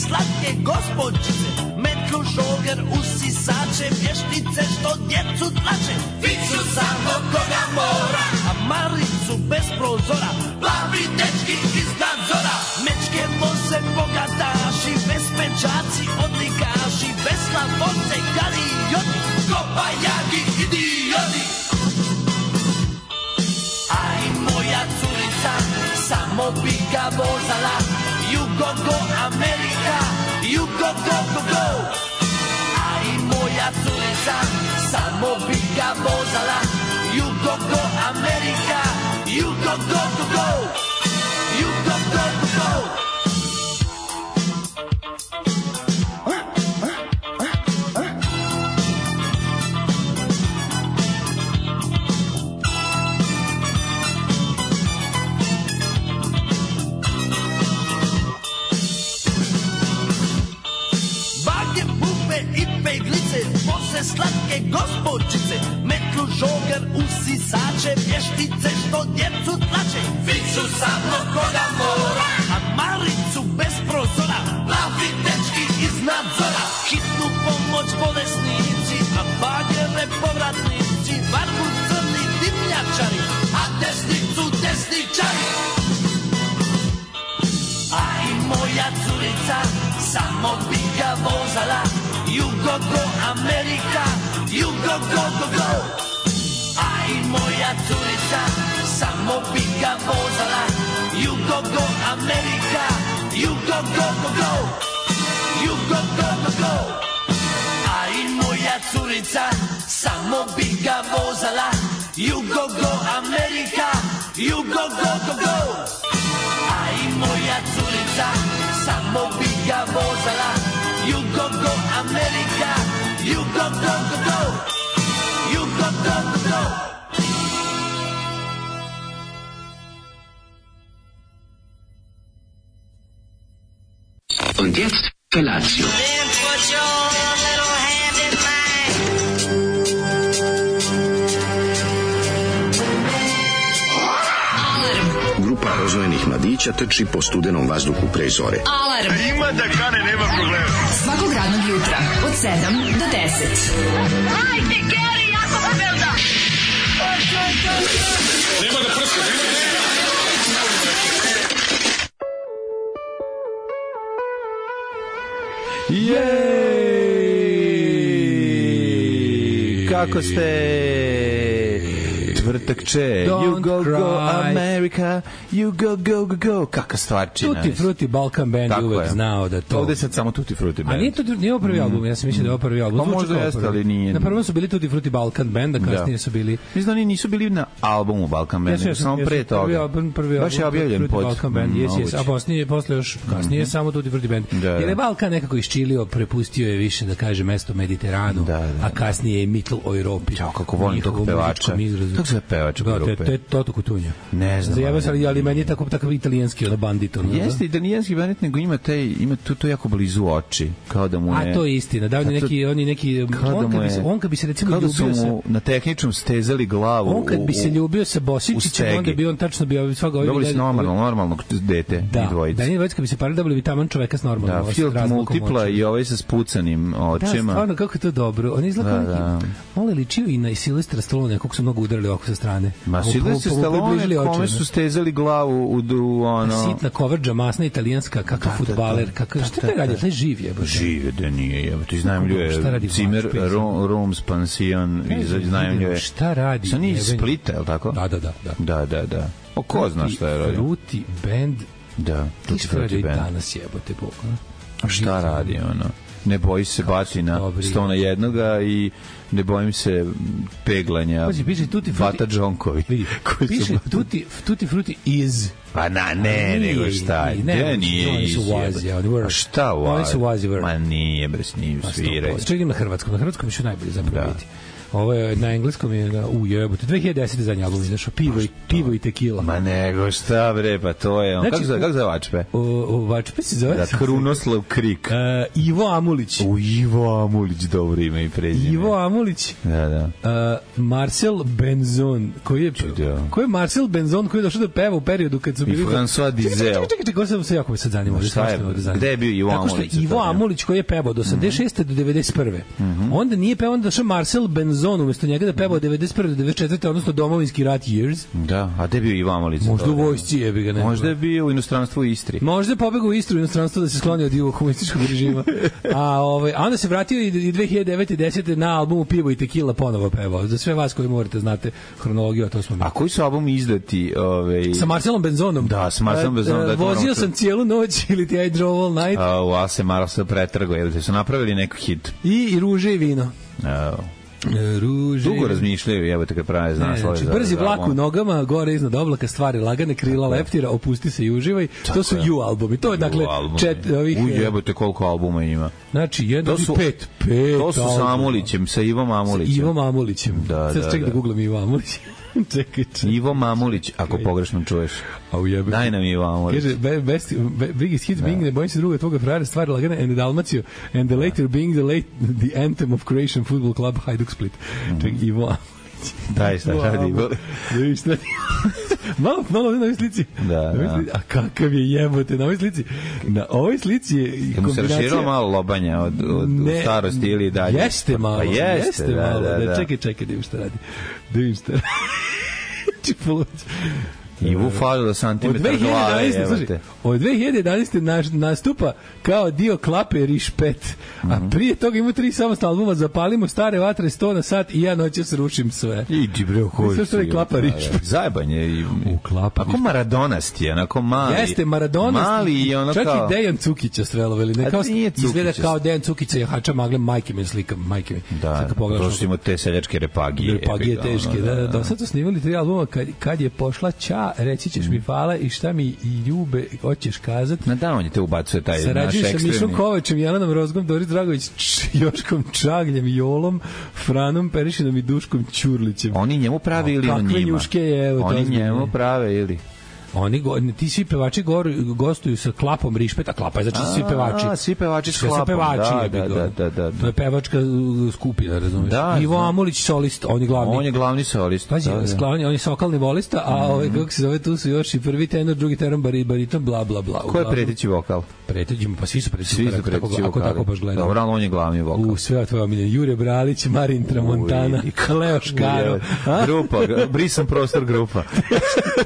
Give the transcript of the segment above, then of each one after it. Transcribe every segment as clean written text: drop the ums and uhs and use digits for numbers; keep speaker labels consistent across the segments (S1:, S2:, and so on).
S1: slatke gospođice, metlu, šoger, usisače, vještice što djecu tlače. Fiću samo koga mora, a Maricu bez prozora, plavi dečki iz nadzora. Mečke voze bogataši, bez pečaci odlikaši, bez slavoce galijoti, kopajagi idioti. Aj moja curica, samo bi ga vozala, you go go Amerika, you go go go go. Aj moja curica, samo bi ga vozala, you go go Amerika, you go go go go, you go go go go. Slatke gospođice, metlu, žoger, usisače, vještice što djecu tlače. Fiću samo koga mora, a Maricu bez prozora, plavi dečki iz nadzora. Hitnu pomoć bolesnici, a bagere povratnici, varbu crni dimnjačari, a desnicu desničari. Aj moja curica, samo bi ga vozala, you go go Amerika, you go go go go. Aj moja curica, samo bi ga vozala, you go go Amerika, you go go go go, you go go go go. Aj moja curica, samo bi ga vozala, you go go Amerika, you go go go go. Aj moja curica, samo bi ga vozala, you go go Amerika, you go go go go, you go go go go.
S2: Und jetzt Felatio.
S3: Then put your little hand in mine.
S2: Grupa rozvojenih mladića trči po studenom vazduhu pre zore.
S4: Alarm.
S5: Ima da kane, nema problema.
S4: Svakog radnog jutra od 7 do 10.
S3: Hajde, Geri, jako se velda.
S5: Nema da prska, nema da prska.
S6: Jej! Kako ste? Tvrtakče, you go go America, you go go go go. Kaka stvarčina.
S7: Tutti Frutti Balkan Band je uvek znao da to...
S6: Ovde sad samo Tutti Frutti Band.
S7: A nije ovo prvi album, ja sam mislio da je ovo prvi album.
S6: Pa možda jeste, ali nije.
S7: Na prvom su bili Tutti Frutti Balkan Band, a kasnije su bili...
S6: Mislim da oni nisu bili na albumu Balkan Band, samo pre toga.
S7: Prvi album
S6: baš je objavljen pod...
S7: Balkan Band, a posle još kasnije samo Tutti Frutti Band. Jer je Balkan nekako iščilio, prepustio je više, da kaže, mesto Mediteranu, a kasnije je Mittel Europi.
S6: Ćao, kako volim tog pevača. Kako se pevača grupe?
S7: To je Toto Cutugno.
S6: Ne znam.
S7: Zajebao se, ali meni je tako italijanski, ono bandit.
S6: Jeste italijanski bandit, nego ima to jako blizu oči. Kao da mu ne...
S7: A to je istina. Da, on kad bi se recimo ljubio sa... Kao da su mu
S6: na tehničnom stezali glavu.
S7: On kad bi se ljubio sa Bosičićem, onda bi on tačno bio svega ovih...
S6: Dobili su normalnog dete i dvojice.
S7: Da, kad bi se parili, dobili bi taman čoveka s normalnom.
S6: Da, Field Multipla i ovaj sa spucanim očima.
S7: Da, stvarno, kako je to dobro. On izgleda neki... Malo ličio i na Silvestra Stallone, kako su mnogo udarili oko sa strane.
S6: Ma Silvestra Stallone, kome su stezali glavu u ono...
S7: Sitna kovrđa, masna italijanska, kakav fudbaler, kakav... Šta te radi? Taj živ je.
S6: Živ je, da nije je. Ti znajemljuje Zimmer, Rooms, Pansion, znajemljuje...
S7: Šta radi?
S6: Sa nije iz Splita, je li tako? Da. O, ko zna šta je radio?
S7: Fruity Band.
S6: Da, Tutti Frutti Band.
S7: Danas jebote Bog.
S6: Šta radi, ono? Ne boji se batina Stona jednoga i ne bojim se peglanja Bata Džonkovi.
S7: Piše Tutti Frutti is...
S6: Pa ne, nego šta? Gde nije
S7: Oni su wazi.
S6: A šta wazi?
S7: Oni su wazi.
S6: Ma nije, bre, sniju sviraj.
S7: Čekaj, idem na hrvatskom. Na hrvatskom ću najbolje zapravo biti. Ovo je na engleskom je jebote 2010. zadnji album izašao, pivo i tekila.
S6: Ma nego šta bre, pa to je on. Znači, kako zove Vačpe?
S7: Vačpe se zove?
S6: Da, Krunoslav Krik.
S7: Ivo Amulić.
S6: Ivo Amulić, dobro ime i prezime.
S7: Ivo Amulić.
S6: Da.
S7: Marcel Benzon, koji je Marcel Benzon koji je došao da peva u periodu kad su bili...
S6: I François Dizel.
S7: Čekaj, ko sam se jako sad zanimao.
S6: Gde je bio Ivo Amulić?
S7: Tako što Ivo Amulić koji je pevao do 86. do 91. Onda nije pevao, onda došao Marcel Benzon umesto njega da pevao 91. do 94. odnosno Domovinski rat Years.
S6: Da, a gde je bio Ivo Amulić?
S7: Možda u vojsci jebi ga, ne.
S6: Možda je bio u inostranstvu u Istri.
S7: Možda je pobegao u Istru u inostranstvo da se skloni od Ivo komunističkog režima. A onda se vratio i 2009. i 10. na albumu Pivo i Tequila ponovo pevao. Za sve vas koji morate znate hronologiju, a to smo mi.
S6: A koji su albumi izdati?
S7: Sa Marcelom Benzonom.
S6: Da, sa Marcelom Benzonom.
S7: Vozio sam cijelu noć ili ti I drove all night.
S6: A se Marcel pretrgo, jer te su napravili neki hit.
S7: I Ruže i vino. Ruže.
S6: Dugo razmišljaju, evo te kad prave znaslove.
S7: Znači, brzi vlak u nogama, gore iznad oblaka, stvari lagane, krila leptira, opusti se i uživaj. To su You albumi. To je dakle ovih...
S6: Jebote koliko albuma ima.
S7: Znači, jedno i pet.
S6: To su sa Amulićem, sa Ivom Amulićem.
S7: Ivom Amulićem. Sad čekaj da googlam Ivo Amulić. Čekaj.
S6: Ivo Mamulić, ako pogrešno čuješ. Daj nam Ivo Amulić.
S7: Kaže, biggest hit being Ne bojim se druga tvoga frajera, stvari lagane, and the Dalmatio, and the later being the anthem of Croatian Football Club Hajduk Split. Čekaj, Ivo Amulić.
S6: Daj, šta radi.
S7: Malo na ovoj slici.
S6: Da.
S7: A kakav je jebote na ovoj slici. Na ovoj slici je kombinacija.
S6: Mu se raširilo malo lobanja od starosti ili dalje.
S7: Jeste malo.
S6: Pa jeste, da.
S7: Čekaj, da šta radi. Da vidim šta radi.
S6: Ivu falilo santimetar glave.
S7: Od 2011. nastupa kao dio klape Rišpet, a prije toga ima 3 samostalna albuma Zapalimo stare vatre, 100 na sat i ja noćas rušim sve.
S6: Idi bre, koji
S7: sve je klapa Rišpet.
S6: Zajebanje.
S7: Klapa.
S6: Ako Maradonast je, onako mali.
S7: Jeste Maradonast.
S6: Mali i ono
S7: čak
S6: kao...
S7: i Dejan Cukića streloveli. Izgleda kao Dejan Cukića je hača magle, majke mi slika, majke mi.
S6: Da, to su imamo te seljačke repagije.
S7: Repagije teške, da. Do sad su snimali 3 albuma, kad je pošla Ća, reći ćeš mi hvala i šta mi i ljube hoćeš kazat.
S6: Da, on je te ubacuje taj naš ekstremni.
S7: Sarađuju sa Mišom Kovačem, Jelenom Rozgom, Doris Dragović, Joškom Čagljem, Jolom, Franom Perišinom i Duškom Ćurlićem.
S6: Oni njemu prave ili on njima?
S7: Kakve njuške je, evo.
S6: Oni njemu prave ili...
S7: Ti svi pevači gostuju sa klapom Rišpet, a klapa je znači svi pevači.
S6: Svi pevači s klapom, da.
S7: To je pevačka skupina, razumiješ? Ivo Amulić solist, on je glavni.
S6: On je glavni solist.
S7: Pazi, on je sokalni volista, a kako se zove, tu su još i prvi tenor, drugi tenor, bariton, bla, bla, bla.
S6: Ko je preteći vokal?
S7: Pa svi su preteći vokal, ako tako baš gledamo.
S6: Dobro, ali on je glavni vokal.
S7: Sve tvoje omiljene, Jure Bralić, Marin Tramontana, Leo Škaro.
S6: Grupa, brisan prostor grupa.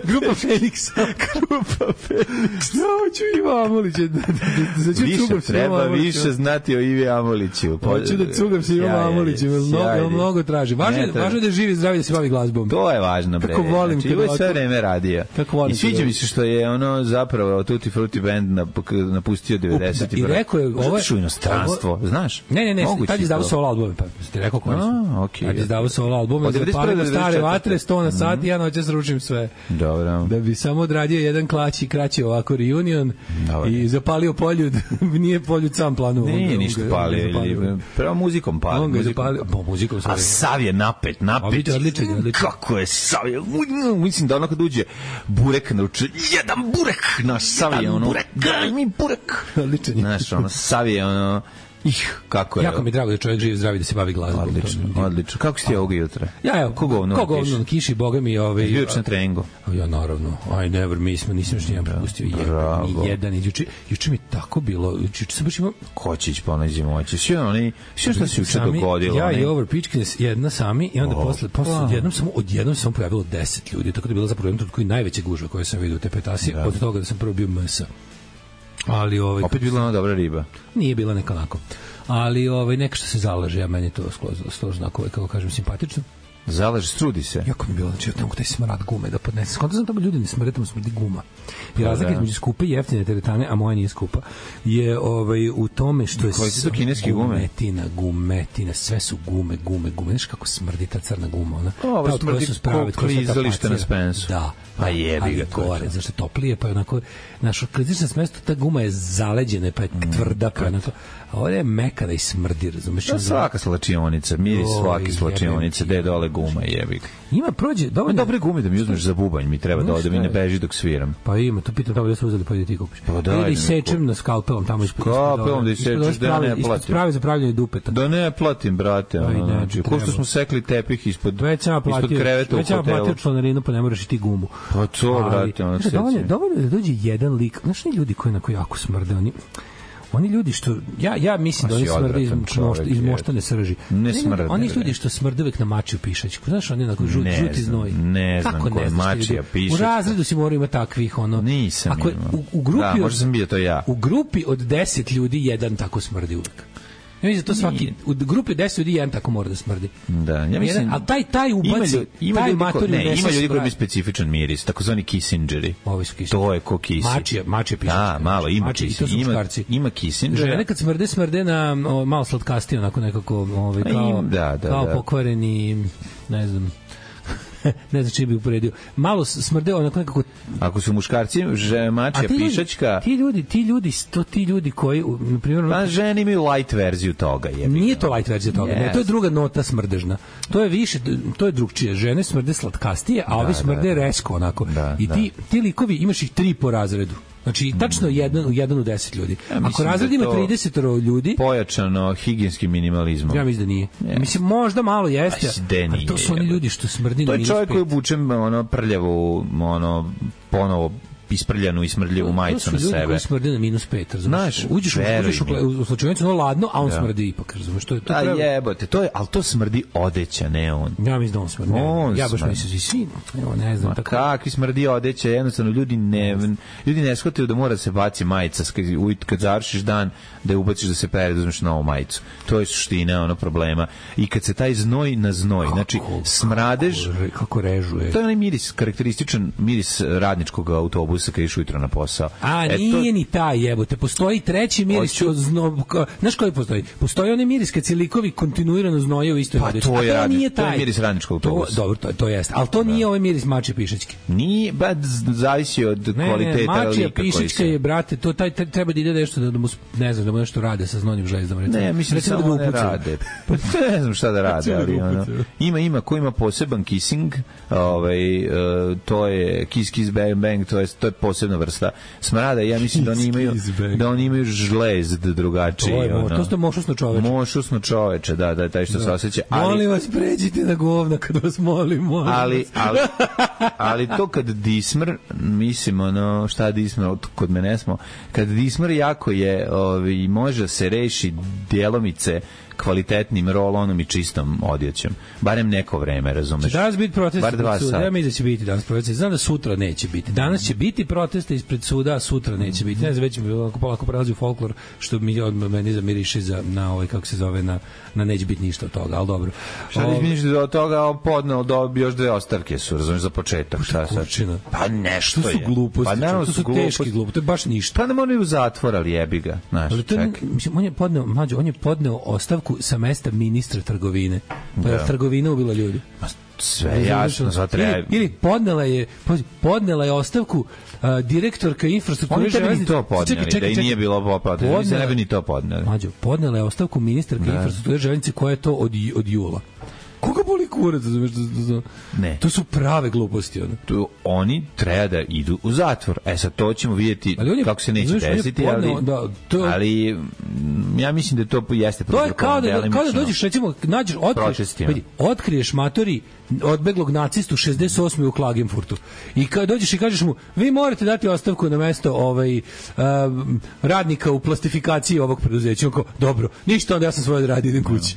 S7: Grupa Feniks. Hoću Ivo Amulić.
S6: Više znati o Ivi Amuliću.
S7: Hoću da cugam se Ivo Amuliću. Mnogo traži. Važno je da živi zdravlje, da se bavi glazbom.
S6: To je važno.
S7: Kako volim.
S6: Ivo je sve vreme radio. I sviđa mi se što je ono zapravo Tutti Frutti Band napustio 90.
S7: I rekao je...
S6: Zato što je inostranstvo, znaš?
S7: Ne. Tad je izdavao solo albume. Pa ti rekao koji su. Tad je izdavao solo albume. Zapalimo stare vatre, 100 na sat i ja noćas ručim sve.
S6: Dobro.
S7: Da bi samo odradio jedan kraći ovako reunion i zapalio Poljud. Nije Poljud sam planu.
S6: Nije ništa palio. Prema muzikom palio.
S7: On ga je zapalio. Muzikom
S6: a Sav je napet.
S7: Odličan.
S6: Kako je Sav je? Mislim da ono kad uđe burek naruče. Jedan burek. Naš Sav je ono. Daj mi burek.
S7: Odličan.
S6: Znaš, ono, Sav je ono... kako je.
S7: Jako mi je drago da čovjek živi zdravi da se bavi glazbom.
S6: Odlično. Kako si ti ovog jutra?
S7: Ko govno kiši, boga mi ovaj.
S6: Juče na treningu.
S7: Ja naravno. I never nisam još nijedan propustio jedan. Juče mi tako bilo. Juče sam baš imao
S6: Kočić ponađi moći. Sve što se juče dogodilo.
S7: Ja i Over Pitchkins jedna sami i onda posle odjednom samo pojavilo 10 ljudi. Tako da je bilo zapravo jedan koji najveća gužva koju sam vidio u te petasi. Od toga da sam prvo bio mesa. Ali
S6: opet bila ona dobra riba.
S7: Nije bila neka onako. Ali neka što se zalaže, ja meni to skroz onako, kako kažem, simpatično.
S6: Zalaže, strudi se.
S7: Jako mi je bilo, znači, tamo taj smrad gume da podnese. Skonto sam tamo ljudi ne smrde, tamo smrdi guma. I razlika između skupe i jeftine teretane, a moja nije skupa, je u tome što je gumetina, sve su gume. Znaš kako smrdi ta crna guma, ona?
S6: Ovo smrdi ko klizalište na Spensu.
S7: Da.
S6: Pa jebi ga
S7: gore, zašto je toplije, pa je onako, naš klizalište na Spensu, ta guma je zaleđena, pa je tvrda, pa je onako, a ovdje je mekana i smrdi, razumeš?
S6: Svaka slačionica, miris svake slačionice, gde je dole guma, jebi ga.
S7: Ima prođe,
S6: dobre gume da mi uzmeš za bubanj, mi treba da mi ne beži dok sviram.
S7: Pa ima, to pitam tamo da su uzeli, pa da ti kupiš.
S6: Pa da
S7: isečem na skalpelom tamo ispod.
S6: Skalpelom da isečeš, da ne platim.
S7: Sprave za pravljanje dupeta.
S6: Da ne platim, brate. Znači, ko što smo sekli tepih ispod kreveta u hotelu.
S7: Već ja platio članarinu, pa ne moraš i ti gumu.
S6: Pa to, brate, ono se.
S7: Dovoljno da dođe jedan lik, znaš, ljudi koji onako jako smrde, oni ljudi što ja mislim da oni smrde iz moštane srži.
S6: Ne smrde.
S7: Oni ljudi što smrde uvek na mačiju pišačku. Znaš, oni onako žuti znoj.
S6: Ne znam ko je mačija pišačka.
S7: U razredu si morao ima takvih ono.
S6: Nisam.
S7: Ako u grupi
S6: da, možda sam bio to ja.
S7: U grupi od 10 ljudi jedan tako smrdi uvek. Ja mislim da to svaki u grupi 10 ljudi jedan tako mora da smrdi.
S6: Da, ja mislim.
S7: Al taj ubaci, taj matori
S6: ima ljudi koji imaju specifičan miris, takozvani Kissingeri. To je ko Kissing.
S7: Mačija piše.
S6: Da, malo ima Kissing. Ima Kissingera.
S7: Žene kad smrde na malo slatkastije, onako nekako kao pokvareni, ne znam. Ne znam čiji bi uporedio. Malo smrdeo onako nekako.
S6: Ako su muškarci, mačija pišačka.
S7: Ti ljudi koji, na primjer,
S6: pa žene imaju light verziju toga,
S7: Nije to light verzija toga. Ne, to je druga nota smrdežna. To je više, to je drugčije. Žene smrde slatkastije, a ovi smrde resko onako. I ti likovi imaš ih 3 po razredu. Znači, tačno jedan u 10 ljudi. Ako razred ima 30 ljudi...
S6: Pojačano higijenskim minimalizmom.
S7: Ja mislim da nije. Mislim, možda malo jeste, ali to su oni ljudi što smrdi na -5.
S6: To je čovjek koji obučem prljavu, ponovo isprljanu i smrdljivu majicu na sebe.
S7: To su ljudi koji smrde na -5, razumiješ? Uđeš u slučajnicu, ono ladno, a on smrdi ipak, razumiješ?
S6: A jebote, ali to smrdi odeća, ne on.
S7: Ja mislim da on smrdi. Ja baš mislim, svi, ne znam.
S6: Kakvi smrdi odeća, jednostavno ljudi ne shvataju da mora se baci majica, kad završiš dan, da je ubaciš da se pere, da uzmeš novu majicu. To je suština problema. I kad se taj znoj na znoj, znači smradež...
S7: Kako režuje.
S6: To je onaj miris, karakterističan miris radničkog autobusa kad iš ujutro na posao.
S7: Nije ni taj, jebote. Postoji treći miris. Znaš koji postoji? Postoji onaj miris kad se likovi kontinuirano znoje u istoj odeći.
S6: To je miris radničkog autobusa.
S7: Dobro, to jeste. Ali to nije ovaj miris mačije pišačke.
S6: Nije, zavisi od kvaliteta lika.
S7: Mačija pišačka je, brate, to treba da ide nešto da mu, ne znam, da mu nešto rade sa znojnim željezom.
S6: Ne, mislim da samo ne rade. Ne znam šta da rade, ali ima ko ima poseban kissing, to je kiss bang bang, to je posebna vrsta smrada. Ja mislim da oni imaju žlez drugačiji.
S7: To je mošusno čoveče.
S6: Mošusno čoveče, da, taj što se osjeća.
S7: Molim vas, pređite na govna kad vas molim.
S6: Ali to kad dismr, mislim, šta dismr, kod mene smo, kad dismr jako je, može se reši djelomice kvalitetnim roll-onom i čistom odjećom. Barem neko vreme, razumeš?
S7: Će danas biti protest ispred suda? Ja mislim da će biti danas protest. Znam da sutra neće biti. Danas će biti proteste ispred suda, a sutra neće biti. Ne znam, već mi polako prelazi u folklor, što mi meni zamiriše na kako se zove, na neće biti ništa od toga, ali dobro.
S6: Šta neće biti ništa od toga, podneo još 2 ostavke su, razumeš, za početak. Šta sad? Pa nešto je.
S7: To su gluposti.
S6: Pa
S7: to su teški gluposti. To je baš ništa.
S6: Pa ne moraju u zatvor, ali jebi ga.
S7: On je podneo ostavku sa mesta ministra trgovine. Pa je trgovina ubila ljudi.
S6: Sve jasno,
S7: ili podnela je ostavku direktorka infrastrukture
S6: železnice. Oni to podneli, da i nije bilo poplata. Mislim, ne bi ni to podneli.
S7: Podnela je ostavku ministarka infrastrukture železnice koja je to od jula. Koga boli kurac,
S6: ne.
S7: To su prave gluposti.
S6: Oni treba da idu u zatvor. Sad to ćemo vidjeti kako se neće desiti, ali ja mislim da to jeste
S7: to je kao da dođeš, recimo, otkriješ matori odbeglog nacistu 68. u Klagenfurtu. I kad dođeš i kažeš mu, vi morate dati ostavku na mesto radnika u plastifikaciji ovog preduzeća. Dobro, ništa, onda ja sam svoje odradio, idem kući.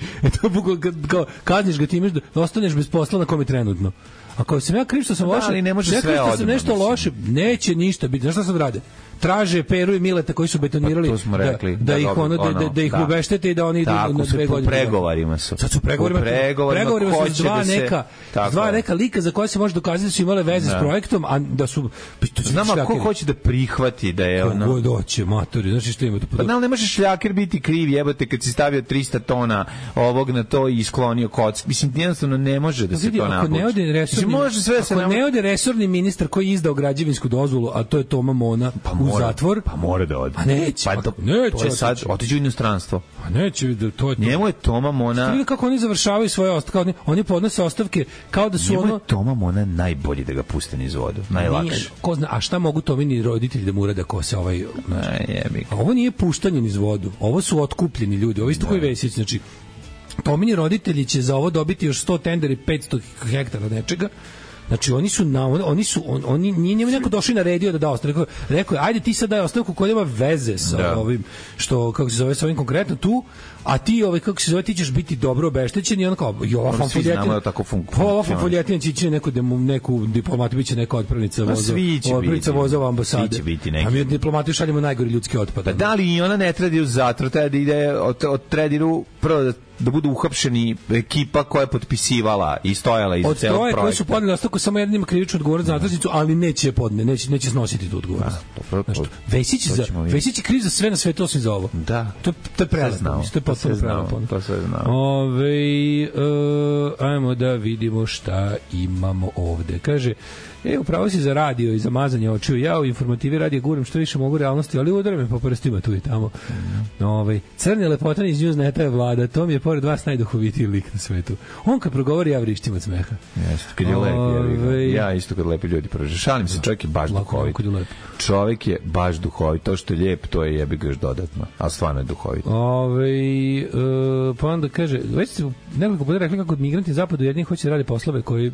S7: Kazniš ga time da ostaneš bez posla na kome trenutno. Ako sam ja kriv što sam loše, nešto loše, neće ništa biti. Znaš šta sad rade? Traže Peru i Mileta koji su betonirali da ih ubeštete i da oni idu na 2 godine.
S6: Pregovarima su.
S7: Sad su pregovarima su dva neka lika za koje se može dokazati da su imale veze s projektom, a da su...
S6: Znam, a ko hoće da prihvati da je ono...
S7: Ko doće, matori, znaš što ima to...
S6: Pa ne može šljaker biti kriv, jebote, kad si stavio 300 tona ovog na to i sklonio koc. Mislim, jednostavno ne može da se to napuči.
S7: Ako ne ode resorni ministar koji je izdao građevinsku dozvolu, a to je Toma Mona, u zatvor...
S6: Pa mora da ode.
S7: Pa neće.
S6: To je sad, otiđu u inostranstvo.
S7: Pa neće, to je to.
S6: Njemu je Toma Mona...
S7: Vidite kako oni završavaju svoje ostavke, oni podnose ostavke kao da su
S6: njemu je Toma Mona najbolji da ga puste niz vodu, najlakše.
S7: Ko zna, a šta mogu Tomini roditelji da mu urade ko se ovaj... A ovo nije puštanje niz vodu, ovo su otkupljeni ljudi, ovo isto koji Vesić, znači Tomini roditelji će za ovo dobiti još 100 tendera i 500 hektara nečega. Znači oni nije njemu neko došao i naredio da da ostavku. Rekao je ajde ti sad daj ostavku koja nema veze sa ovim što kako se zove sa ovim konkretno tu, a ti kako se zove ti ćeš biti dobro obeštećen i on kao ova fanfoljetina će ići neku diplomatu biće neka otpravnica voza u ambasade. A mi diplomati šaljemo najgori ljudski otpad.
S6: Da li i ona ne tredi u zatvor, treba da ide od trediru prvo da budu uhapšeni ekipa koja je potpisivala i stojala iza celog projekta.
S7: Koji su podneli ostavku samo jednim krivičnu odgovornost za zatvornicu, ali neće neće snositi tu odgovornost. Vesić je kriv za sve na svetu osim za ovo.
S6: Da.
S7: To je prelepo. To je potpuno prelepo.
S6: To sve znamo.
S7: Ajmo da vidimo šta imamo ovde. Kaže, upravo si za radio i za mazanje očiju. Ja u informativi radije guram što više mogu realnosti, ali udara me po prstima tu i tamo. Crni lepotan iz Newsneta je Vlada. To mi je pored vas najduhovitiji lik na svetu. On kad progovori, ja vrištim od smeha.
S6: Jeste, kad je lep. Ja isto kad lepi ljudi prođe. Šalim se, čovjek je baš duhovit. Čovjek je baš duhovit. To što je lijep, to je jebi ga još dodatno. A stvarno je duhovit.
S7: Pa onda kaže, već ste nekoliko puta rekli kako migranti zapadu jedni hoće da rade poslove koji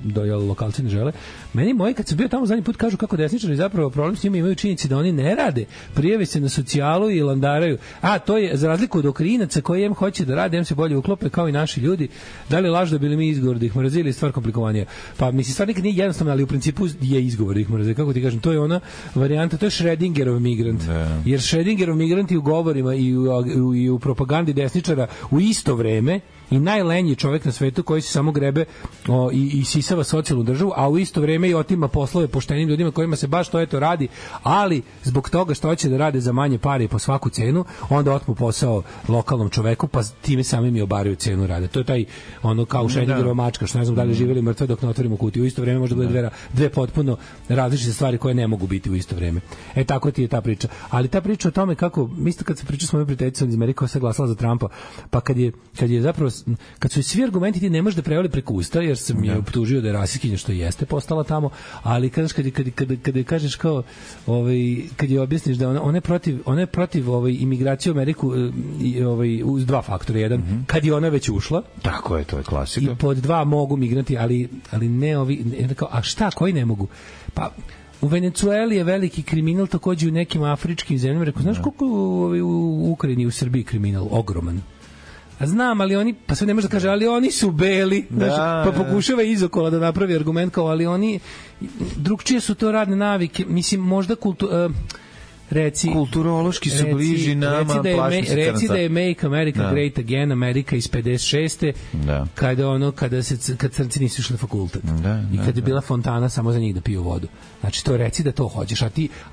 S7: lokalci ne žele. Meni moji kad sam bio tamo zadnji put kažu kako desničari zapravo problem s njima imaju činjenici da oni ne rade, prijave se na socijalu i landaraju. A to je za razliku od Okrinaca koji hoće da rade, se bolje uklope kao i naši ljudi. Da li laž da bili mi izgovor da ih mrzili, stvar komplikovanija. Pa mislim stvar nikad nije jednostavno, ali u principu je izgovor da ih mrzili. Kako ti kažem, to je ona varijanta, to je Schrödingerov migrant. Jer Schrödingerov migranti u govorima i u propagandi desničara u isto vreme i najlenji čovjek na svetu koji se samo grebe i sisava socijalnu državu, a u isto vrijeme i otima poslove poštenim ljudima kojima se baš to eto radi, ali zbog toga što hoće da rade za manje pare i po svaku cenu, onda otmu posao lokalnom čoveku, pa time samim i obaraju cenu rade. To je taj kao Schrödingerova mačka, što ne znam da li živjeli mrtve dok ne otvorimo kutiju. U isto vrijeme može da bude dve potpuno različite stvari koje ne mogu biti u isto vrijeme. Tako ti je ta priča. Ali ta priča o tome kako, isto kad se priča s mojom prijateljicom iz Amerike koja se glasala za Trumpa, pa kad je zapravo kad su svi argumenti ti ne možeš da prevali preko usta, jer sam je optužio da je rasistkinja, što jeste postala tamo, ali kad kažeš kao kad je objasniš da ona je protiv imigracije u Ameriku uz dva faktora. Jedan, kad je ona već ušla,
S6: tako je, to je klasika,
S7: i pod dva mogu migranti, ali ne ovi, a šta, koji ne mogu? Pa u Venecueli je veliki kriminal, takođe u nekim afričkim zemljama. Rekao, znaš koliko u Ukrajini i u Srbiji kriminal? Ogroman. A znam, ali oni, pa sve ne može da kaže, ali oni su beli, pa pokušava izokola da napravi argument kao, ali oni, drugčije su to radne navike, mislim, možda
S6: kulturološki su bliži nama,
S7: reci da je Make America Great Again, Amerika iz 56. Kad crnci nisu išli na fakultet. I kad je bila fontana samo za njih da piju vodu. Znači, to reci da to hoćeš.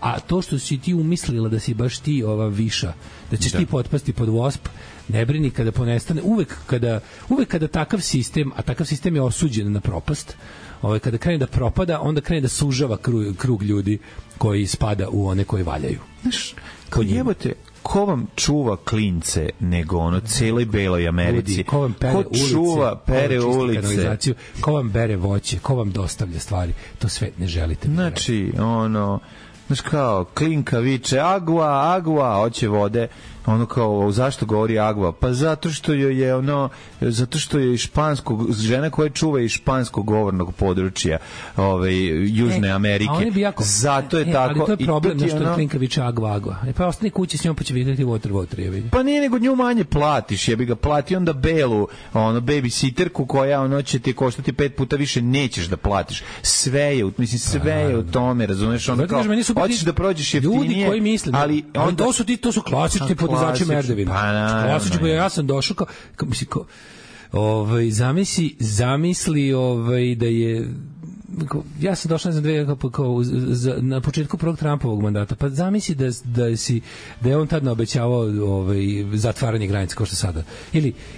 S7: A to što si ti umislila da si baš ti ova viša, da ćeš ti potpasti pod WASP, ne brini kada ponestane. Uvek kada takav sistem, a takav sistem je osuđen na propast, kada krene da propada, onda krene da sužava krug ljudi koji spada u one koji valjaju.
S6: Znaš, kao jebote, ko vam čuva klince nego celoj beloj Americi?
S7: Ko vam pere ulice,
S6: čuva, pere ulice?
S7: Ko vam bere voće? Ko vam dostavlja stvari? To sve ne želite.
S6: Znači, znaš kao, klinka viče, agua, hoće vode, kao, zašto govori agua? Pa zato što je žena koja čuva iz španskog govornog područja Južne Amerike. Zato je tako.
S7: Ali to je problem, što je klinka viče agua. Pa ostani kući s njom, pa će vidjeti water.
S6: Pa nije, nego nju manje platiš, jebi ga, plati onda belu, babysitterku koja će ti koštati 5 puta više, nećeš da platiš. Sve je u tome, razumeš? Hoćeš da prođeš jeftinije.
S7: Ljudi koji misle, ali to su klasični podizvači merdevina. Klasični, ja sam došao zamisli da je ja sam došao na početku prvog Trumpovog mandata, pa zamisli da je on tad naobećavao zatvaranje granica kao što sada.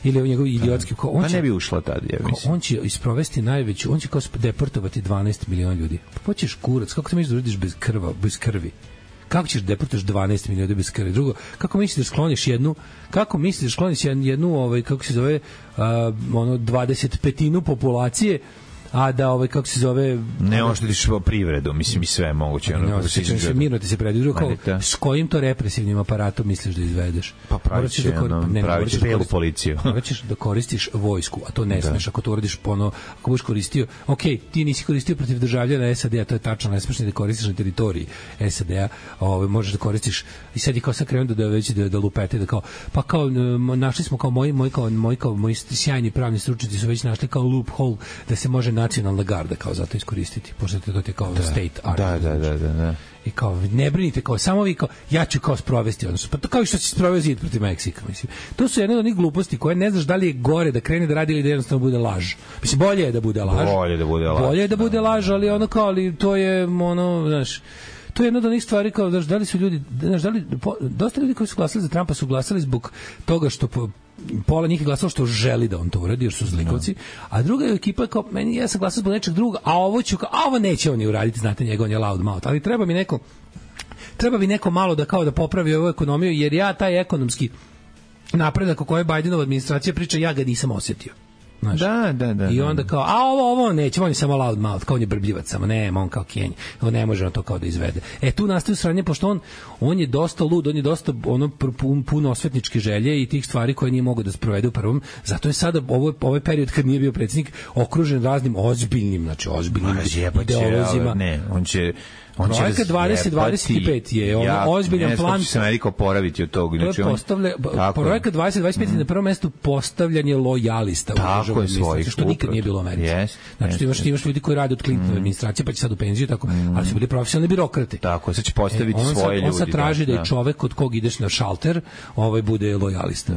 S7: Ili on njegov idiotski...
S6: Pa ne bi ušla tad, ja mislim.
S7: On će isprovesti najveću, on će kao deportovati 12 miliona ljudi. Pa hoćeš kurac, kako ti misliš da uradiš bez krvi? Kako ćeš deportuješ 12 miliona bez krvi? Drugo, kako misliš da skloniš jednu kako se zove 25% populacije, a da kako se zove
S6: ne oštetiš privredu, mislim i sve moguće
S7: mirno ti se predviđa s kojim to represivnim aparatom misliš da izvedeš?
S6: Pa praviš belu policiju.
S7: Moraš da koristiš vojsku, a to ne smeš ako to uradiš ako budeš koristio, ti nisi koristio protiv državljana SAD-a, to je tačno, ne smeš ni da koristiš na teritoriji SAD-a, možeš da koristiš i sad je kao sad krenuo da lupete, da kao našli smo kao moji sjajni pravni stručnjaci su već našli kao loophole da se može nacionalna garda kao zato iskoristiti, pošto to je kao state army.
S6: Da.
S7: I kao, ne brinite, kao, samo vi kao, ja ću kao sprovesti, odnosno, pa to kao i što si sproveo zid protiv Meksika, mislim. To su jedne od onih gluposti koje ne znaš da li je gore da krene da radi ili da jednostavno bude laž. Mislim, bolje je da bude laž. Bolje je da bude laž, ali ono kao, ali to je, znaš, to je jedna od onih stvari kao, da li su ljudi, znaš, dosta ljudi koji su glasali za Trumpa su glasali zbog toga što pola njih je glasalo što želi da on to uradi, jer su zlikovci, a druga je ekipa kao, ja sam glasao zbog nečeg drugog, a ovo neće oni uraditi, znate, njega, on je loud mouth, ali treba mi neko malo da kao da popravi ovu ekonomiju, jer ja taj ekonomski napredak o kojoj Bidenova administracija priča, ja ga nisam osjetio. Znaš. Da. I onda kao, a ovo neće, on je samo loud mouth, kao on je brbljivac samo, on kao Kenji, on ne može on to kao da izvede. Tu nastaju sranje, pošto on je dosta lud, on je dosta puno osvetničke želje i tih stvari koje nije mogao da sprovede u prvom, zato je sada ovaj period kad nije bio predsjednik okružen raznim ozbiljnim ideolozima.
S6: On će
S7: Projekat 2025 je ozbiljan plan.
S6: Ne, će se Amerika oporaviti od toga.
S7: Projekat 2025 je na prvom mestu postavljanje lojalista
S6: u državnoj administraciji,
S7: što nikad nije bilo u Americi. Znači, imaš ljudi koji rade od Clintonove administracije, pa će sad u penziju, tako, ali su bili profesionalni birokrate.
S6: Tako, sad će postaviti svoje ljudi.
S7: On sad traži da je čovek od kog ideš na šalter, bude lojalista.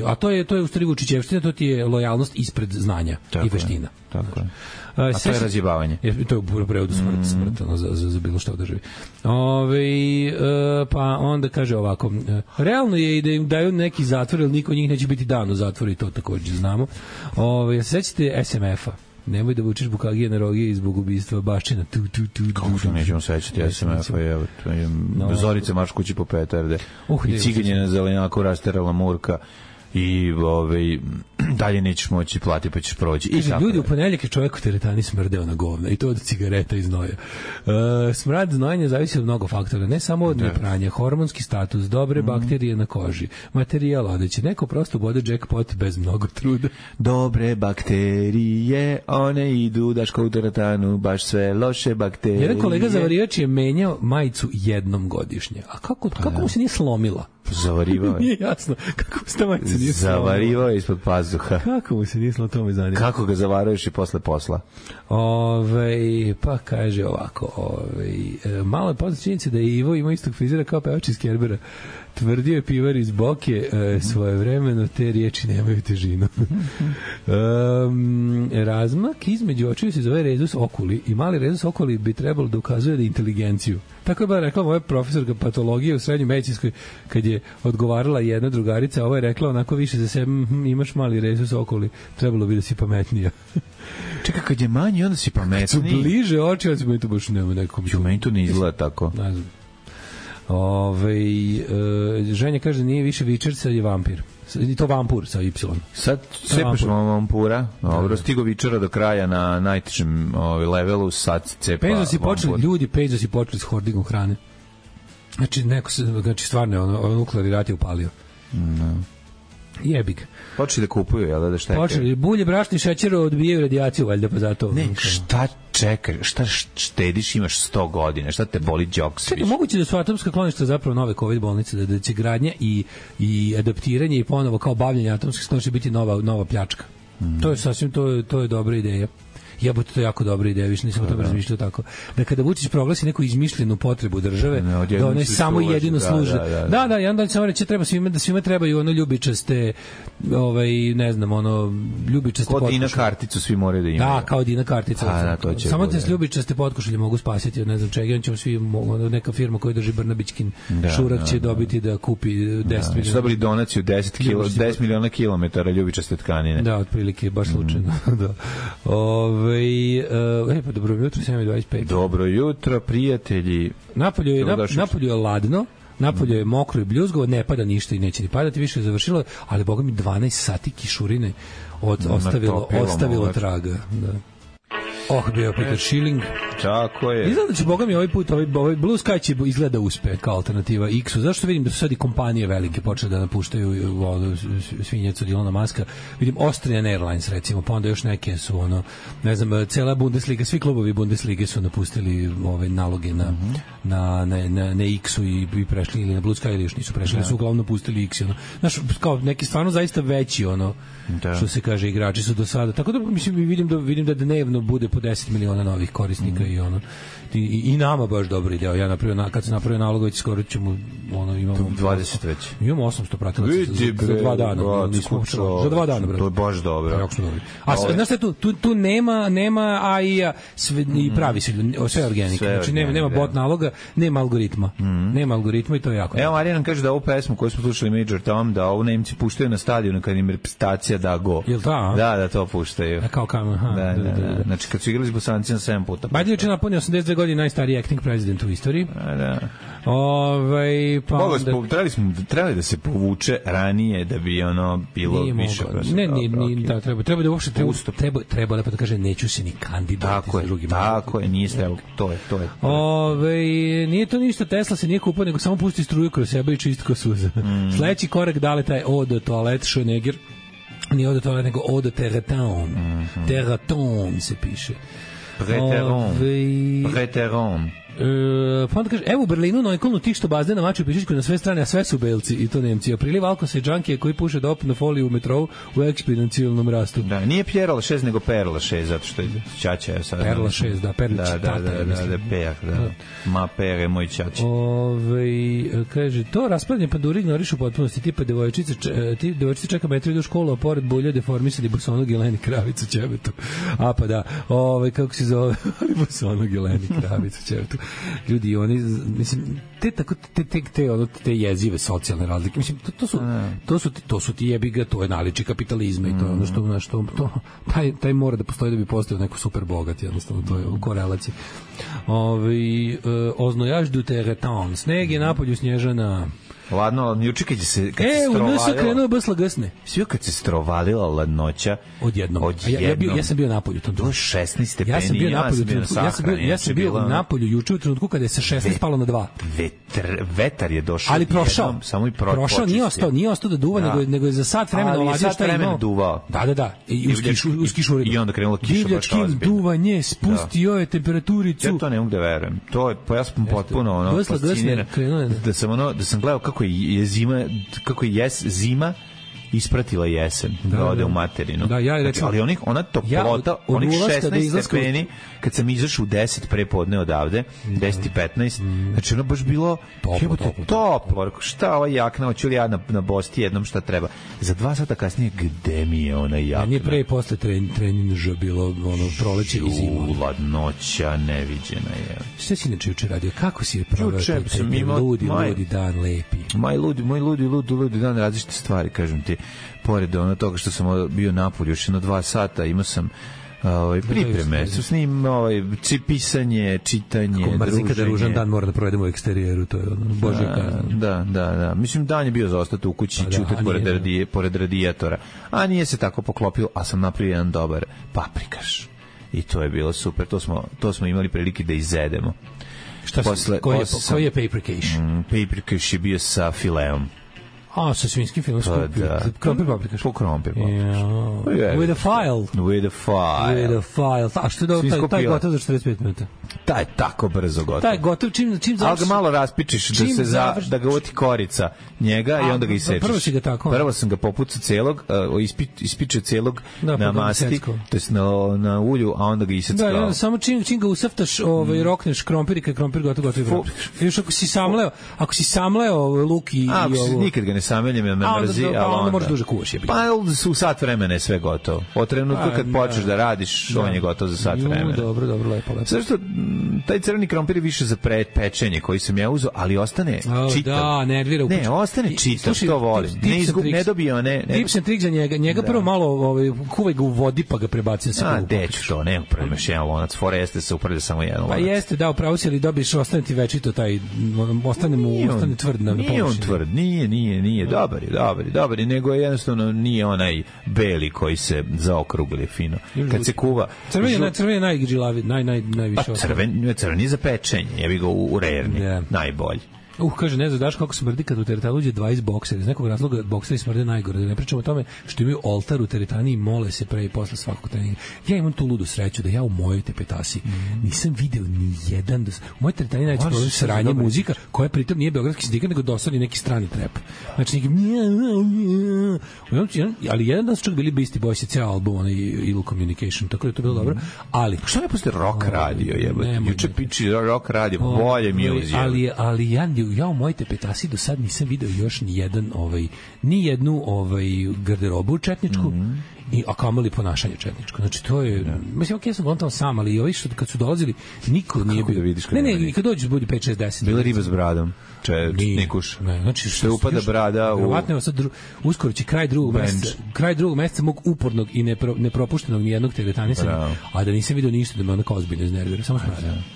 S7: A to je u stvari Vučićevština, to ti je lojalnost ispred znanja i veština.
S6: Tako je. A to je razjebavanje.
S7: To je u prevodu smrt za bilo što da živi. Pa onda kaže ovako, realno je i da im daju neki zatvor, jer niko od njih neće biti dan u zatvoru i to također znamo. Sećate SMF-a? Nemoj da vučeš bukagije na rogije zbog ubistva Baščina.
S6: Kako što nećemo sećati SMF-a? Zorica marš kući po petarde. I ciganje na zelenjaku rasterala Murka. I dalje nećeš moći plati pa ćeš proći.
S7: Ljudi, u ponedjeljak je čovjek u teretani smrdeo na govna i to od cigareta i znoja. Smrad znojanja zavisi od mnogo faktora, ne samo od nepranja, hormonski status, dobre bakterije na koži, materijal odeće, neko prosto bode jackpot bez mnogo truda.
S6: Dobre bakterije, one idu daško u teretanu, baš sve loše bakterije.
S7: Jedan kolega zavarivač je menjao majicu jednom godišnje. A kako mu se nije slomila?
S6: Zavarivao je.
S7: Nije jasno. Kako mu se ta majica nije slomila?
S6: Zavarivao je ispod pazuha.
S7: Kako mu se nije slomila, to me zanima.
S6: Kako ga zavaruješ i posle posla?
S7: Pa kaže ovako, malo je poznat činjenica da je Ivo imao istog frizera kao pevač iz Kerbera. Tvrdio je pivar iz Boke svojevremeno, te riječi nemaju težinu. Razmak između očiju se zove rezus okuli i mali rezus okuli bi trebalo da ukazuje da inteligenciju. Tako je rekla moja profesorka patologije u srednjoj medicinskoj kad je odgovarala jedna drugarica, ovo je rekla onako više za sebe, imaš mali rezus okuli, trebalo bi da si pametnija.
S6: Čekaj, kad je manji, onda si pametniji. Kad
S7: su bliže oči, onda si meni to baš nema nekom.
S6: Meni to ne izgleda tako.
S7: Ne znam. Ženja kaže da nije više Vičer, sad je vampir. I to vampur sa Y.
S6: Sad cepešemo vampura. Dobro, stigo Vičera do kraja na najtežem levelu, sad cepa vampur.
S7: Pejza si počeli s hordingom hrane. Znači stvarno nuklearni rat je upalio. Jebik.
S6: Počeli da kupuju, jel da štekaju?
S7: Počeli, bulje, brašni, šećer odbijaju radijaciju, valjda pa zato.
S6: Ne, šta čekaj, šta štediš, imaš 100 godina, šta te boli džok sviš?
S7: Čekaj, moguće da su atomska kloništa zapravo nove COVID bolnice, da će gradnja i adaptiranje i ponovo kao bavljanje atomskih skloništa biti nova pljačka. To je sasvim, to je dobra ideja. Jebote, to je jako dobra ideja, više nisam o tome razmišljao tako. Da kada Vučić proglasi neku izmišljenu potrebu države, da one samo jedino služe. Da, i onda samo reći svima trebaju ono ljubičaste, ne znam, ono ljubičaste potkošulje. Kao Dina karticu svi moraju da imaju. Da, kao Dina kartica. Samo te ljubičaste potkošulje mogu spasiti od ne znam čega, on ćemo svi, neka firma koja drži Brnabićkin šurak će dobiti da kupi 10 miliona. Dobili donaciju 10 miliona kilometara ljubičaste tkanine. Da, otprilike, baš slučajno. Da. Pa dobro jutro, 7:25. Dobro jutro, prijatelji. Napolju je ladno, napolju je mokro i bljuzgovo, ne pada ništa i neće ni padati, više je završilo, ali boga mi 12 sati kišurine ostavilo traga. Da. Bio Peter Schilling. Tako je. Izgleda da će, boga mi, ovaj put ovaj Blue Sky će izgleda uspe kao alternativa X-u. Zašto vidim da su sad i kompanije velike počele da napuštaju svinjecu od Ilona Maska. Vidim Austrian Airlines recimo, pa onda još neke su ne znam, cela Bundesliga, svi klubovi Bundeslige su napustili ove naloge na X-u i prešli ili na Blue Sky ili još nisu prešli, su uglavnom napustili X. Znaš, kao neki stvarno zaista veći što se kaže igrači su do sada. Tako da mislim vidim da dnevno bude po 10 miliona novih korisnika i nama baš dobro ide. Ja kad sam napravio nalogović, skoro ćemo imamo 20 već. Imamo 800 pratilaca za 2 dana. Za 2 dana, brate. To je baš dobro. A znaš šta tu nema AI-a i pravi se sve organika. Znači nema bot naloga, nema algoritma. Nema algoritma i to je jako. Evo Marija nam kaže da ovu pesmu koju smo slušali Major Tom, da ovu Nemci puštaju na stadionu kad im reprezentacija da go. Jel ta? Da, to puštaju. Kao kamen, znači kad su igrali s Bosancima 7 puta. Bajde je napunio 82 godine, najstariji acting president u istoriji. Da. Trebali da se povuče ranije da bi bilo više. Treba da uopšte treba lepo da kaže neću se ni kandidovati za drugi mandat. Tako je, nije trebalo. To je. Nije to ništa, Tesla se nije kupao, nego samo pusti struju kroz sebe i čisti ko suza. Sledeći korak da li taj od toalet Schöneger, nije od toalet, nego od Terraton. Terraton se piše. Preteron. Pa onda kaže, evo u Berlinu na Neuköllnu tih što bazne na maču pišičku na sve strane, a sve su belci i to Nemci. A priliv alkosa i džankije koji puše dop na foliju u metrovu u eksponencijalnom rastu. Da, nije Pierre Lachaise, nego Père Lachaise, zato što je ćaća je sad. Père Lachaise, da, Perlić tata. Da. Ma Père je moj ćaća. Kaže, to raspravljanje panduri ignoriš u potpunosti, tipa devojčice čeka metri do školu, a pored bulja deformisani bosonog Jeleni Kravicu ćebetu. A pa da, kako se zove, bosonog Jeleni Kravicu ćebetu. Ljudi, oni, mislim, te jezive socijalne razlike, mislim, to su ti jebiga, to je naličje kapitalizma i to je ono što taj mora da postoji da bi postao neko super bogat, jednostavno, to je u korelaciji. Oznojaž du terretan, sneg je napolju, snježana. Ladno, juče kad se strovalila. Krenuo basla gasne. Sve kad se strovalila ladnoća odjednom. Ja sam bio napolju to 16 stepeni. Ja sam bio napolju juče u trenutku kada je sa 16 palo na 2. Vetar je došao. Ali prošao. Samo i prošao, nije ostao da duva, nego je za sat vremena oladio šta je imao. Duvao. Da. I uz kišu. I onda krenulo kiša baš ozbiljno. Duvanje spustio je temperaturicu. Ja to ne mogu da verujem. To je, pa ja sam potpuno fasciniran. Da sam gledao kako je zima ispratila jesen, da ode u materinu. Da, ali ona toplota, onih 16 stepeni, kad sam izašao u 10 prepodne odavde, 10:15, znači ono baž bilo toplo. Šta ova jakna, hoću li ja na Bosti jednom šta treba? Za 2 sata kasnije, gde mi je ona jakna? Nije pre i posle treninža bilo proleće i zima. Ladnoća neviđena je. Šta si inače juče radio? Kako si je proveo taj ludi dan lepi? Moj ludi dan, različite stvari, kažem ti. Pored toga što sam bio napolju još 2 sata, imao sam pripreme, su s njim pisanje, čitanje, druženje. Kada ružan dan mora da provedemo u eksterijeru, to je božja kazna. Da. Mislim, dan je bio za ostati u kući, čutati pored radijatora, a nije se tako poklopilo, a sam napravio jedan dobar paprikaš. I to je bilo super, to smo imali prilike da izedemo. Koji je paprikaš? Paprikaš je bio sa fileom. A, sa svinskim filmom skupio. Krompir paprikaš.
S6: Po krompir
S7: With a file.
S6: With a file.
S7: With a file. A što je taj gotov za 45 minuta?
S6: Taj je tako brzo gotov.
S7: Taj gotov čim završi. Ali
S6: ga malo raspičiš da ga uvoti korica njega i onda ga isečeš.
S7: Prvo si ga tako.
S6: Prvo sam ga popucao celog, ispičio celog na masti, to jest na ulju, a onda ga iseckao.
S7: Da, samo čim ga usaftaš, rokneš krompir i kad krompir gotov i još ako si samleo luk i ovo.
S6: Nikad ga ne sameljem, me mrzi, ali
S7: onda možeš duže kuvaš.
S6: Pa u sat vremena je sve gotovo. Od trenutka kad počneš da radiš, on je gotov za sat vremena.
S7: Dobro, lepo.
S6: Zašto taj crveni krompir je više za pečenje koji sam ja uzeo, ali ostane čitav.
S7: Da, nervira.
S6: Ne, ostane čitav, to volim. Ne dobio, ne.
S7: Tips and trik za njega. Njega prvo malo kuvaj ga u vodi pa ga prebaci da se kuva.
S6: Deću to, nema problema, još jedan lonac. Foreste se uprede samo jedan lonac.
S7: Pa jeste, da, upravo si, ali dobiješ, ostane ti večito taj, ostane tvrd na površini.
S6: Nije on tvrd, nije. Dobar je, nego jednostavno nije onaj beli koji se zaokrugli fino. Kad se kuva...
S7: Crven je najgrilaviji, najviše.
S6: Pa crven je za pečenje, ja bih ga u rerni, najbolji.
S7: Kaže, ne znaš kako smrdi kad u teretanu uđe 20 boksera. Iz nekog razloga bokseri smrde najgore. Da ne pričamo o tome što imaju oltar u teretani i mole se pre i posle svakog treninga. Ja imam tu ludu sreću da ja u mojoj tepetasi nisam video ni jedan... U mojoj teretani najveći problem sranje muzika, koja pritom nije beogradski sindikat, nego dosadi neki strani trep. Znači, ali jedan dan su čak bili Beastie Boys i cijel album, onaj Ill Communication, tako da je to bilo dobro. Ali...
S6: Šta ne postoji rock radio, jebate? Juče piči rock radio, bolje mi je uzijeli.
S7: Ali ja u mojoj tepetasi do sad nisam video još ni jednu garderobu četničku, a kamoli ponašanje četničko. Znači to je, mislim, ja sam tamo sam, ali i ovi što kad su dolazili, niko nije bio. Ne, kad dođu budi 5, 6, 10.
S6: Bila riba s bradom. Nikuš.
S7: Znači
S6: što upada brada u...
S7: Verovatno sad uskoro će kraj drugog meseca mog upornog i nepropuštenog nijednog teretanisa, a da nisam video ništa da me onako ozbiljno iznervira.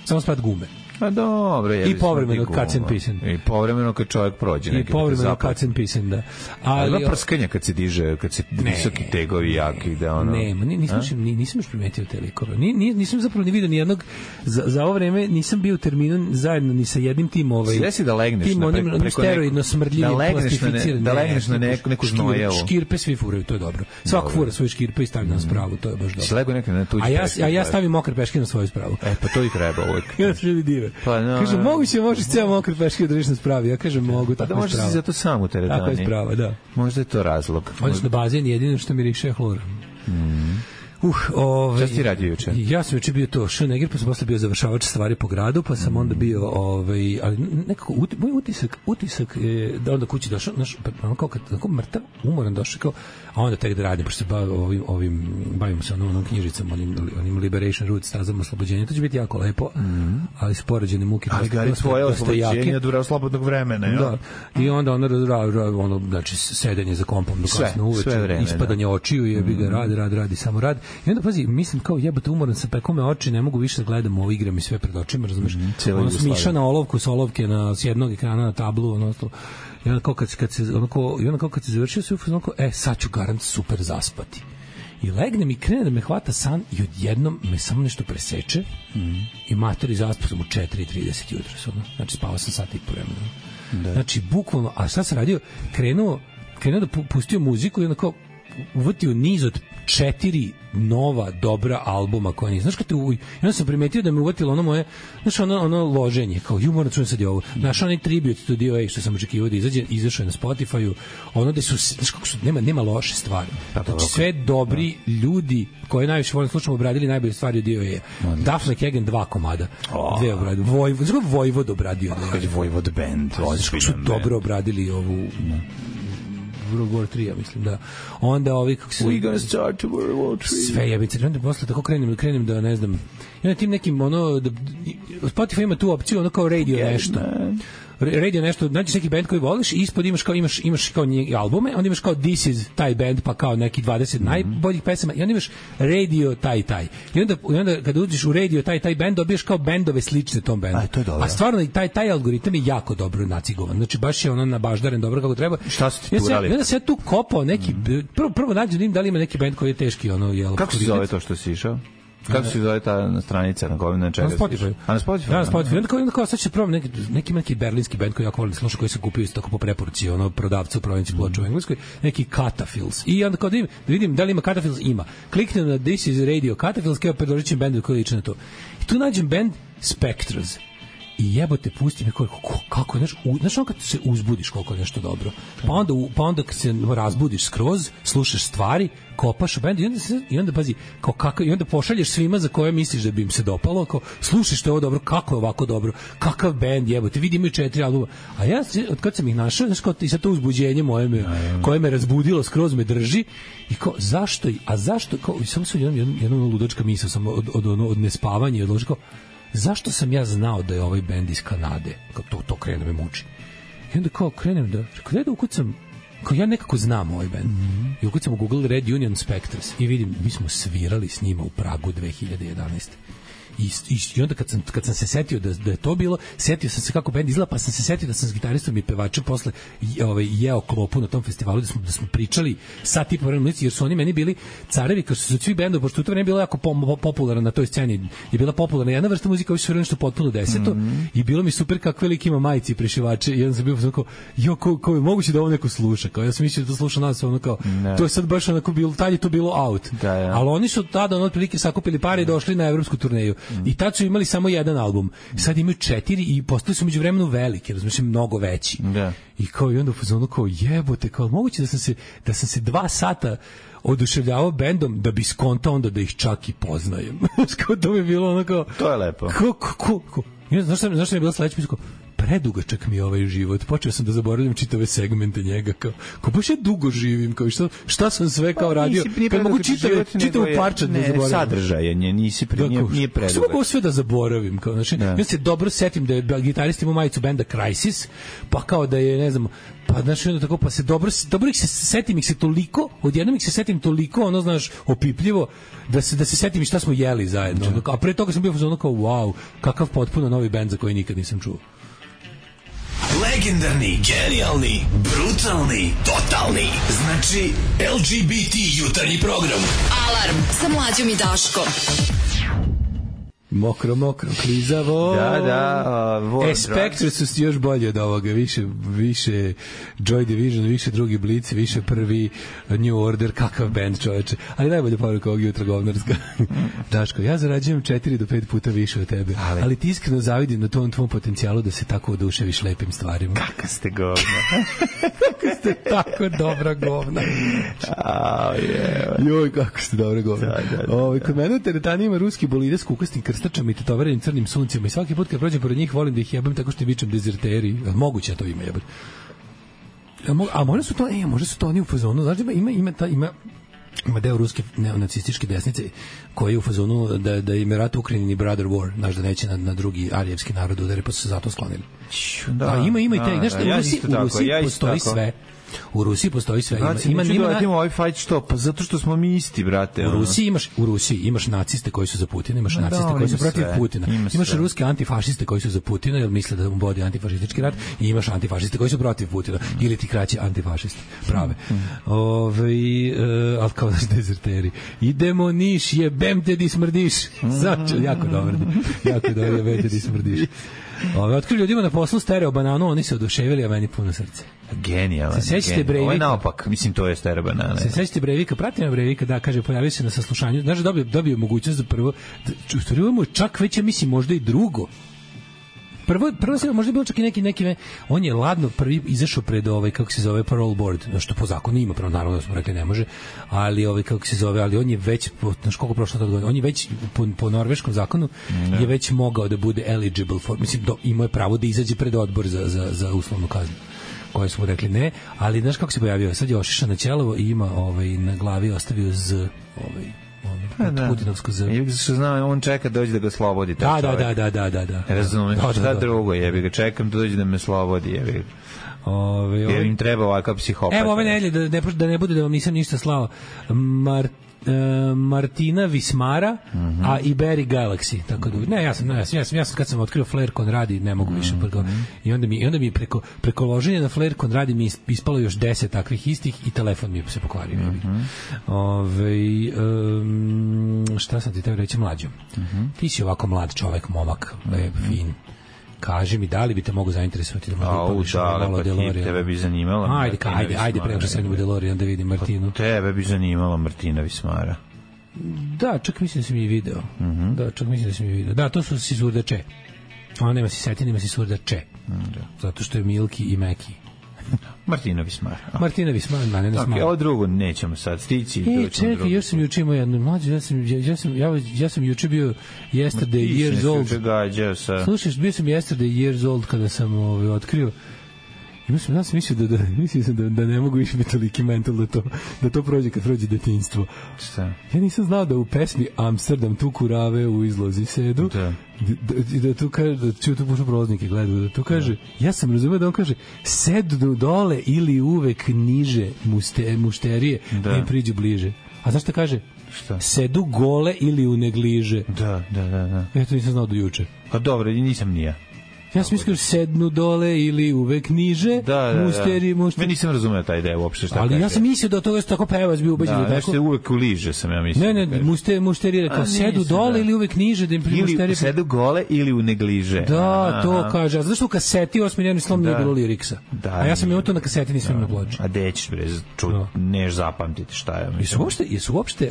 S7: Samo spad gume.
S6: A dobro,
S7: i povremeno cuts and pissing.
S6: I povremeno kad čovjek prođe neki.
S7: I povremeno cuts and pissing, da.
S6: Ali prskanja kad se diže, kad se visoki tegovi jaki, da ono.
S7: Nisam još primetio te likove. Nisam zapravo ni vidio ni jednog za ovo vreme, nisam bio u terminu zajedno ni sa jednim tim
S6: Svesi da legneš
S7: na steroidno smrdljivi plastificirani.
S6: Da legneš na neku znojevu.
S7: Škirpe svi furaju, to je dobro. Svako fura svoje škirpe i stavi na spravu, to je baš dobro.
S6: Slego neka na tuđi.
S7: A ja stavim mokre peške na svoju spravu.
S6: Pa to i treba uvek.
S7: Ja se ljudi dive. Kaže, možeš ceo mokre peške da držiš na spravi. Ja kažem, mogu, tako je sprava.
S6: Da možeš si zato sam u teretani.
S7: Tako je sprava, da.
S6: Možda je to razlog.
S7: Odeš na bazen, jedino što miriše hlor.
S6: Šta si radio juče?
S7: Ja sam juče bio to Schneger, pa sam posle bio završavač stvari po gradu, pa sam onda bio, ali nekako, moj utisak je da onda kući došao, kao kad tako mrtav, umoran došao, kao, a onda tek da radim, pošto se bavimo se onom knjižicom, onim Liberation Route, stazama oslobođenja, to će biti jako lepo, ali s poređene muke.
S6: Ali gari tvoje oslobođenje dura slobodnog vremena, jo?
S7: Da, i onda ono, znači, sedenje za kompom do kasno uveče, ispadanje očiju, jebi ga, radi, samo radi. I onda, pazi, mislim kao jebote, umoran sam, pekao me oči, ne mogu više da gledam ovo, igram i sve pred očima, razumeš? Ono smiša na olovku, s olovke s jednog ekrana na tablu, ono to. I onda kao kad se završio sve, sad ću garant super zaspati. I legnem i krene da me hvata san i odjednom me samo nešto preseče i matori zaspao sam u 4:30 jutros. Znači spavao sam sat i po vremena. Znači bukvalno, a šta sam radio? Krenuo da pustio muziku i onda kao uvatio niz od 4 nova dobra albuma koja nisam. Znaš kad onda sam primetio da me uvatilo ono moje, znaš ono loženje, kao moram čujem sad je ovo. Znaš onaj tribute Studio A što sam očekivao da izašao je na Spotify-u, ono da su, znaš kako su, nema loše stvari. Znači sve dobri ljudi koji najviše volim slušamo obradili najbolje stvari od Dio A. Duff McKagan 2 komada. Dve obradio. Vojvod obradio.
S6: Vojvod band.
S7: Znaš su dobro obradili ovu World War 3, ja mislim, da. Onda ovi kako se...
S6: We gonna start to World War 3.
S7: Sve jebice. Onda posle tako krenem da, ne znam, ja na tim nekim, Spotify ima tu opciju, ono kao radio nešto, nađeš neki band koji voliš i ispod imaš kao albume, onda imaš kao This is taj band, pa kao neki 20 najboljih pesama i onda imaš radio taj. I onda kada uđeš u radio taj band, dobiješ kao bendove slične tom bendu. A stvarno taj algoritam je jako dobro nacigovan. Znači baš je ono nabaždaren dobro kako treba.
S6: Šta su ti tu urali?
S7: Onda se ja tu kopao neki, prvo nađem da li ima neki bend koji je teški,
S6: Kako se zove to što si išao? Kako se zove ta stranica na kojoj na čega?
S7: Na Spotify.
S6: A na Spotify?
S7: Ja, na Spotify. Onda kao sad će probam neki berlinski bend koji jako volim da slušam, koji se kupio isto tako po preporuci prodavca u prodavnici ploča u Engleskoj, neki Catafils. I onda kao da vidim da li ima Catafils, ima. Kliknem na This is Radio Catafils, kao predložit bendu koji liči na to. I tu nađem bend Spectres. I jebote, pusti me kako, znaš ono kad se uzbudiš koliko je nešto dobro. Pa onda kad se razbudiš skroz, slušaš stvari, kopaš u bendu i onda pazi, i onda pošalješ svima za koje misliš da bi im se dopalo, kao slušaj što je ovo dobro, kako je ovako dobro, kakav bend, jebote, vidi imaju 4 albuma. A ja, od kad sam ih našao, znaš kao i sad to uzbuđenje koje me razbudilo, skroz me drži i kao, zašto, kao, samo sam jedna ludačka misao sam od nespavanja i odložio kao, zašto sam ja znao da je ovaj bend iz Kanade? Kao to krene me muči. I onda kao krenem da ukucam, kao ja nekako znam ovaj bend. I ukucam u Google Red Union Spectres i vidim, mi smo svirali s njima u Pragu 2011. I onda kad sam se setio da je to bilo, setio sam se kako bend izgleda, pa sam se setio da sam s gitaristom i pevačem posle jeo klopu na tom festivalu, da smo pričali sat i po vremena, jer su oni meni bili carevi, kao što su svi bendovi, pošto u to vreme je bilo jako popularno na toj sceni, je bila popularna jedna vrsta muzika, ovi su nešto potpuno deseto, i bilo mi super kakve lik ima majice i prešivače, i onda sam bio kao, kao je moguće da ovo neko sluša, kao ja sam mislio da to sluša nas, ono kao, to je sad baš onako bilo, tad je to bilo out, ali oni su tada otprilike sakupili pare i došli na evropsku turneju. I tad su imali samo jedan album. Sad imaju 4 i postali su među vremenu veliki, razumiješ, mnogo veći. Da. I kao i onda ono kao jebote, kao moguće da sam se 2 sata oduševljavao bendom da bi skontao onda da ih čak i poznajem. Kao to mi je bilo ono kao... To je lepo. Znaš što mi je bilo sledeće? Predugačak mi je ovaj život. Počeo sam da zaboravljam čitave segmente njega. Kao baš ja dugo živim. Kao šta sam sve kao radio. Kad mogu čitavu parčad da zaboravim.
S6: Sadržaje, nije predugačak.
S7: Kako mogu sve da zaboravim. Kao, znači, ja se dobro setim da je gitarist imao majicu benda Crisis, pa kao da je, ne znam, pa znači onda tako, pa se dobro ih se setim ih se toliko, odjednom ih se setim toliko, ono, znaš, opipljivo, da se setim i šta smo jeli zajedno. A pre toga sam bio ono kao, wow, kakav potpuno novi bend za koji nikad nisam čuo.
S1: Legendarni, genijalni, brutalni, totalni. Znači, LGBT jutarnji program.
S4: Alarm sa Mlađom i Daškom.
S7: Mokro, klizavo.
S6: Da,
S7: Spectres su još bolji od ovoga, više Joy Division, više drugi Blici, više prvi New Order, kakav band, čoveče. Ali najbolja poruka ovog jutra govnarska. Daško, ja zarađujem 4 do 5 puta više od tebe, ali ti iskreno zavidim na tom tvom potencijalu da se tako oduševiš lepim stvarima.
S6: Kaka ste govna.
S7: Kako ste tako dobra govna. Joj, kako ste dobra govna. Kod mene u teretani ima ruski bolide s kukastim krstačama i tetoverenim crnim suncima i svaki put kad prođem pored njih volim da ih jebem tako što vičem dezerteri. Moguće to ima jebati. A možda su to oni u fazonu, znaš da ima deo ruske neonacističke desnice koji je u fazonu da im je rat u Ukrajini brother war, znaš da neće na drugi arijevski narod udari, pa su se zato sklonili. Ima i te, znaš da u Rusiji postoji sve. U Rusiji postoji sve.
S6: Ima ovaj fight što? Pa zato što smo mi isti, brate.
S7: U Rusiji imaš naciste koji su za Putina, imaš naciste koji su protiv Putina. Imaš ruske antifašiste koji su za Putina, jer misle da mu vodi antifašistički rat, i imaš antifašiste koji su protiv Putina, ili ti kraće antifašisti prave. Ali kao naš dezerteri. Idemo Niš, jebem te di smrdiš. Znači, jako dobro, jebem te di smrdiš. Otkrili ljudima na poslu stereo bananu, oni se oduševili, a meni puno srce.
S6: Genijalan. Ovo je naopak, mislim, to je stereo banana.
S7: Se sećate Breivika, pratim Breivika, da, kaže, pojavio se na saslušanju, znaš, dobio mogućnost za prvo, u stvari mu čak već, ja mislim, možda i drugo. Prvo se možda bilo čak i neki on je ladno prvi izašao pred kako se zove parole board, što po zakonu ima, pravo naravno da smo rekli ne može, ali kako se zove, ali on je već znaš koliko prošlo tad godina, on je već po norveškom zakonu je već mogao da bude eligible for, mislim, imao je pravo da izađe pred odbor za uslovnu kaznu, koje smo rekli ne, ali znaš kako se pojavio, sad je ošišan na ćelovo i ima na glavi ostavio Putinovsko Z.
S6: Što znam, on čeka dođe da ga slobodi.
S7: Da.
S6: Razumem, šta drugo, jebi ga, čekam da dođe da me slobodi, jebi ga. Jer im treba ovakav psihopat.
S7: Evo ove nedelje, da ne bude da vam nisam ništa slao. Martina Vismara, a i Barry Galaxy, tako da ja sam kad sam otkrio Flair Conradi ne mogu više i onda mi preko loženja na Flair Conradi mi ispalo još 10 takvih istih i telefon mi se pokvario. Šta sam ti teo reći, mlađo? Ti si ovako mlad čovek, momak, lep, fin. Kaži mi, da li bi te mogu zainteresovati da možda malo DeLorean?
S6: Tebe bi zanimala
S7: Ajde, preko što sedem u DeLorean da vidim Martinu.
S6: Tebe bi zanimala Martina Vismara.
S7: Da, čak mislim da sam i video. Da, to su Sisurda Če. Ona nema si Setin, nema Sisurda Če. Zato što je Milki i Meki.
S6: Martina Vismara.
S7: Martina Vismara, ne smara.
S6: Ovo drugo nećemo sad stići.
S7: Čekaj, još sam juče imao jednu mlađu, ja sam juče bio yesterday years old. Slušaj, bio sam yesterday years old kada sam otkrio. Ja sam mislio da ne mogu više biti toliki mental da to prođe kad prođe detinjstvo.
S6: Šta?
S7: Ja nisam znao da u pesmi Amsterdam tu kurave u izlozi sedu, da tu kaže, da ću tu pušu prolaznike gledaju, da tu kaže, ja sam razumio da on kaže sedu dole ili uvek niže mušterije da im priđu bliže. A znaš šta kaže?
S6: Šta?
S7: Sedu gole ili u negliže.
S6: Da.
S7: Eto, nisam znao do juče.
S6: Pa dobro, nisam ni ja.
S7: Ja sam mislio sednu dole ili uvek niže. Musteri.
S6: Ja nisam razumeo taj deo uopšte šta
S7: ali
S6: kaže.
S7: Ja sam mislio da toga tako pevac bio ubeđen.
S6: Da, nešto uvek uliže sam ja mislio.
S7: Ne, musteri rekao sedu dole ili uvek niže da im musteri.
S6: Ili sedu gole ili u negliže.
S7: Da, to kaže. A znaš što u kaseti osmiljeni slom nije bilo liriksa. A ja sam imao to na kaseti, nisam imao na ploči.
S6: A dećeš bre, neš zapamtiti šta ja mislim.
S7: Jesu uopšte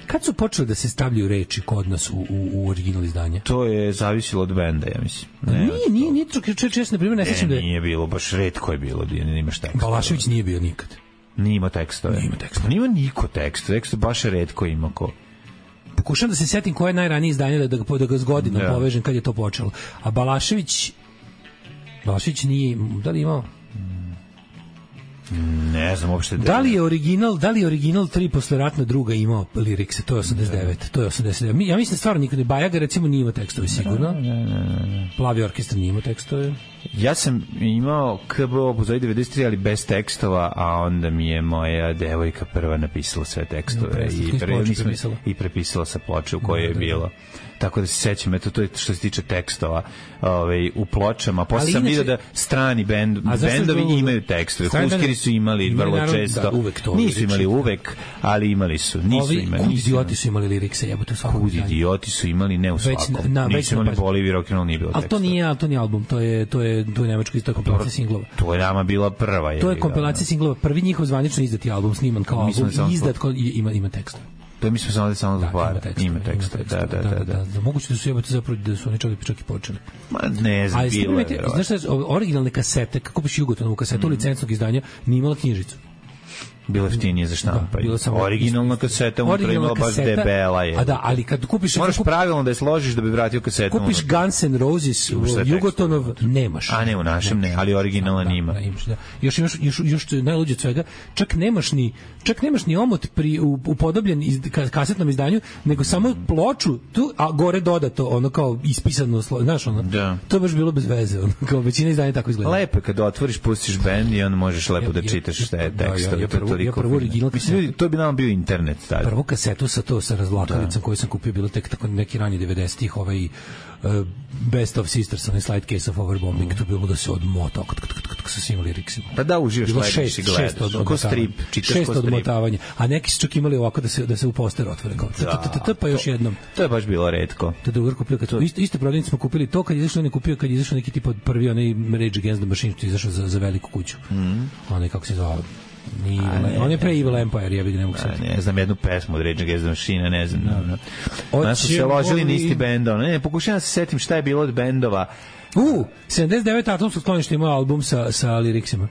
S7: kad su počeli da se stavljaju reči kod nas u original izdanje?
S6: To je zavisilo od benda, ja mislim.
S7: Nije često, na primjer, ne sećam da je...
S6: Nije bilo, baš retko je bilo, nimaš teksta.
S7: Balašević nije bio nikad.
S6: Nije imao tekstove. Nije niko teksta, baš retko ima ko.
S7: Pokušam da se setim koje je najranije izdanje da ga s godinom povežem kad je to počelo. A Balašević nije, da li imao...
S6: Ne znam uopšte.
S7: Da li je original 3 posleratna druga imao lirikse? To je 89. Ja mislim stvarno nikad. Bajaga recimo nije imao tekstove sigurno.
S6: Ne.
S7: Plavi orkestar nije imao tekstove.
S6: Ja sam imao KBO Buzovi 93, ali bez tekstova, a onda mi je moja devojka prva napisala sve tekstove i prepisala sa ploče u kojoj je bilo. Tako da se sećam, eto, to je što se tiče tekstova u pločama. Posle sam vidio da strani bendovi imaju tekstove. Huskeri su imali vrlo često. Nisu imali uvek, ali imali su.
S7: Kud idioti su imali lirikse, jebote svakom.
S6: Kud idioti su imali, ne u svakom. Nisu imali Bolivir, rock'n'roll nije bilo tekstova.
S7: Ali to nije album, to je nemačko isto kompilacija singlova.
S6: To je nama bila prva.
S7: To je kompilacija singlova. Prvi njihov zvanično izdati album, sniman kao album i izdat ima tekstove.
S6: To mi smo samo zatvara. Ima teksta.
S7: Da. Moguće da su jebate zapravo da su oni čak i počeli.
S6: Ma ne znam, bilo je.
S7: Znaš šta, originalne kasete, kako piše Jugotonovu kasetu licencnog izdanja, nije imala knjižicu.
S6: Bilo jeftinije za štampanje. Originalna kaseta unutra imala baš debela je.
S7: A da, ali kad kupiš...
S6: Moraš pravilno da je složiš da bi vratio kasetu.
S7: Kupiš Guns N' Roses, Jugotonov, nemaš.
S6: A ne, u našem ne, ali originalan ima.
S7: Još najluđe od svega, čak nemaš ni omot upodobljen kasetnom izdanju, nego samo ploču, tu, a gore dodato, ono kao ispisano, znaš ono, to je baš bilo bez veze, ono, kao većina izdanja tako izgleda.
S6: Lepo kad otvoriš, pustiš bend i onda možeš lepo da čitaš šta je tekst.
S7: Ja prvo original kasetu.
S6: To bi nam bio internet tada.
S7: Prvu kasetu sa razvlakovicom koju sam kupio bilo tek tako neki rani 90-ih, Best of Sisters, onaj Slide Case of Overbombing, to bilo da se odmota sa svim liriksima.
S6: Pa da uživaš, gledaš i gledaš. Ko strip, čitaš ko strip. 6 odmotavanja. A neki su čak imali ovako da se u poster otvore kao pa još jednom. To je baš bilo retko.
S7: To je drugar kupio, isto prodavnici smo kupili to kad je izašao, kad je izašao neki tipa prvi onaj Rage Against the Machine, što je izašao za veliku kuću. Onaj kako se zvao. On je pre Evil Empire, ja bih ne mogu sad.
S6: Ne znam jednu pesmu od Rage Against the Machine, ne znam. Nas su se ložili na isti bendov. Ne, pokušavam da se setim šta je bilo od bendova.
S7: 79 Atomsko sklonište imao album sa liriksima.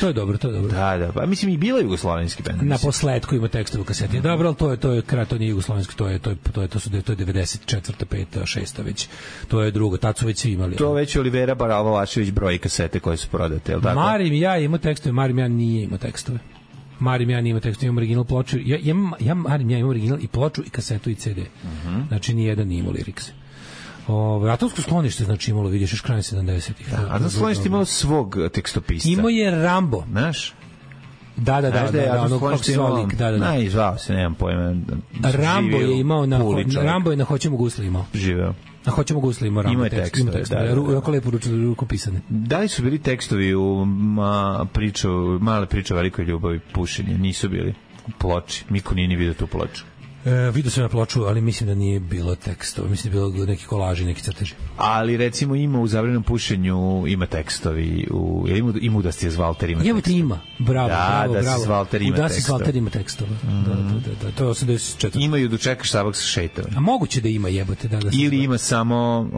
S7: To je dobro.
S6: Da, pa mislim i bilo jugoslovenski bend.
S7: Na posledku ima tekstove u kaseti. Dobro, ali to je kraj, to nije jugoslovenski, to je 94. 5. 6. već. To je drugo, tad su već svi imali.
S6: To već Olivera Baralovašević broji kasete koje su prodate, je li tako?
S7: Marim ja ima tekstove, Marim ja nije ima tekstove. Marim ja nije ima tekstove, imam original ploču. Marim ja imam original i ploču i kasetu i CD. Znači nijedan nije imao lirikse. Atomsko sklonište znači imalo, vidiš, još krajem 70-ih.
S6: Atomsko sklonište imalo svog tekstopisca.
S7: Imao je Rambo.
S6: Znaš?
S7: Da, ono kako se zvao lik, da.
S6: Aj, zvao se, nemam pojma.
S7: Rambo je imao Rambo je na Hoćemo gusli imao.
S6: Živeo.
S7: A Hoćemo gusli imao Rambo tekst. Jako lepo rukopisane.
S6: Da li su bili tekstovi u male priče o velikoj ljubavi, pušenje? Nisu bili u ploči. Miko nije ni vidio tu ploču.
S7: Vidio sam na ploču, ali mislim da nije bilo tekstova. Mislim da je bilo neki kolaži, neki crteži.
S6: Ali recimo ima u Zabranjenom pušenju ima tekstovi. Ima da se Valter ima tekstova.
S7: Ima, bravo.
S6: Da se Valter ima tekstova.
S7: Da se Valter ima tekstova. Da. To je 84.
S6: Imaju da čekaš Sabak sa šeitom.
S7: A moguće da ima jebote. Da
S6: ili ima samo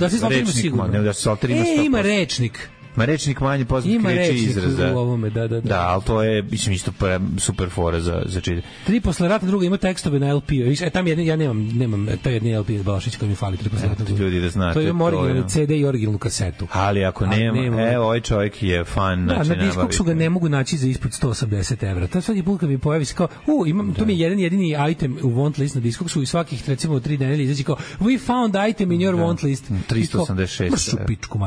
S7: da se Valter ima sigurno.
S6: Ne, da se Valter ima 100%.
S7: Ima rečnik.
S6: Ma rečnik manje poznat kreće izraza.
S7: Ima u ovome, da.
S6: Da, ali to je, mislim, isto super fora za čitanje.
S7: 3 posle rata, druga ima tekstove na LP-u. Tam ja nemam, taj jedni LP iz Balašić koji mi fali 3 posle rata.
S6: Ljudi da znate.
S7: To je originalni CD i originalnu kasetu.
S6: Ali ako nema, evo, ovaj čovjek je fan.
S7: Da, na Discogsu ga ne mogu naći za ispod 180 evra. To svaki put kad mi pojavi se kao, to mi je jedan jedini item u want list na Discogsu i svakih, recimo, 3 nedelje izađe kao, we found item in your want list.
S6: 386.
S7: Mršu pičku,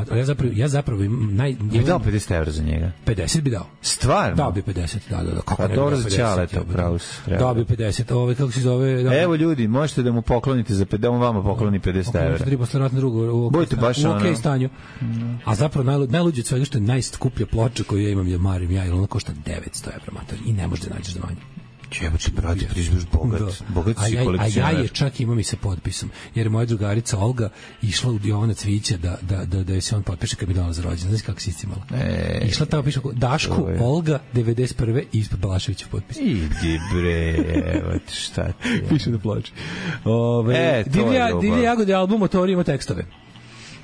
S7: ja zapravo
S6: je dao 50 evra za njega.
S7: 50 bi dao.
S6: Stvarno?
S7: Dao bi 50, da.
S6: Kako ne dobro za Ćaleta, pravo se.
S7: Dao bi 50, kako se zove... Da.
S6: Evo ljudi, možete da mu poklonite da on vama pokloni 50 evra.
S7: 3 posle ratne drugo u okej stanju. A zapravo najluđe od svega što je najskuplja ploča koju ja imam je Marim ja, jer ona košta 900 evra, mater, i ne možeš da nađeš za manje.
S6: Jebote, brate, prižbaš bogat si kolekcionar.
S7: A ja je čak imam i sa potpisom, jer moja drugarica Olga išla u Jovana Cvića da se on potpiše kad bi dala za rođendan. Znaš kako si iscimala? Išla tamo, piše Daško, Olga, 91. i ispod Balaševićev potpis.
S6: Idi bre, evo ti šta ti je.
S7: Piše na ploči. Divlje jagode album Motori ima tekstove.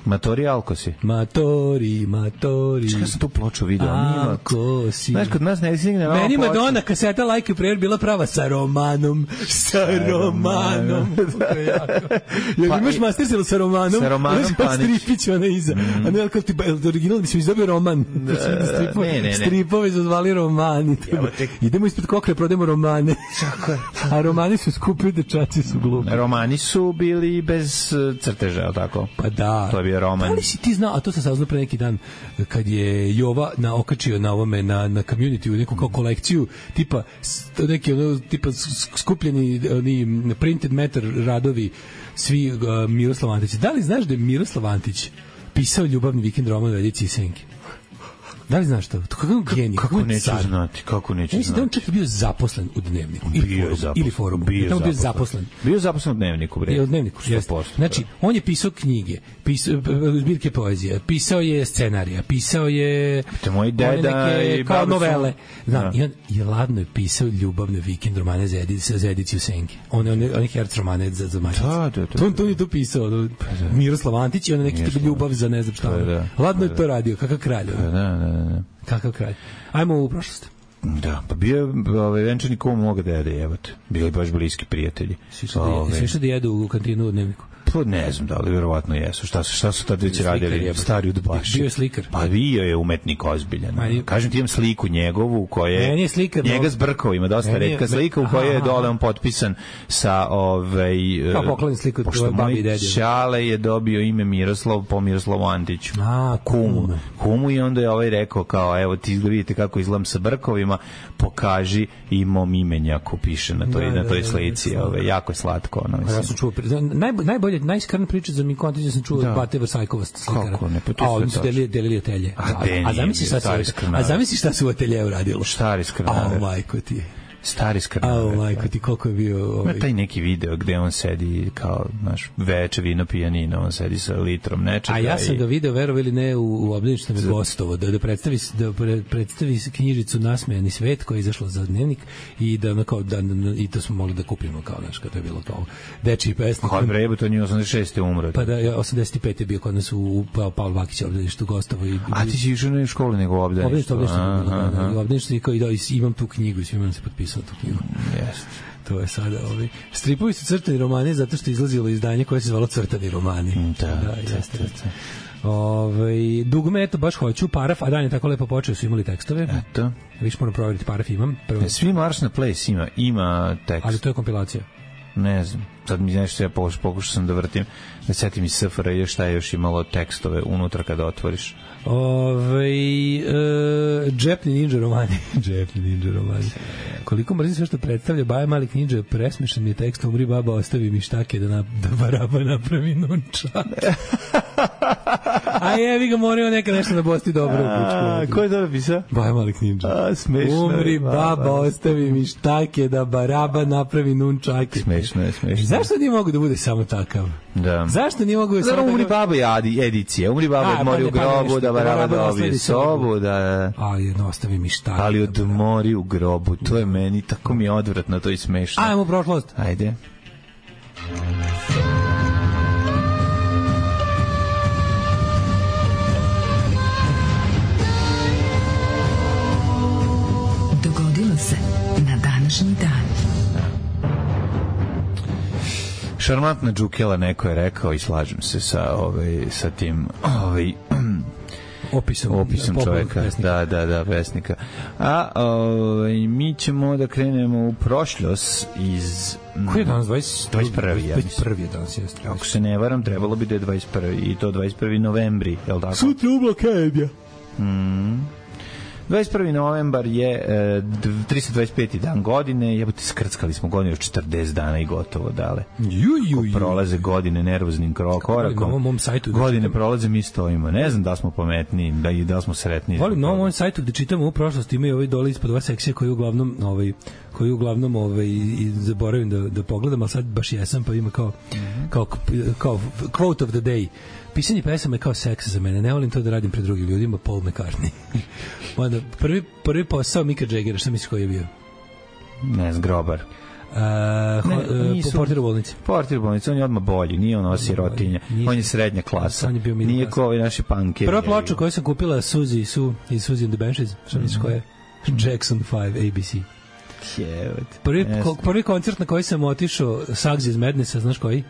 S6: Matori Alkosi.
S7: Matori.
S6: Čekaj sam tu ploču vidio.
S7: Alkosi.
S6: Znaš, kod nas ne stigne na
S7: meni Madonna kaseta Like a Prayer bila prava sa romanom. Jel imaš masterselu sa romanom?
S6: Sa romanom Panić.
S7: Stripić ona iza. A ne, kao ti original, mislim, izdobio roman. Stripove su zvali romani. Idemo ispred kokre, prodajemo romane. A romani su skupi, dečaci su glupi.
S6: Romani su bili bez crteža, ali tako?
S7: Pa da.
S6: To je bio roman.
S7: Da li si ti znao, a to sam saznao pre neki dan, kad je Jova okačio na ovome, na community, u neku kao kolekciju, tipa skupljeni printed matter radovi, svi Miroslav Antić. Da li znaš da je Miroslav Antić pisao ljubavni vikend roman u ediciji Senke? Da li znaš to? Kako genij?
S6: Kako neću znati?
S7: Mislim da on čak je bio zaposlen u Dnevniku. Ili forumu. Bio zaposlen.
S6: Bio zaposlen u Dnevniku, bre.
S7: U Dnevniku, jeste. Znači, on je pisao knjige, zbirke poezije, pisao je scenarija, pisao je...
S6: To moj deda i
S7: kao novele. Znam, i ladno je pisao ljubavne vikend romane za ediciju Senke. One herc romane za mačice. To je to pisao. Miroslav Antić i on neki tipa ljubav za ne znam šta. Ladno je to radio, kakav kralj. Kakav kralj. Ajmo u prošlost.
S6: Da, pa bio je venčani kum moga dede, jebote. Bili baš bliski prijatelji.
S7: Svi što da jedu u kantinu u Dnevniku?
S6: Pa ne znam da li verovatno jesu. Šta su tad već radili? Stari udbaši.
S7: Bio je slikar.
S6: Pa bio je umetnik ozbiljan. Kažem ti, imam sliku njegovu u kojoj
S7: je slikar,
S6: njega zbrkao, ima dosta retka slika u kojoj je dole on potpisan sa
S7: kao poklon sliku
S6: pošto moj Ćale je dobio ime Miroslav po Miroslavu Antiću. Kumu i onda je rekao kao evo ti vidite kako izgledam sa brkovima, pokaži i mom imenjaku piše na toj slici. Jako je slatko.
S7: Ja sam čuo najbolje najskrna priča za Miko Antića sam čuo od Bate Vrsajkova slikara.
S6: Kako ne,
S7: a oni su delili atelje. A zamisli šta su u atelje uradilo.
S6: Stari skrnaver.
S7: Majko ti.
S6: Stari skrnaver.
S7: Majko ti, koliko je bio...
S6: Taj neki video gde on sedi kao, znaš, veče vino pijanina, on sedi sa litrom nečega.
S7: A ja sam ga video, verovo ili ne, u obdaništu me gostovo, da predstavi knjižicu Nasmejani svet koja je izašla za Dnevnik i i to smo mogli da kupimo kao, znaš, kada je bilo kao dečiji pesnik.
S6: Kaj bre, to nije 86. umro.
S7: Pa da, 85. je bio kod nas u Pavle Vakića obdaništu gostovo.
S6: A ti si išao na školu nego u obdaništu?
S7: Obdaništu i imam tu knjigu i svima nam se potpisao tu knjigu. To je sada stripovi su crtani romani zato što je izlazilo izdanje koje se zvalo Crtani romani.
S6: Da,
S7: jeste. Dugme, eto, baš hoću Paraf, a dan je tako lepo počeo, su imali tekstove.
S6: Eto.
S7: Viš moram provjeriti, Paraf imam.
S6: Svi Marš na Place ima tekst.
S7: Ali to je kompilacija.
S6: Ne znam. Sad mi nešto ja pokušao sam da vrtim, da setim iz SFRJ šta je još imalo tekstove unutra kada otvoriš.
S7: Džepni ninja romani. Džepni ninja romani. Koliko mrzim sve što predstavlja Baja Malik ninja, presmešan mi je tekst, umri baba, ostavi mi štake da baraba napravi nunčak. A jevi ga, morao neka nešto na Bosti dobro.
S6: Ko je to napisao?
S7: Baja Malik ninja.
S6: Smešno.
S7: Umri baba, ostavi mi štake da baraba napravi nunčake.
S6: Smešno je.
S7: Zašto nije mogu da bude samo takav?
S6: Da.
S7: Zašto nije mogu da samo
S6: umri baba i edicije. Umri baba odmori u grobu, da baraba dobije sobu, da...
S7: Ali ostavi mi štake.
S6: Ali odmori u grobu, to je meni, tako mi je odvratno, to je smešno.
S7: Ajmo u prošlost.
S6: Ajde.
S4: Dogodilo se na današnji dan.
S6: Šarmantna džukela, neko je rekao i slažem se sa tim opisom čoveka.
S7: Pesnika.
S6: Da, pesnika. A mi ćemo da krenemo u prošlost iz...
S7: Koji je danas?
S6: 21. ja mislim.
S7: 21. je danas, jeste.
S6: Ako se ne varam, trebalo bi da je 21. I to 21. novembri, je li tako?
S7: Sutra u blokadja.
S6: 21. novembar je 325. dan godine, jebote, skrckali smo godinu 40 dana i gotovo, dale. Prolaze godine nervoznim korakom. Godine prolaze, mi stojimo. Ne znam da smo pametniji, da smo sretniji.
S7: Volim na ovom sajtu gde čitamo u prošlosti, imaju ovaj dole ispod ova sekcija koju uglavnom zaboravim da pogledam, ali sad baš jesam, pa ima kao quote of the day. Pisanje pesama je kao seks za mene. Ne volim to da radim pred drugim ljudima. Paul McCartney. Onda, prvi posao Mika Jaggera, šta misliš koji je bio?
S6: Ne znam, grobar.
S7: Portir u bolnici.
S6: Portir u bolnici, on je odmah bolji. Nije on sirotinja. On je srednja klasa. Nije kao ovi naši punkeri.
S7: Prva ploča koju sam kupila Suzy and the Banshees. Šta misliš koja je? Jackson 5 ABC. Prvi koncert na koji sam otišao, Sugs iz Madnessa, znaš koji?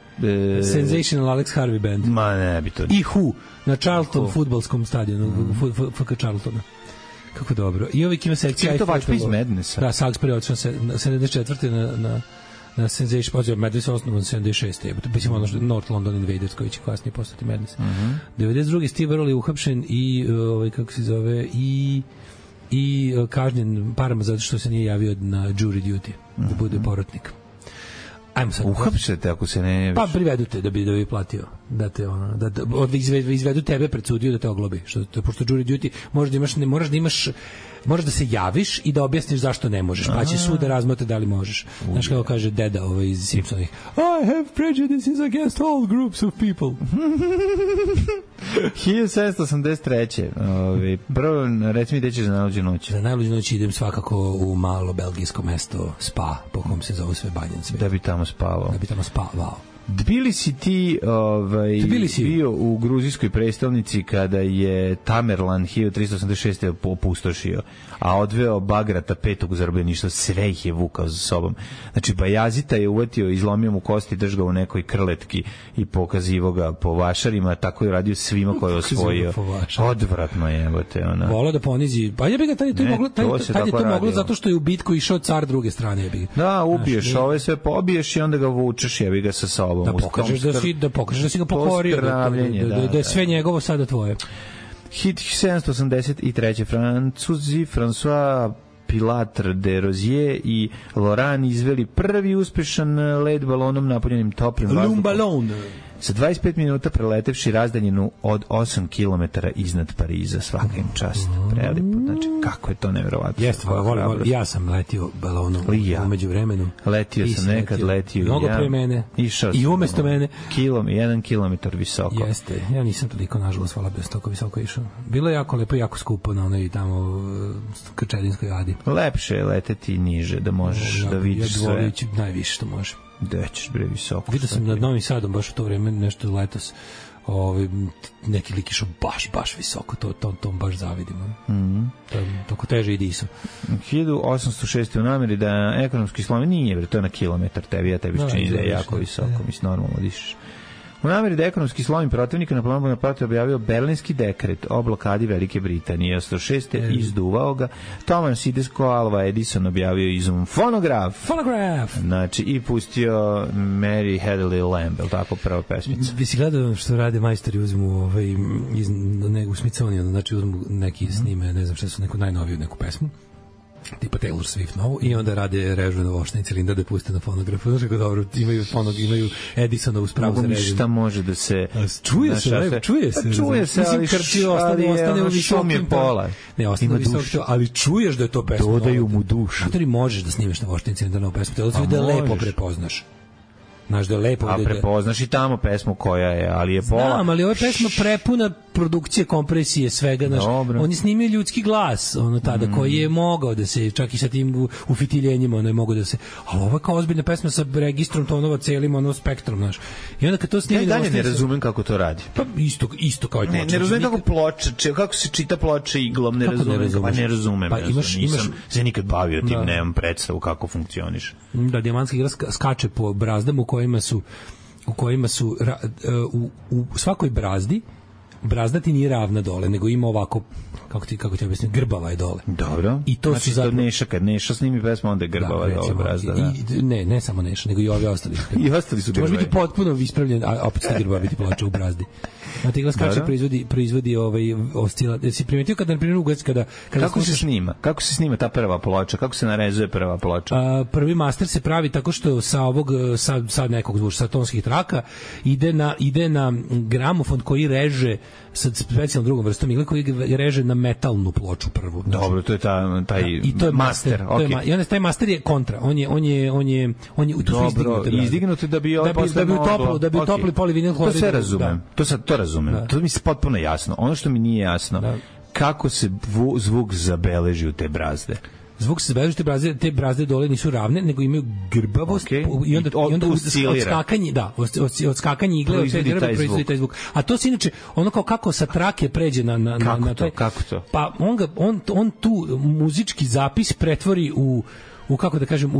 S7: Sensational Alex Harvey Band.
S6: Ma ne bi to.
S7: I Who na Charlton fudbalskom stadionu, FK Charltona. Kako dobro. I ovih ima sekcija.
S6: Čim to vačpa iz Madnessa?
S7: Da, Sugs prvi otišao 74. na Sensation, pozio Madness osnovan 76. Mislim ono što North London Invaders koji će kasnije postati Madness. 92. Steve Earle je uhapšen i kako se zove i kažnjen parama zato što se nije javio na jury duty, da bude porotnik. Ajmo sad.
S6: Uhapšete ako se ne javiš?
S7: Pa privedu te da bi platio. Da te izvedu tebe pred sudiju da te oglobi. Pošto jury duty možeš da se javiš i da objasniš zašto ne možeš. Pa će sud da razmotre da li možeš. Znaš kako kaže deda iz Simpsonovih. I have prejudices against all groups of people.
S6: 1783. Prvo, reci mi gde ćeš za najluđu noć.
S7: Za najluđu noć idem svakako u malo belgijsko mesto Spa, po kom se zove sve banjan svijet.
S6: Da bi tamo spavao. Bili si ti bio u gruzijskoj prestolnici kada je Tamerlan 1386. opustošio, a odveo Bagrata petog u zarobljeništvo, sve ih je vukao za sobom. Znači, Bajazita je uvatio, izlomio mu kosti, držao u nekoj krletki i pokazivo ga po vašarima, tako je radio svima koje je osvojio. Odvratno je, evo te ona.
S7: Volao da ponizi, pa je bi ga tad je to moglo zato što je u bitku išao car druge strane, je bi.
S6: Da, ubiješ ove sve, pobiješ i onda ga vučeš, je bi ga sa sobom.
S7: Da pokažeš da si ga pokorio, da je sve njegovo sada tvoje.
S6: Hit 783. Francuzi François Pilatre de Rozier i Laurent izveli prvi uspešan let balonom napunjenim toplim vazduhom. Sa 25 minuta preletevši razdaljinu od 8 km iznad Pariza, svaka im čast. Prelipo, znači kako je to neverovatno.
S7: Jeste, ja sam letio balonom umeđu vremenu.
S6: Letio sam nekad, letio
S7: mnogo pre mene i umesto mene.
S6: 1 kilometar visoko.
S7: Jeste, ja nisam toliko, nažalost, hvala bez toliko visoko išao. Bilo je jako lepo i jako skupo na onoj tamo Krčedinskoj adi.
S6: Lepše je leteti niže, da možeš da vidiš sve.
S7: Ja dvolići najviše što može.
S6: Da ćeš bre visoko.
S7: Vidio sam nad Novim Sadom baš u to vreme nešto letos. Neki lik išao baš visoko, to baš zavidimo. Toko teže i diso.
S6: 1806. u nameri da ekonomski slom nije, to je na kilometar tebi, ja tebi čini da je jako visoko, mislim normalno dišeš. U nameri da ekonomski slomi protivnika na planu Bonaparte objavio Berlinski dekret o blokadi Velike Britanije. 106. izduvao ga. Thomas Alva Edison objavio izum fonograf. Znači, i pustio Mary Had a Little Lamb, je li tako prva pesmica?
S7: Vi si gledao što rade majstori, uzmu u Smithsonian, znači uzmu neki snime, ne znam šta su, neku najnoviju neku pesmu, tipa Taylor Swift novu, i onda rade režu na vošteni cilindar da puste na fonografu. Znaš kako dobro, imaju Edisonovu spravu za režim.
S6: Šta može da se...
S7: Čuje se, ali ostane u visokim pola. Ne, ostane u visokim, ali čuješ da je to pesma.
S6: Dodaju mu dušu.
S7: Zato li možeš da snimeš na vošteni cilindar novu pesmu, da lepo prepoznaš. Znaš da je lepo...
S6: A prepoznaš i tamo pesmu koja je, ali je pola...
S7: Znam, ali ova pesma prepuna produkcije, kompresije, svega, znaš. On je snimio ljudski glas, tada, koji je mogao da se, čak i sa tim ufitiljenjima, je mogao da se... Ali ovo je kao ozbiljna pesma sa registrom tonova, celim, spektrom, znaš. I onda kad to snimi...
S6: Ja dalje ne razumem kako to radi.
S7: Pa isto kao i ploča.
S6: Ne razumem kako ploča, kako se čita ploča iglom, ne razumem. Pa ne razumem. Nisam se nikad bavio tim, nemam predstavu kako funkcioniš.
S7: Da, dijamantska igra skače po brazdama u kojima su u svakoj brazda ti nije ravna dole, nego ima ovako, kako ti objasnim, grbava je dole.
S6: Dobro. I to znači, zapravo... Neša, kad Neša snimi pesmu, onda je grbava dole brazda. Da.
S7: Ne samo Neša, nego i ovi ostali.
S6: I ostali su grbavi.
S7: Može biti potpuno ispravljen, a opet ste grbavi biti ploča u brazdi. Znate, igla skače proizvodi oscila. Si primetio kada, na primjer, ugaz, kada
S6: kako se snima? Kako se snima ta prva ploča? Kako se narezuje prva ploča?
S7: Prvi master se pravi tako što sa nekog zvuča, sa tonskih traka, ide na gramofon koji reže sa specijalnom drugom vrstom igle, koji reže na metalnu ploču prvu. Znači,
S6: dobro, to je taj
S7: i to je master.
S6: Okay.
S7: I onda taj master je kontra. On je
S6: dobro, izdignut da bi
S7: utopli polivinil hlorid.
S6: To sve razumem. To razumem. Da. To mi je potpuno jasno. Ono što mi nije jasno, kako se zvuk zabeleži u te brazde.
S7: Zvuk se zabeleži, te brazde dole nisu ravne, nego imaju grbavost, i onda od skakanja igle proizvodi taj zvuk. A to se inače, ono kao kako sa trake pređe na
S6: kako to?
S7: Pa on tu muzički zapis pretvori u kako da kažem,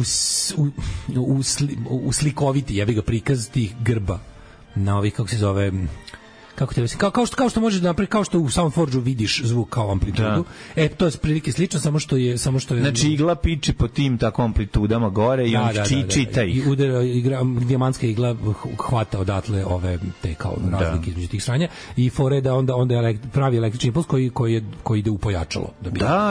S7: u slikoviti, jebi ga, prikaz tih grba na ovih, kako se zove, kako te kao što možeš da napravi, kao što u Soundforge-u vidiš zvuk kao amplitudu. To je prilike slično, samo što je
S6: znači igla piči po tim tako amplitudama gore i on čita ih.
S7: I udara dijamantska igla hvata odatle ove te kao razlike između tih stranja i fore da onda pravi električni impuls koji ide u pojačalo.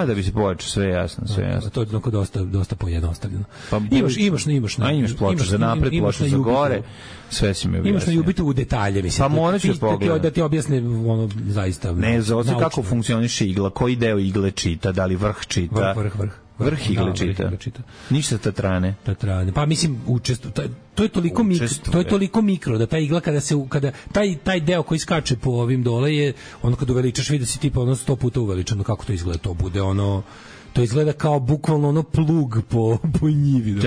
S6: Da bi se pojačao, sve jasno.
S7: To je onako dosta pojednostavljeno.
S6: Pa imaš ploču za napred, ploču za gore. Sve si mi objasnio.
S7: Imaš na Jubitu u detalje, mislim.
S6: Pa morat ću pogledati.
S7: Da ti objasne ono zaista.
S6: Ne, kako funkcioniše igla, koji deo igle čita, da li vrh čita. Vrh igle čita. Ništa tatrane.
S7: Pa mislim to je toliko mikro da ta igla kada taj deo koji skače po ovim dole je ono kad uveličaš vidi da si tipa 100 puta uveličano, kako to izgleda, to bude ono. To izgleda kao bukvalno ono plug po njivi.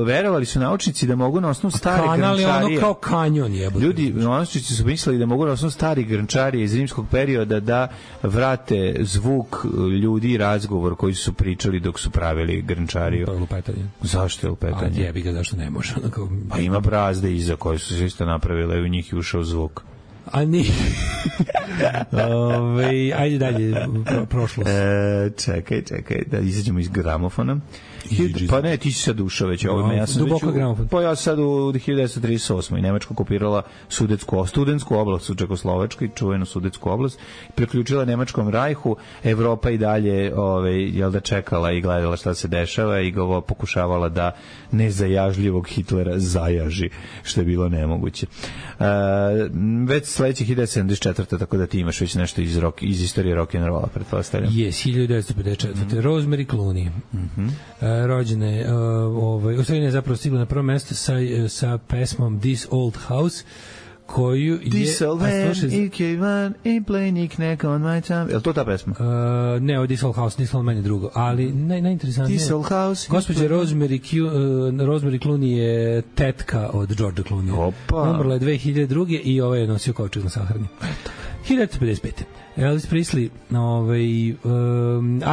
S6: Verovali su naučnici da mogu na osnovu stare grnčarije...
S7: Kanal je ono kao kanjon jebote.
S6: Ljudi, naučnici su mislili da mogu na osnovu stari grnčarije iz rimskog perioda da vrate zvuk ljudi i razgovor koji su pričali dok su pravili grnčariju.
S7: Lupetanje.
S6: Zašto je lupetanje?
S7: A jebi ga, zašto ne može?
S6: Pa ima brazde iza koje su se isto napravile i u njih je ušao zvuk.
S7: A ni. Ajde dalje, prošlost.
S6: Čekaj, da izađemo iz gramofona. Pa ne, ti si sad ušao već ovome. Ja sam
S7: duboko gramofon.
S6: Pa ja sad u 1938. i Nemačka okupirala studentsku oblast u Čekoslovačkoj, čuvenu Sudetsku oblast, priključila Nemačkom rajhu. Evropa i dalje čekala i gledala šta se dešava i pokušavala da nezajažljivog Hitlera zajaži, što je bilo nemoguće. Već sledećih 1974. tako da ti imaš već nešto iz istorije rock'n'rolla, pretpostavljam.
S7: Yes, 1954. Rosemary Clooney. Rođene, u stvari je zapravo stigla na prvo mesto sa pesmom This Old House, koju je...
S6: This old man, EK1, i play knick-knack on my time. Je li to ta pesma?
S7: Ne, ovo je This Old House, This Old Man je drugo. Ali najinteresantnije...
S6: This Old House...
S7: Gospođa Rosemary Clooney je tetka od Georgea Clooney.
S6: Opa!
S7: Umrla je 2002. i ovo je nosio kovčeg na sahrani. 1955. Elvis Presley,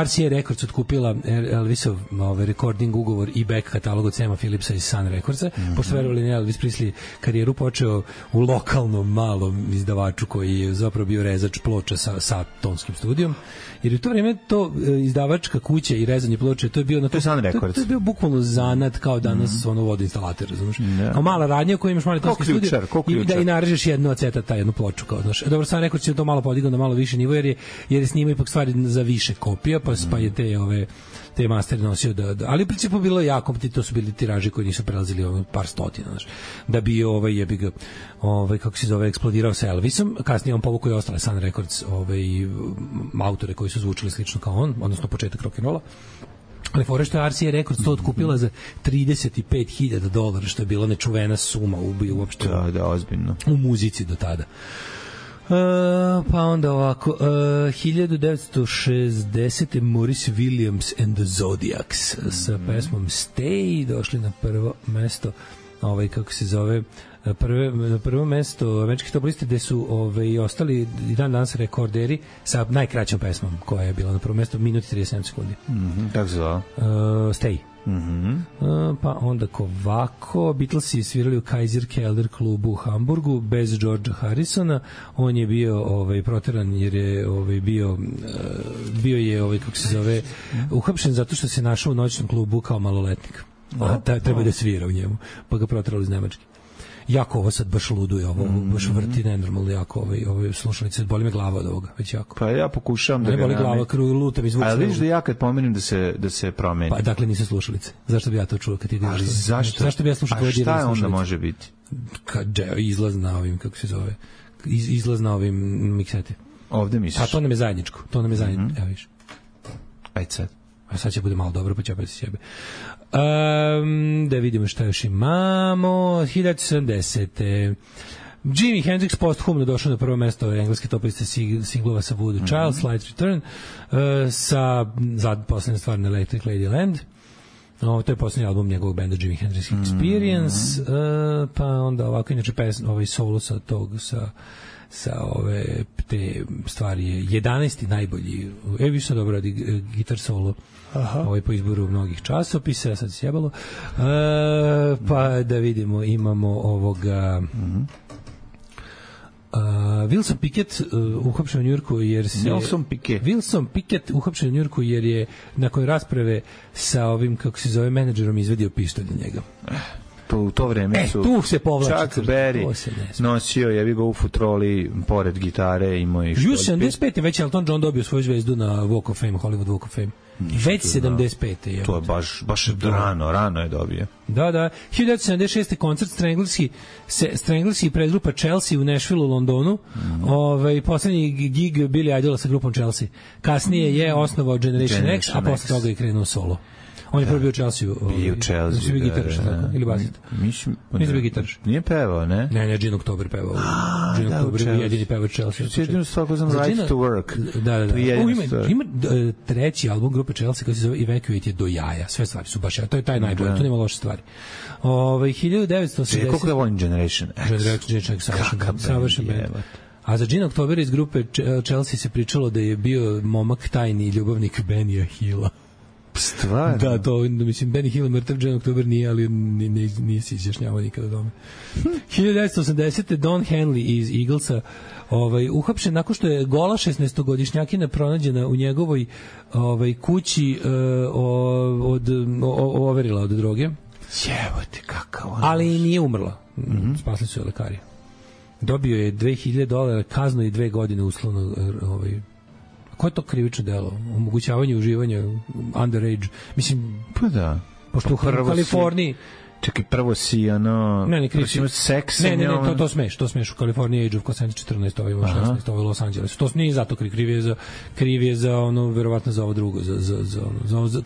S7: RCA Records otkupila Elvisov recording ugovor i back katalog od Sama Phillipsa iz Sun Recordsa. Pošto verovali ne, Elvis Presley karijeru počeo u lokalnom malom izdavaču koji je zapravo bio rezač ploča sa tonskim studijom, jer u to vreme to izdavačka kuća i rezanje ploče, to je bio na to je bio bukvalno zanat kao danas ono vodoinstalater, razumeš? Kao mala radnja u kojoj imaš mali tonski studio i narežeš jednu aceta, jednu ploču kao, znaš. Dobro, sam rekao će to malo podigao na malo više nivo jer je snima ipak stvari za više kopija, pa je te mastere nosio ali u principu bilo je jako, to su bili tiraži koji nisu prelazili par stotina, znaš, da bi kako se zove, eksplodirao sa Elvisom, kasnije on povukao i ostale Sun Records autore koji su zvučili slično kao on, odnosno početak rock'n'rolla. Ali fore što je RCA Records to otkupila za $35,000, što je bila nečuvena suma uopšte
S6: ozbiljno
S7: u muzici do tada. Pa onda ovako 1960. Maurice Williams and the Zodiacs sa pesmom Stay došli na prvo mesto, kako se zove, na prvo mesto američkih top liste, gde su ostali i dan danas rekorderi sa najkraćom pesmom koja je bila na prvo mesto, minut i 37 sekundi.
S6: Tako se zove?
S7: Stay. Pa onda ovako, Beatlesi svirali u Kaiser Keller klubu u Hamburgu bez Georgea Harrisona. On je bio proteran jer je bio je kako se zove, uhapšen zato što se našao u noćnom klubu kao maloletnik. Treba da svira u njemu, pa ga proterali iz Nemačke. Jako ovo sad baš luduje, baš vrti nenormalno jako slušalice, boli me glava od ovoga, već jako.
S6: Pa ja pokušavam da
S7: ga boli glava, lutam i zvuk.
S6: Ali vidiš da ja kad pomenem da se promeni.
S7: Pa dakle nisu slušalice. Zašto bi ja to čuo kad ti ideš? Zašto bi ja slušao tvoje dirane slušalice?
S6: A šta onda može biti?
S7: Izlaz na ovim, kako se zove, izlaz na ovim miksete.
S6: Ovde misliš?
S7: A to nam je zajedničko, evo viš.
S6: Ajde sad.
S7: A sad će bude malo dobro, pa će opet sebe. Da vidimo šta još imamo. 1970. Jimi Hendrix posthumno došao na prvo mesto engleske top liste singlova sa Voodoo Child, Slight Return, sa poslednja stvar na Electric Ladyland. To je poslednji album njegovog benda Jimi Hendrix Experience. Pa onda ovako, inače solo sa te stvari je 11. najbolji. Vi sad dobro radi gitar solo po izboru mnogih časopisa, sad se sjebalo. Pa da vidimo, imamo ovoga Wilson Pickett uhapšen u Njujorku jer se Wilson Pickett uhapšen u Njujorku jer je nakon rasprave sa ovim, kako se zove, menadžerom izvedio pištolj na njega.
S6: Pa u to vreme su
S7: tu se povlači
S6: Chuck Berry nosio jebi ga u futroli pored gitare i moj
S7: što 75. već Elton John dobio svoju zvezdu na Walk of Fame, Hollywood Walk of Fame. Već 75. je.
S6: To je baš rano je dobio.
S7: Da. 1976. koncert Stranglers i predgrupa Chelsea u Nashville u Londonu. Poslednji gig Billy Idola sa grupom Chelsea. Kasnije je osnovao Generation X, a posle toga je krenuo solo. On je prvi bio Chelsea.
S6: Bio u Chelsea,
S7: bio gitarš, ili basista.
S6: Mislim
S7: bio gitarš.
S6: Nije pevao, ne?
S7: Ne, Gene October pevao. Gene October je jedini pevao Chelsea.
S6: Jedinu stvar koju znam, Right to Work.
S7: Da. Ima treći album grupe Chelsea koji se zove Evacuate je do jaja. Sve stvari su baš, to je taj najbolji, tu nema loše stvari. 1980.
S6: Kako da volim Generation X?
S7: Generation X, savršen band. A za Gene October iz grupe Chelsea se pričalo da je bio momak tajni ljubavnik Benija Hilla.
S6: Stvarno?
S7: Da, to, mislim, Benny Hill mrtav, Gene October nije, ali nije se izjašnjavao nikada dome. 1980. Don Henley iz Eaglesa uhapšen nakon što je gola 16-godišnjakina pronađena u njegovoj kući overila od droge.
S6: Jebote, kakav on.
S7: Ali nije umrla. Spasli su je lekari. Dobio je $2.000 kaznu i 2 godine uslovno koje je to krivično delo? Omogućavanje uživanja underage. Mislim,
S6: pa da.
S7: Pošto u Kaliforniji
S6: čekaj, prvo si seks.
S7: Ne, to smeš u Kaliforniji, age of consent 14, ovo ima 16, ovo je Los Angeles. To nije zato kriv je za ono, verovatno za ovo drugo, za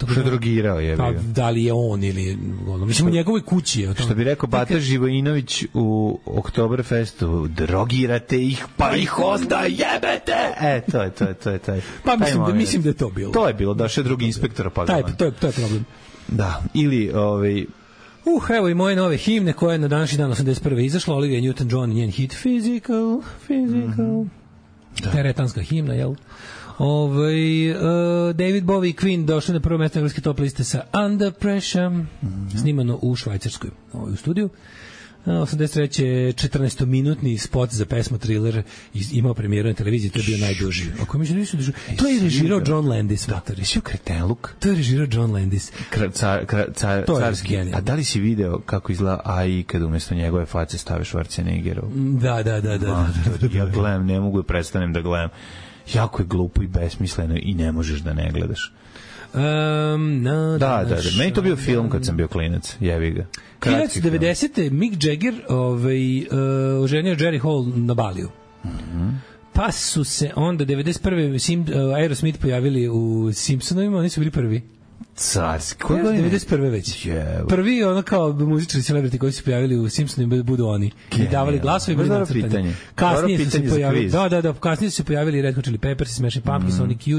S6: što je drogirao je bio.
S7: Da li je on ili ono, mislim u njegovoj kući je.
S6: Što bi rekao Bata Živojinović u Oktoberfestu, drogirate ih, pa ih onda jebete. To je taj.
S7: Pa mislim da je to bilo.
S6: To je bilo, došao drugi inspektor pa ga.
S7: To je problem.
S6: Da, ili
S7: evo i moje nove himne koje je na današnji dan 81. izašla, Olivia Newton-John i njen hit Physical. Teretanska himna, jel? David Bowie i Queen došli na prvo mesto engleske top liste sa Under Pressure, snimano u Švajcarskoj, u studiju. 83. 14-minutni spot za pesmu Thriller imao premijeru na televiziji, to je bio najduži. Ako mi nisu duži. To je režirao John Landis, matori.
S6: Jesi u Kretenluk?
S7: To je režirao John Landis.
S6: Carski. A da li si video kako izgleda AI kad umjesto njegove face stave Schwarzeneggerov?
S7: Da.
S6: Ja gledam, ne mogu da prestanem da gledam. Jako je glupo i besmisleno i ne možeš da ne gledaš. Da. Meni to bio film kad sam bio klinac, jevi ga.
S7: 1990. Mick Jagger oženio Jerry Hall na Baliju. Pa su se onda 91. Aerosmith pojavili u Simpsonovima, oni su bili prvi.
S6: Carski.
S7: 91. već. Prvi ono kao muzičari celebrity koji su pojavili u Simpsonima budu oni. I davali glasove i bili nacrtani. Kasnije su se pojavili. Da, kasnije su se pojavili Red Hot Chili Peppers, Smashing Pumpkins,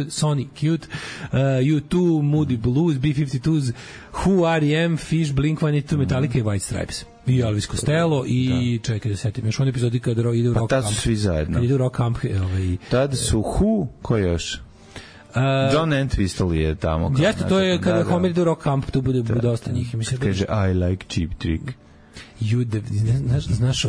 S7: Sonic Youth, U2, Moody Blues, B-52s, Who, R.E.M., Fish, Blink-182, Metallica i White Stripes. I Elvis Costello i čekaj da setim još one epizodi kada ide u Rock Camp.
S6: Pa tad su svi zajedno.
S7: Kad ide u Rock Camp.
S6: Tad su Who, ko još? John Entwistle je tamo.
S7: Jeste, to je kada Homer ide u Rock Camp, tu bude dosta njih.
S6: Kaže, I like Cheap Trick.
S7: Znaš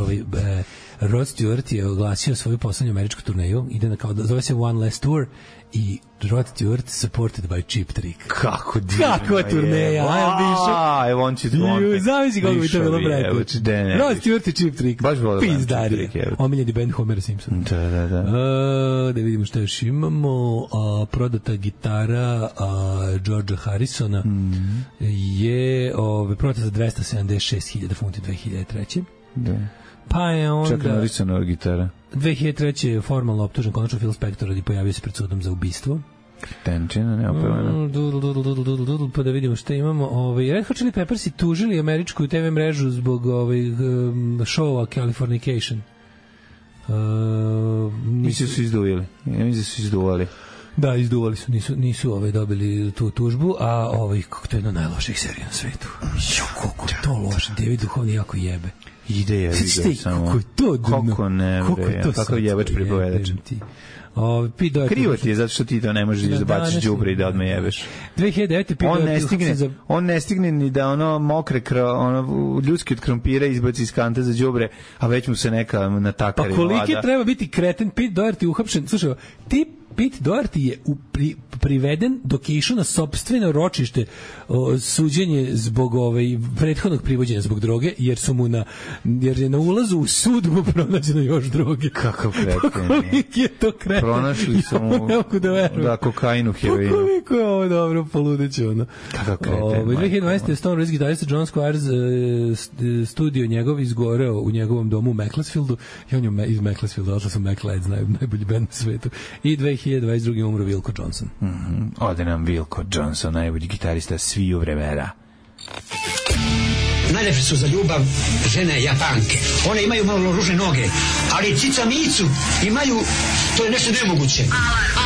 S7: Rod Stewart je oglasio svoju poslednju američku turneju, ide na kao, zove se One Last Tour i Rod Stewart supported by Cheap Trick. Kakva turneja,
S6: evo on će
S7: zavisi kako bi to bilo brati. Rod Stewart i Cheap Trick.
S6: Baš volim
S7: Pizdarija. Omiljeni band Homer Simpson.
S6: Da.
S7: Da vidimo šta još imamo. Prodata gitara Georgea Harrisona je prodata za 276.000 funti 2003.
S6: Da.
S7: Pa je onda...
S6: Čak Harrisonova gitara.
S7: 2003. je formalno optužen konačno Phil Spector i pojavio se pred sudom za ubistvo.
S6: Tenčina, neopelena.
S7: Pa da vidimo šta imamo. Red Hot Chili Peppers i tužili američku TV mrežu zbog showa Californication.
S6: Mislim su izduvili. Ja mislim su izduvali.
S7: Da, izduvali su, nisu dobili tu tužbu, a kako to je jedna najloših serija na svetu. Kako to loše, David Duhovni jako jebe.
S6: Ide je vidio samo.
S7: Kako je to dno?
S6: Kako ne, kakav jebač pripovedač. Krivo ti je zato što ti to ne možeš da baciš đubre i da odmah jebeš.
S7: 2009.
S6: On ne stigne ni da mokre ljudski od krompira izbaci iz kante za đubre, a već mu se neka natakari
S7: vlada. Pa koliki treba biti kreten, Pete Doherty uhapšen. Slušaj, Pete Doherty je priveden dok je išao na sopstveno ročište suđenje zbog prethodnog privođenja zbog droge, jer je na ulazu u sud mu pronađeno još droge.
S6: Kakav kreten.
S7: Koliki je to kreten.
S6: Pronašli su mu kokainu, heroinu.
S7: Koliko je ovo dobro, poludeće ono.
S6: Kakav kreten.
S7: 2012. je Stone Rose gitarista John Squires studio njegov izgoreo u njegovom domu u Macclesfieldu i on je iz Macclesfielda, odšla sam Macclesfield, najbolji band na svetu. I 2022. umro Wilco Johnson.
S6: Ode nam Wilco Johnson, najbolji gitarista sviju vremena.
S8: Najlepše su za ljubav žene Japanke. One imaju malo ružne noge, ali cica micu imaju, to je nešto nemoguće.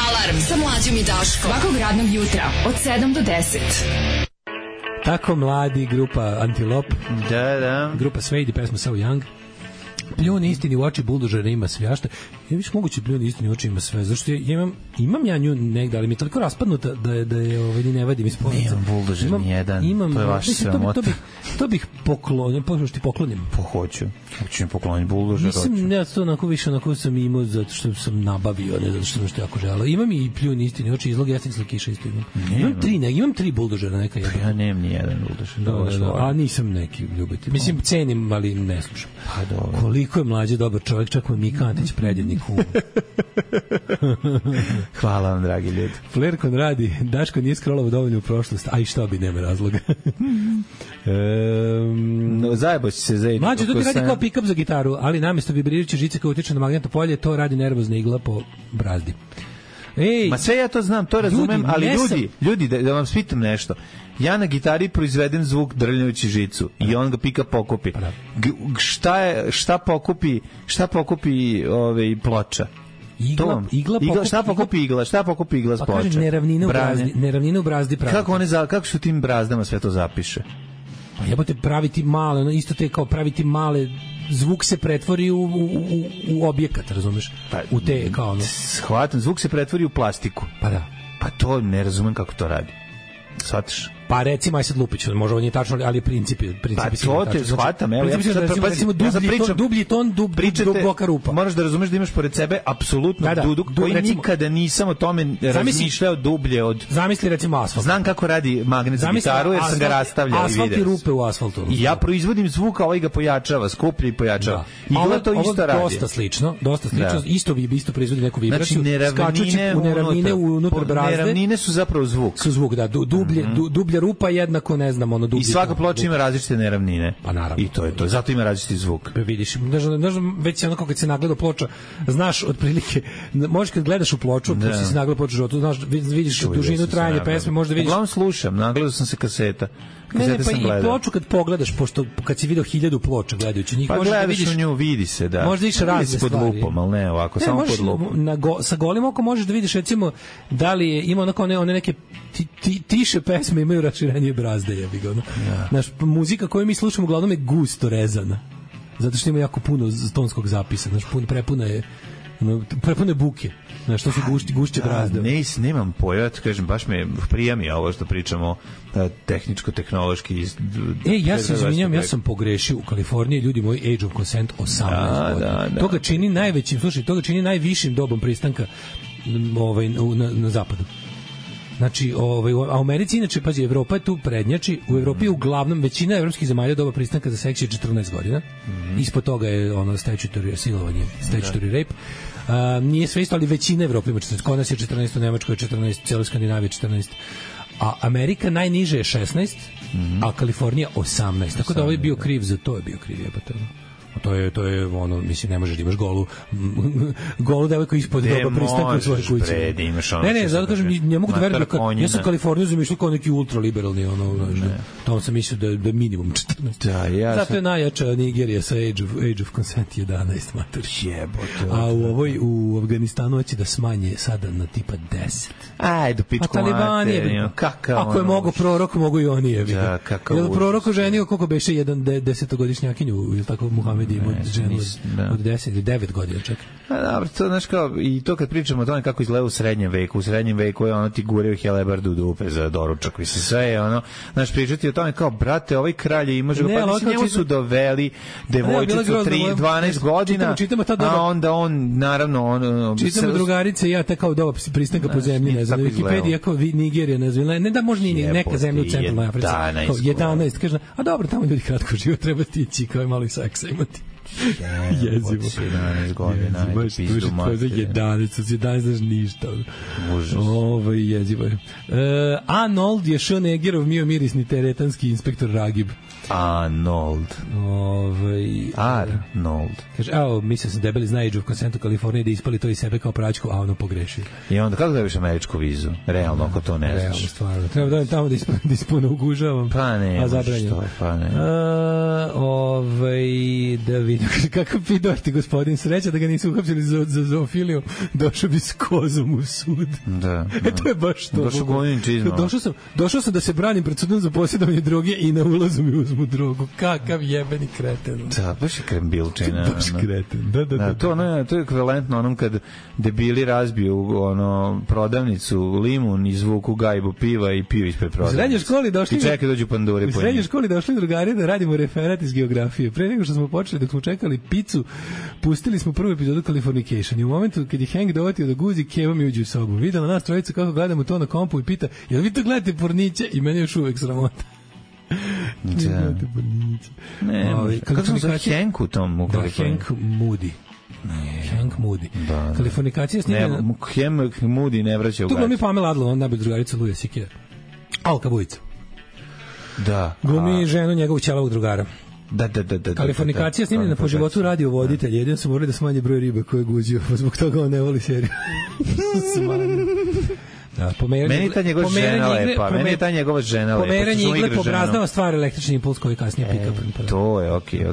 S4: Alarm sa Mlađom i Daškom. Svakog radnog jutra od 7 do 10.
S7: Tako mladi, grupa Antilop.
S6: Da.
S7: Grupa Suede, pesma So Young. Pljun istini u oči buldožera ima svašta. Ja više moguće pljun istini u oči ima sve. Zašto imam ja nju negde, ali mi je toliko raspadnuta da je ne vadim iz polica.
S6: Nemam buldožer nijedan, to je vaš sramota.
S7: To bih poklonio, pošto ti poklonim.
S6: Hoću mi pokloniti buldožer.
S7: Mislim, ja to onako sam imao zato što sam nabavio, ne zato što sam što jako želeo. Imam i pljun istini u oči, izlog jasnih kiša isto imam. Imam tri buldožera neka jedan.
S6: Ja nemam nijedan buldožer.
S7: A nisam neki ljubitelj. Mislim, cenim, ali ne slušam.
S6: Pa dobro.
S7: Koliko je mlađi dobar čovjek, čak mu Mika Antić predjednik humor.
S6: Hvala vam, dragi ljudi.
S7: Flerkon radi, Daško nije scrollao dovoljno u prošlost, a i što bi, nema razloga.
S6: Zajebo si se zajedno.
S7: Mlađe, to ti radi kao pick-up za gitaru, ali namjesto vibrirajuće žice koja utiče na magnetno polje, to radi nervozna igla po brazdi.
S6: Ma sve ja to znam, to razumem, ali ljudi, da vam spitam nešto. Ja na gitari proizvedem zvuk drljajući žicu i on ga pika pokupi. Šta pokupi ploča? Šta pokupi igla s ploča?
S7: Pa kaže neravnine u brazdi pravi.
S6: Kako su tim brazdama sve to zapiše?
S7: Pa jebote, praviti male, isto te kao praviti male, zvuk se pretvori u objekat, razumeš? U te kao ono.
S6: Shvatam, zvuk se pretvori u plastiku.
S7: Pa da.
S6: Pa to ne razumem kako to radi. Shvataš?
S7: Pa recimo, aj sad Lupić, može ovo nije tačno, ali princip
S6: Pa to te shvatam, evo,
S7: recimo dublji ton, duboka rupa.
S6: Moraš da razumeš da imaš pored sebe apsolutno duduk koji nikada nisam o tome razmišljao dublje od...
S7: Zamisli recimo asfalt.
S6: Znam kako radi magnet za gitaru, jer sam ga rastavljao i vidio.
S7: Asfalt i rupe u asfaltu.
S6: I ja proizvodim zvuk, a ovaj ga pojačava, skuplja i pojačava. I gleda to isto radi.
S7: Dosta slično, isto proizvodi neku vibraciju.
S6: Znači,
S7: neravnine unutar brazde.
S6: Neravnine su zapravo zvuk.
S7: Su zvuk, da. Dublja rupa jednako, ne znam, ono dublje.
S6: I svaka ploča ima različite neravnine.
S7: Pa naravno.
S6: I to je to. Zato ima različiti zvuk.
S7: Vidiš, već se onako kad se nagleda ploča, znaš otprilike, možeš kad gledaš u ploču, kad si nagledao ploču životu, znaš, vidiš dužinu trajanja pesme, možda vidiš.
S6: Uglavnom slušam, nagledao sam se kaseta.
S7: Ne, pa i ploču kad pogledaš, pošto kad si video 1000 ploča gledajući njih,
S6: pa
S7: možda
S6: gledaš
S7: vidiš
S6: u nju, vidi se, da.
S7: Možda vidiš razne
S6: pod
S7: stvari.
S6: lupom, ali ne ovako, samo pod lupom.
S7: Sa golim okom možeš da vidiš, recimo, da li je, ima onako one neke tiše pesme imaju raširenije brazde, jebi ga. Naš muzika koju mi slušamo uglavnom je gusto rezana. Zato što ima jako puno tonskog zapisa, prepuna je buke. Znaš, to su gušće brazde.
S6: Nemam pojma, kažem, baš me prijami ovo što pričamo tehničko-tehnološki.
S7: Ja se izvinjam, ja sam pogrešio u Kaliforniji, ljudi moji, age of consent 18 godina. To ga čini najvećim, to ga čini najvišim dobom pristanka na zapadu. Znači, a u Americi, inače, pazi, Evropa je tu prednjači, u Evropi je uglavnom većina evropskih zemalja doba pristanka za seks je 14 godina, ispod toga je statutory silovanje, statutory rape. Nije sve isto, ali većina Evrope ima 14, kod nas je 14, u Nemačkoj je 14, cijeloj Skandinaviji 14, a Amerika najniže je 16, a Kalifornija 18, tako da ovaj bio kriv za to, je bio kriv, to je ono, mislim, ne možeš da imaš golu devojku ispod doba pristanka u svojoj kući. Ne, zato kažem, ne mogu da verujem, ja sam Kaliforniju zamišljao kao neki ultraliberalni, tamo sam mislio da je minimum 14. Zato je najjača Nigerija sa age of consent 11, mater. A u Afganistanu hoće da smanje sada na tipa 10.
S6: Ajde, pičku mater.
S7: Ako je mogo prorok, mogu i oni, je. Jel prorok oženio koliko beše jedan 10-godišnjakinju, ili tako Muhammed ima ženu od 10 ili 9 godina, čak.
S6: Dobro, to znaš kao, i to kad pričamo o tome kako izgleda u srednjem veku je ono ti gureo helebardu u dupe za doručak, mislim, sve je ono, znaš, pričati o tome kao, brate, ovaj kralj ima ženu, pa mislim, njemu su doveli devojčicu 12 godina, a onda on, naravno,
S7: čitamo drugarice i ja te kao doba pristanka po zemlji, ne znam, Wikipedia kao Nigerija, ne znam, ne da može ni neka zemlja u centralnoj Africi, 11, kaže, a dobro, tamo ljudi kratko živo, treba tići, kao je malo i seksa imati. Jezivo.
S6: 11 godina, pizdu mater.
S7: 11, znaš ništa.
S6: Užas.
S7: Jezivo je. Arnold je Schwarzeneggerov mio mirisni teretanski inspektor Ragib.
S6: Arnold.
S7: Kaže, mislio sam debeli zna age of consent u Kaliforniji da ispali to iz sebe kao praćku, a ono pogreši.
S6: I onda kako dobiš američku vizu? Realno, ako to ne znaš.
S7: Realno, stvarno. Treba da tamo da ispune ugužavam.
S6: Pa ne,
S7: a zabranjeno.
S6: Pa ne.
S7: Da vidim kakav pidorti gospodin, sreća da ga nisu uhapsili za zoofiliju, došao bi s kozom u sud.
S6: Da.
S7: To je baš to.
S6: Došao
S7: sam da se branim pred sudom za posjedovanje droge i na ulazu mi uzmu drogu. Kakav jebeni kreten.
S6: Da, baš je krembilčina.
S7: Baš kreten. Da.
S6: To je ekvivalentno onom kad debili razbiju prodavnicu, limun, izvuku gajbu piva i piju ispred prodavnice. U srednjoj školi došli. I čekaj dođu panduri po njih. U srednjoj školi došli drugari da radimo referat iz geografije. Pre nego što smo počeli, dok smo čekali picu, pustili smo prvu epizodu Californication. I u momentu kad je Hank dovatio da guzi, Keva mi uđe u sobu. Videla nas trojicu kako gledamo to na kompu i pita, jel vi to gledate porniće? I meni još uvek sramota. Kako sam zove Hank u tom u Kaliforniji?
S7: Hank Moody. Hank Moody. Kalifernikacija snimljena...
S6: Hank Moody ne vraća u gaći.
S7: Tu glumi Pamela Adler, on najbolj drugarica Luja Sikija. Alka Bujica.
S6: Da.
S7: Glumi ženu njegovog ćelavog drugara.
S6: Da.
S7: Kalifernikacija snimljena po životu radio voditelj. Jedino su morali da smanje broj ribe koje je guđio. Zbog toga on ne voli seriju. Da,
S6: meni ta njegova žena lepa. Meni je ta njegova žena lepa.
S7: Pomeranje igle pobrazdava stvar električni impuls koji kasnije pika.
S6: To je, okej.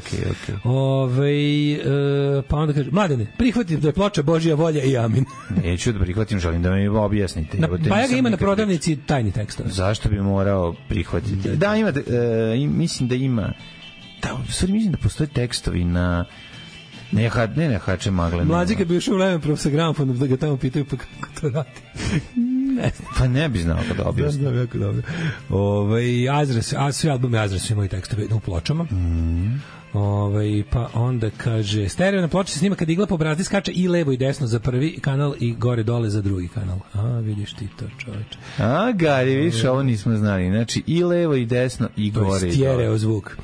S7: Pa onda kaže, Mladene, prihvatim da je ploča Božja volja i amin.
S6: Neću da prihvatim, želim da mi objasnite.
S7: Bajaga ima na prodavnici tajni tekstove.
S6: Zašto bi morao prihvatiti? Da, ima, mislim da ima. Da, u stvari mislim da postoje tekstovi na... Ne hače magle.
S7: Mlađi kad bi ušao u Levenprov sa gramofonom da ga tamo pitaju pa kako to radi. ne znam.
S6: Pa ne bi znao kada objasnim.
S7: Da, jako dobro. Azras, svi albumi Azras imaju tekstove u pločama. Pa onda kaže stereo na ploči se snima kad igla po brazdi skače i levo i desno za prvi kanal i gore dole za drugi kanal. Vidiš ti to, čoveče.
S6: Gari, vidiš, ovo nismo znali. Znači i levo i desno i gore i dole.
S7: Stereo zvuk.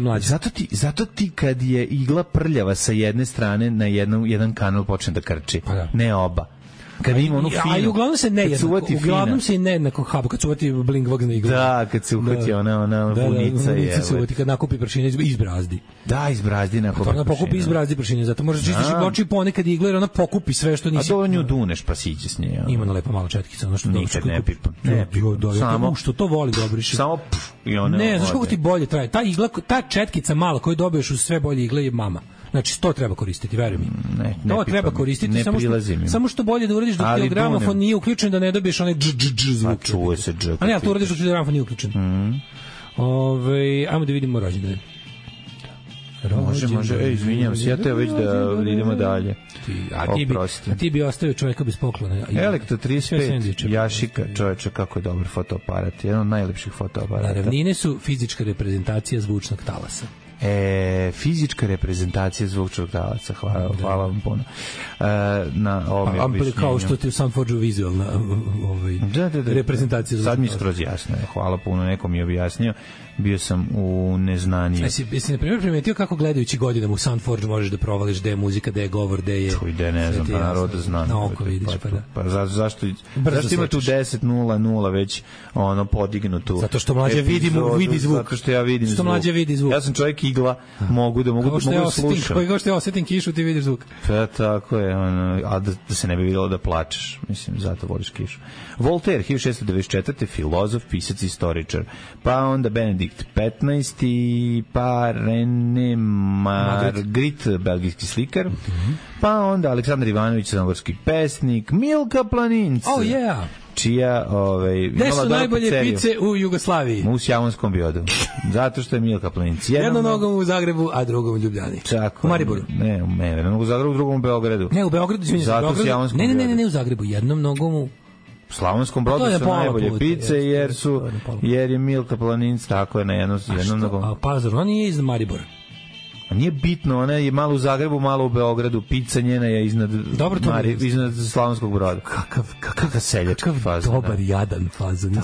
S7: Mlađe.
S6: Zato ti kad je igla prljava sa jedne strane na jedan kanal počne da krči.
S7: Pa da.
S6: Ne oba. Kad ima onu finu.
S7: A uglavnom se uglavnom se nejednako haba kad se uvati blingvog na iglu.
S6: Da, kad se uhvati ona vunica je.
S7: Da, se uvati kad nakupi pršine iz brazdi.
S6: Da, iz brazdi nakupi pršine.
S7: Ona pokupi iz brazdi pršine, zato možeš čistiš oči ponekad igla jer ona pokupi sve što nisi.
S6: A to nju duneš pa siđe s nje.
S7: Ima na lepo malo četkica, ono što
S6: nikad ne pipam.
S7: Samo što to voli da obriše.
S6: Samo i ona.
S7: Ne, znaš kako ti bolje traje. Ta igla, ta četkica mala koju dobiješ uz sve bolje igle je mama. Znači, to treba koristiti, veruj mi. To treba koristiti, samo što bolje da uradiš dok ti gramofon nije uključen, da ne dobiješ onaj dž zvuk.
S6: A čuje se dž.
S7: A ne, ali to uradiš dok ti gramofon nije uključen. Ajmo da vidimo rođendane.
S6: Može. Izvinjam se, ja te već da idemo dalje.
S7: A ti bi ostavio čovjeka bez poklona.
S6: Elektro 35, Jašika, čovječe, kako je dobar fotoaparat. Jedan od najlepših fotoaparata.
S7: Ravnine su fizička reprezentacija zvučnog talasa.
S6: Fizička reprezentacija zvučnog talaca. Hvala vam puno.
S7: Kao što ti u Soundforge-u vizualna reprezentacija zvučnog
S6: Sad
S7: talasa.
S6: mi skroz jasno je. Hvala puno, neko mi je objasnio. Bio sam u neznaniju.
S7: Jesi na primjer primetio kako gledajući godinama u Soundforge možeš da provališ gde je muzika, gde je govor, gde je...
S6: Čuj, gde ne znam, pa narod da znam.
S7: Na oko vidiš, pa da.
S6: Pa zašto ima tu 10.00 već podignutu?
S7: Zato što mlađe vidi zvuk.
S6: Zato što ja vidim zvuk.
S7: Što mlađe vidi zvuk.
S6: Ja sam čovjek igla, mogu da slušam.
S7: Kao što ja osetim kišu, ti vidiš zvuk.
S6: Pa tako je, a da se ne bi vidjelo da plačeš. Mislim, zato voliš kišu. Voltaire, 1694. filozof, pisac, istoričar. Pa onda Benedikt 15. pa René Magritte, belgijski slikar. Pa onda Aleksandar Ivanović, crnogorski pesnik. Milka Planinc.
S7: Oh yeah.
S6: Čija
S7: gde su najbolje pice u Jugoslaviji?
S6: U Sjavonskom Biodu. Zato što je Milka Planinc.
S7: Jednom nogom u Zagrebu, a drugom u Ljubljani.
S6: Tako.
S7: U Mariboru.
S6: Ne, u Zagrebu, drugom u Beogradu.
S7: Ne, u Beogradu,
S6: zato u Sjavonskom Biodu.
S7: Ne, u Zagrebu, jednom nogom u
S6: Slavonskom Brodu su najbolje pice jer je Milka Planinc tako je na jednom nogom.
S7: A Pazar, ona nije iz Maribora.
S6: A nije bitno, ona je malo u Zagrebu, malo u Beogradu, pizza njena je iznad Slavonskog Broda. Kakav seljački fazon.
S7: Dobar, jadan fazon.
S6: Da.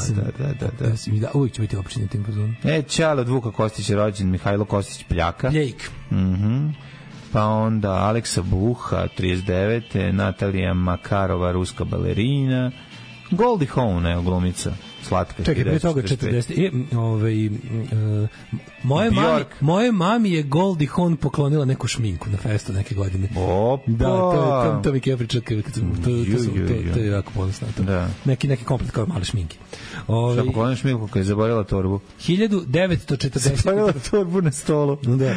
S7: Uvijek će biti opštinjen tim fazonom.
S6: Čale od Vuka Kostića rođen, Mihajlo Kostić Pljaka.
S7: Pljejk.
S6: Pa onda Aleksa Buha, 39. Natalija Makarova, ruska balerina. Goldie Hawn, glumica. Slatka.
S7: Čekaj, pre toga 40. Moje mami je Goldie Hawn poklonila neku šminku na festu neke godine.
S6: Opa!
S7: Da, to mi je pričao kad sam... To je jako ponosno. Neki komplet kao male šminke.
S6: Šta poklonila šminku kad je zaboravila torbu?
S7: 1940.
S6: Zaboravila torbu na stolu.
S7: Da.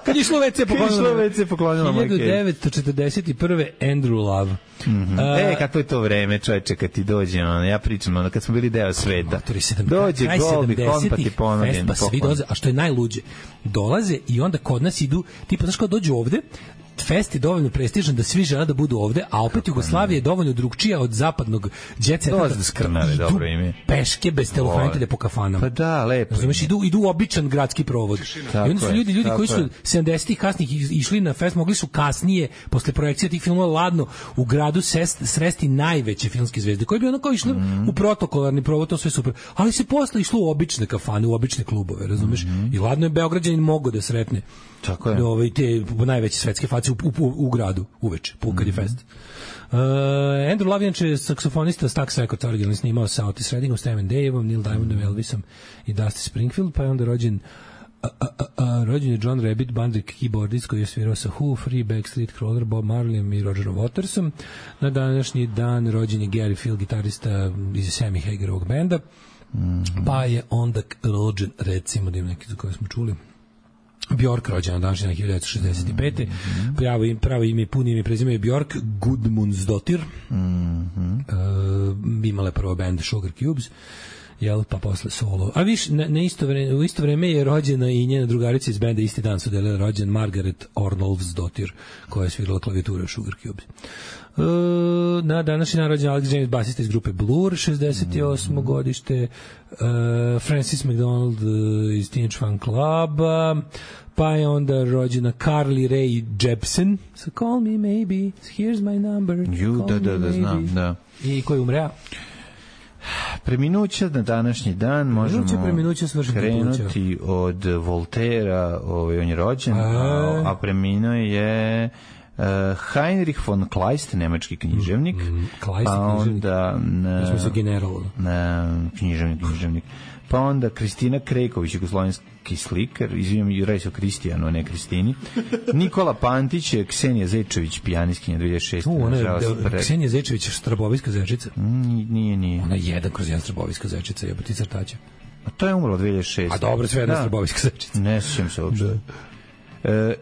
S7: Kad je išlo WC
S6: poklonila.
S7: 1941. Andrew Love.
S6: Kako je to vreme, čovječe, kad ti dođe, ja pričam, kad smo bili deo sveta. Dođe Goldie Hawn pa ti ponudim.
S7: Pa svi dolaze, a što je najluđe, dolaze i onda kod nas idu, tipa, znaš kao dođu ovde, fest je dovoljno prestižan da svi žele da budu ovde, a opet Jugoslavija je dovoljno drugčija od zapadnog jet seta.
S6: Dolaze da skrnave, dobro ime.
S7: Peške bez telohranitelja po kafanama.
S6: Pa da, lepo.
S7: Znaš, idu običan gradski provod. I onda su ljudi koji su 70-ih kasnih išli na fest, mogli su kasnije, posle projekcije tih filmova, ladno u gradu sresti najveće filmske zvezde, koji bi ono kao išli u protokolarni provod, to sve super. Ali se posle išlo u obične kafane, u obične klubove, razumeš? I ladno je Beograđanin mogao da sretne te najveće svetske face u gradu uveče, kad je fest. Andrew Love je saksofonista Stax Records, originalno snimao sa Otis Reddingom, Stan Daveom, Neil Diamondom, Elvisom i Dusty Springfield, pa je onda rođen je John Rabbit, bandrik keyboardist koji je svirao sa Who, Free, Backstreet, Crawler, Bob Marleyem i Rogerom Watersom. Na današnji dan rođen je Gary Field, gitarista iz Sammy Hagerovog benda, pa je onda rođen, recimo, da ima neki za koje smo čuli, Bjork, rođena današnja 1965. Pravo ime, puno ime i prezime je Bjork Gudmundsdottir. Imala je prvo band Sugar Cubes jel, pa posle solo. A viš, u isto vreme je rođena i njena drugarica iz benda, isti dan su delila rođen Margaret Orlovsdottir, koja je svirala klavijaturu u Sugar Cubes. Na današnji dan rođen Alex James, basista iz grupe Blur, 68. godište, Francis McDonald iz Teenage Fan Cluba, pa je onda rođena Carly Rae Jepsen, so call me maybe, here's my number,
S6: da, znam, da.
S7: I ko je umrea?
S6: Preminuća na današnji dan možemo krenuti od Voltera, on je rođen, a preminuo je Heinrich von Kleist, nemački književnik, pa onda književnik, pa onda Kristina Krejković, jugoslovenski slikar, izvijem, radi se o Kristijanu, a ne Kristini. Nikola Pantić, Ksenija Zečević, pijanistkinja 2006.
S7: Ksenija Zečević, Strabovijska zečica?
S6: Nije.
S7: Ona je 1/1 Strabovijska zečica, jebati crtaća.
S6: A to je umrlo 2006.
S7: A dobro, sve jedna Strabovijska zečica.
S6: Ne sjećam se uopšte.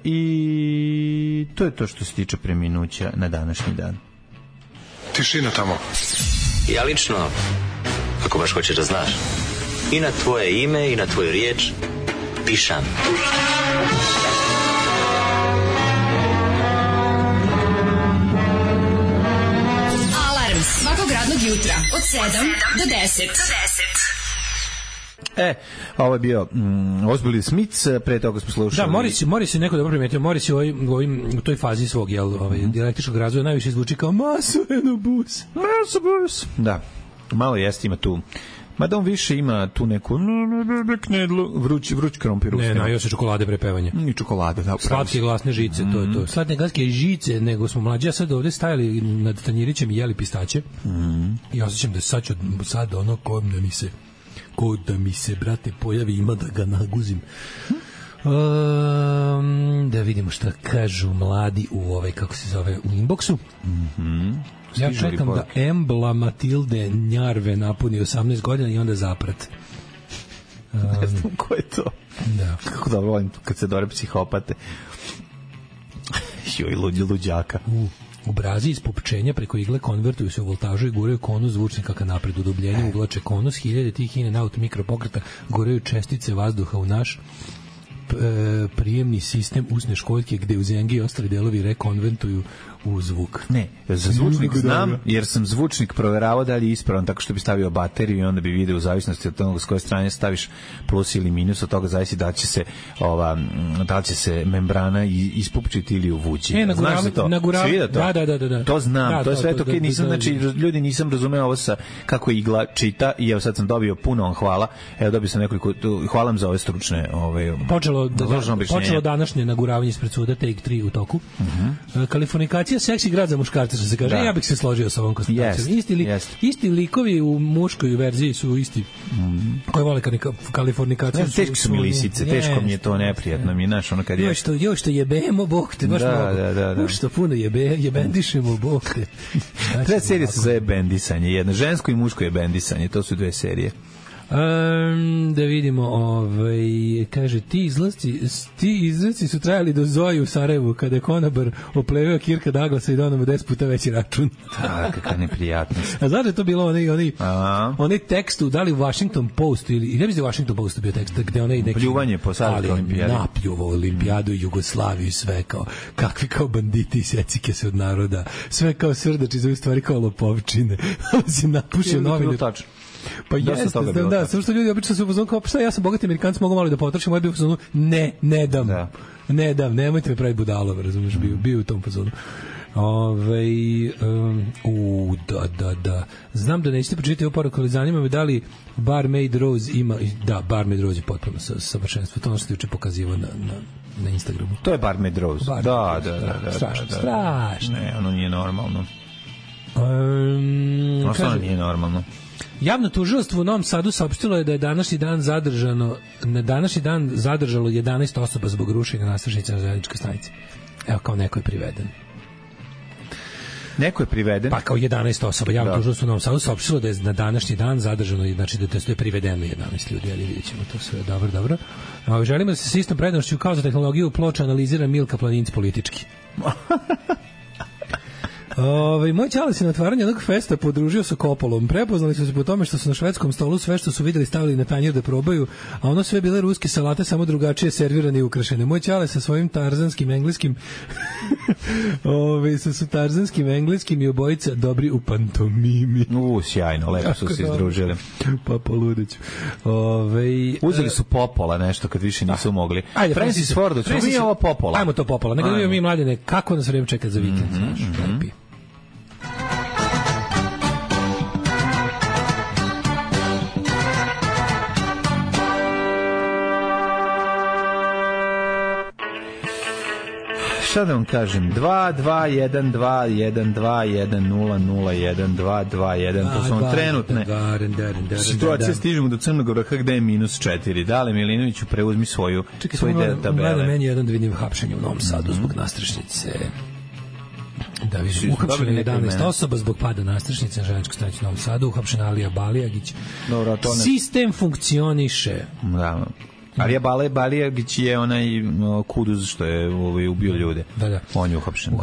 S6: I to je to što se tiče preminuća na današnji dan.
S5: Tišina tamo.
S9: Ja lično, ako baš hoćeš da znaš, i na tvoje ime i na tvoju riječ pišam.
S4: Alarm svakog radnog jutra od 7 do 10.
S6: Ovo je bio Ozbilj Smith, pre toga smo slušali.
S7: Da, Morris je neko dobro primetio, Morris je u toj fazi svog dijalektičkog razvoja najviše zvuči kao Masoenobus.
S6: Da, malo jeste, ima tu. Mada on više ima tu neku vruć krompir.
S7: Ne, još je čokolade prepevanja.
S6: I čokolade, da.
S7: Slatke glasne žice, to je to. Slatne glasne žice, nego smo mlađi, ja sad ovde stajali nad tanjirićem i jeli pistaće. I osjećam da sad ono ko da mi se, brate, pojavi, ima da ga naguzim. Da vidimo šta kažu mladi u kako se zove, u inboxu. Ja čekam da Embla Matilde Njarve napuni 18 godina i onda zaprat.
S6: Ne znam ko je to.
S7: Da.
S6: Kako da volim kad se dore psihopate. Joj, luđaka.
S7: Obrazi iz popčenja preko igle konvertuju se u voltažu i guraju konus zvučnika ka napred. Udubljenje uvlače konus, hiljade tih in and out mikropokreta guraju čestice vazduha u naš prijemni sistem usne školjke gde u zengi i ostali delovi rekonventuju u zvuk.
S6: Ne, za zvučnik znam, jer sam zvučnik proveravao da li je ispravan tako što bi stavio bateriju i onda bi video u zavisnosti od toga s koje strane staviš plus ili minus, od toga zavisi da li će se membrana ispupčiti ili uvući. Znaš za to?
S7: Da.
S6: To znam, to je sve to. Znači, ljudi nisam razumeo ovo sa kako igla čita i evo sad sam dobio puno vam hvala. Evo dobio sam nekoliko, hvala vam za ove stručne
S7: Počelo današnje naguravanje ispred suda, take 3 u toku. Kalifornikacija seksi grad za muškarce, što se kaže. Ja bih se složio sa ovom konstatacijom. Isti likovi u muškoj verziji su isti koji vole kalifornikaciju.
S6: Teško su mi lisice, teško mi je to, neprijatno mi je, znaš, ono kad je...
S7: Još što jebemo, Bog te, baš mnogo. Što puno jebendišemo, Bog te.
S6: Treba serija se zove bendisanje, jedno žensko i muško je bendisanje, to su dve serije.
S7: Da vidimo, kaže, ti izlaci su trajali do Zoji u Sarajevu, kada je konobar opleveo Kirka Douglasa i donao mu 10 puta veći račun.
S6: Kakva neprijatnost.
S7: A znaš da je to bilo onaj tekst da li u Washington Postu ili ne bi se u Washington Postu bio tekst gde onaj neki
S6: pljuvanje po Savskoj olimpijadi,
S7: napljuvao olimpijadu i Jugoslaviju i sve kao kakvi kao banditi i secike se od naroda, sve kao srdači za stvari kao lopovčine. Si napušio novine. Pa jeste, samo što ljudi obično su u fazonu kao, šta, ja sam bogati Amerikanac, mogu malo da potrošim, ovaj bio u fazonu, ne dam, nemojte me praviti budalom, razumiješ, bio u tom fazonu. Da. Znam da nećete pročitati ovu poruku, ali zanima me da li Barmaid Rose ima, da, Barmaid Rose je potpuno savršenstvo, to ono što ti uče pokazivao na Instagramu.
S6: To je Barmaid Rose, da.
S7: Strašno.
S6: Ne, ono nije normalno. Ono nije normalno.
S7: Javno tužilaštvo u Novom Sadu saopštilo je da je na današnji dan zadržalo 11 osoba zbog rušenja nadstrešnice na železničkoj stanici. Evo, kao neko je priveden.
S6: Neko je priveden?
S7: Pa kao 11 osoba. Javno tužilaštvo u Novom Sadu saopštilo da je na današnji dan zadržano, znači da je privedeno 11 ljudi, ali vidjet ćemo to sve. Dobro. Želimo da se s istom prednošću kao za tehnologiju ploča analizira Milka Planinc politički. Moj ćale se na otvaranju jednog festa podružio sa Kopolom. Prepoznali su se po tome što su na švedskom stolu sve što su videli stavili na tanjir da probaju, a ono sve bile ruske salate, samo drugačije servirane i ukrašene. Moj ćale sa svojim tarzanskim engleskim sa tarzanskim engleskim i obojica dobri u pantomimi.
S6: Sjajno, lepo su se izdružili.
S7: Pa poludeću.
S6: Uzeli su Popola nešto kad više nisu mogli. Ajde, Francis Ford, ćemo mi ovo Popola.
S7: Ajmo to Popola. Nego da mi mladine, kako nas vreme čeka za vikend, znaš, lepi.
S6: Šta da vam kažem? 2-2-1-2-1-2-1-0-0-1-2-2-1. To su vam trenutne situacije. Stižemo do Crnog vrha gde je -4. Dale Milinoviću, preuzmi svoj deo tabele.
S7: Čekaj, meni jedan da vidim hapšenje u Novom Sadu zbog nastrešnice. Da vidim, uhapšeno 11 osoba zbog pada nastrešnice na železničkoj stanici u Novom Sadu, uhapšena Alija Balijagić. Sistem funkcioniše.
S6: Da. Alija Balijagić je onaj kuduz što je ubio ljude.
S7: Da.
S6: On je uhapšen.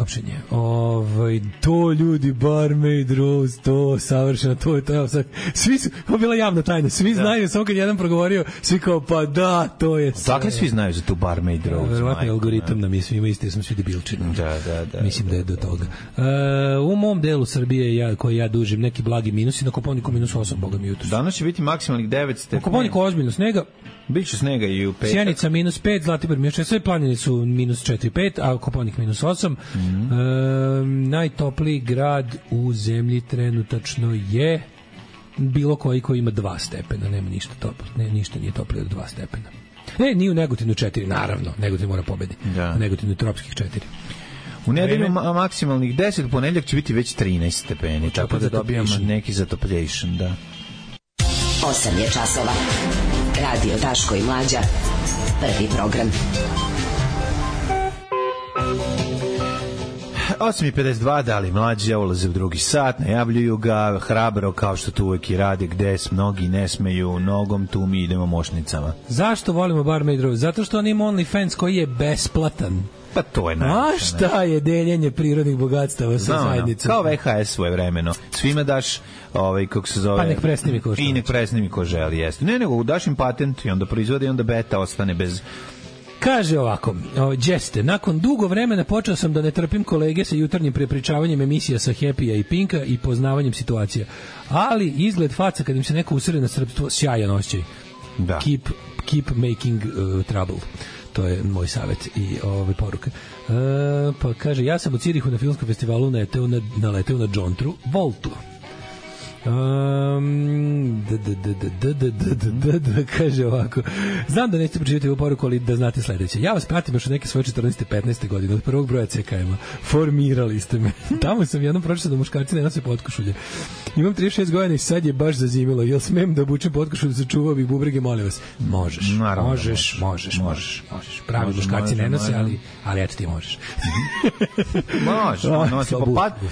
S7: To ljudi, Barmaid Rose, to savršeno, to je to. Svi su, ovo bila javna tajna, svi znaju, samo kad jedan progovorio, svi kao, pa da, to je sve.
S6: Dakle, svi znaju za tu Barmaid Rose.
S7: Verovatno je algoritam nam je svima isti, jer smo svi debilčini.
S6: Da.
S7: Mislim da je do toga. U mom delu Srbije, koji ja dužim, neki blagi minusi, na Kopaoniku -8, boga mi jutro.
S6: Danas će biti maksimalnih 9 stepeni.
S7: Na Kopaoniku ozbiljno snega.
S6: Biće snega i u petak.
S7: Sjenica -5, Zlatibor -6, sve planine su -4-5, a Kopaonik -8. Najtopliji grad u zemlji trenutačno je bilo koji ima 2 stepena, nema ništa toplo, ništa nije toplije od 2 stepena. Nije u Negotinu 4, naravno, Negotin mora pobedi. U Negotinu je tropskih 4.
S6: U nedelju maksimalnih 10, u ponedeljak će biti već 13 stepeni, tako da dobijamo neki zatopljation, da.
S10: 8 je časova. Radio Daško i Mlađa. Prvi program.
S6: 8:52, dali Mlađa ulaze u drugi sat, najavljuju ga hrabro kao što to uvek i rade, gde mnogi ne smeju nogom, tu mi idemo mošnicama.
S7: Zašto volimo Barmaid Rose? Zato što on ima OnlyFans koji je besplatan.
S6: Pa to je najviše.
S7: A šta je deljenje prirodnih bogatstava sa zajednicom?
S6: Kao VHS svojevremeno. Svima daš, kako se zove...
S7: Pa nek presnimi ko što.
S6: I nek presnimi ko želi, jeste. Ne, nego daš im patent i onda proizvode i onda beta ostane bez...
S7: Kaže ovako, Đeste, nakon dugo vremena počeo sam da ne trpim kolege sa jutarnjim prepričavanjem emisija sa Happy-a i Pinka i poznavanjem situacija. Ali izgled faca kad im se neko usere na srpstvo, sjajan osjećaj.
S6: Da.
S7: Keep making trouble. To je moj savjet i poruka. Pa kaže, ja sam u Cirihu na filmskom festivalu naleteo na Džontru Voltu. Kaže ovako, znam da nećete pročitati ovu poruku, ali da znate sledeće. Ja vas pratim još od neke svoje 14. 15. godine, od prvog broja CKM-a. Formirali ste me. Tamo sam jednom pročitao da muškarci ne nose potkošulje. Imam 36 godina i sad je baš zazimilo. Jel smem da obučem potkošulju, sačuvao bih bubrege, molim vas. Možeš. Možeš. Pravi muškarci ne nose, ali eto ti možeš.
S6: Može.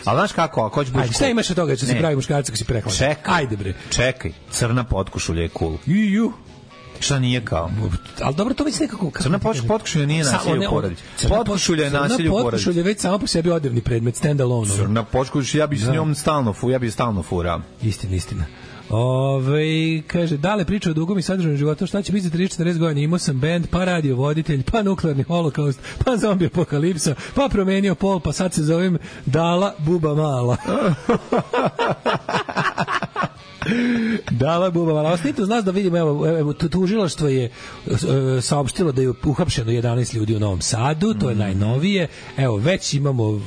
S6: Ali znaš kako, ako hoćeš buš...
S7: Šta imaš od toga što si pravi muškarci ako si prehladan? Ajde bre.
S6: Čekaj, crna potkošulja je cool. Šta nije kao?
S7: Ali dobro, to već nekako...
S6: Crna potkošulja nije nasilje u porodici. Potkošulja je nasilje u porodici.
S7: Potkošulja je već samo po sebi odevni predmet, stand alone.
S6: Crna potkošulja, ja bi s njom stalno furao.
S7: Istina. Kaže, dale priča o dugom i sadržanom životu, šta će biti za 30-40 godina? Imao sam band, pa radio voditelj, pa nuklearni holokaust, pa zombi apokalipsa, pa promenio pol, pa sad se zovem Dala Buba Mala. Dala Buba Mala. Ostito znaš da vidimo, evo tužilaštvo je saopštilo da je uhapšeno 11 ljudi u Novom Sadu, to je najnovije. Evo,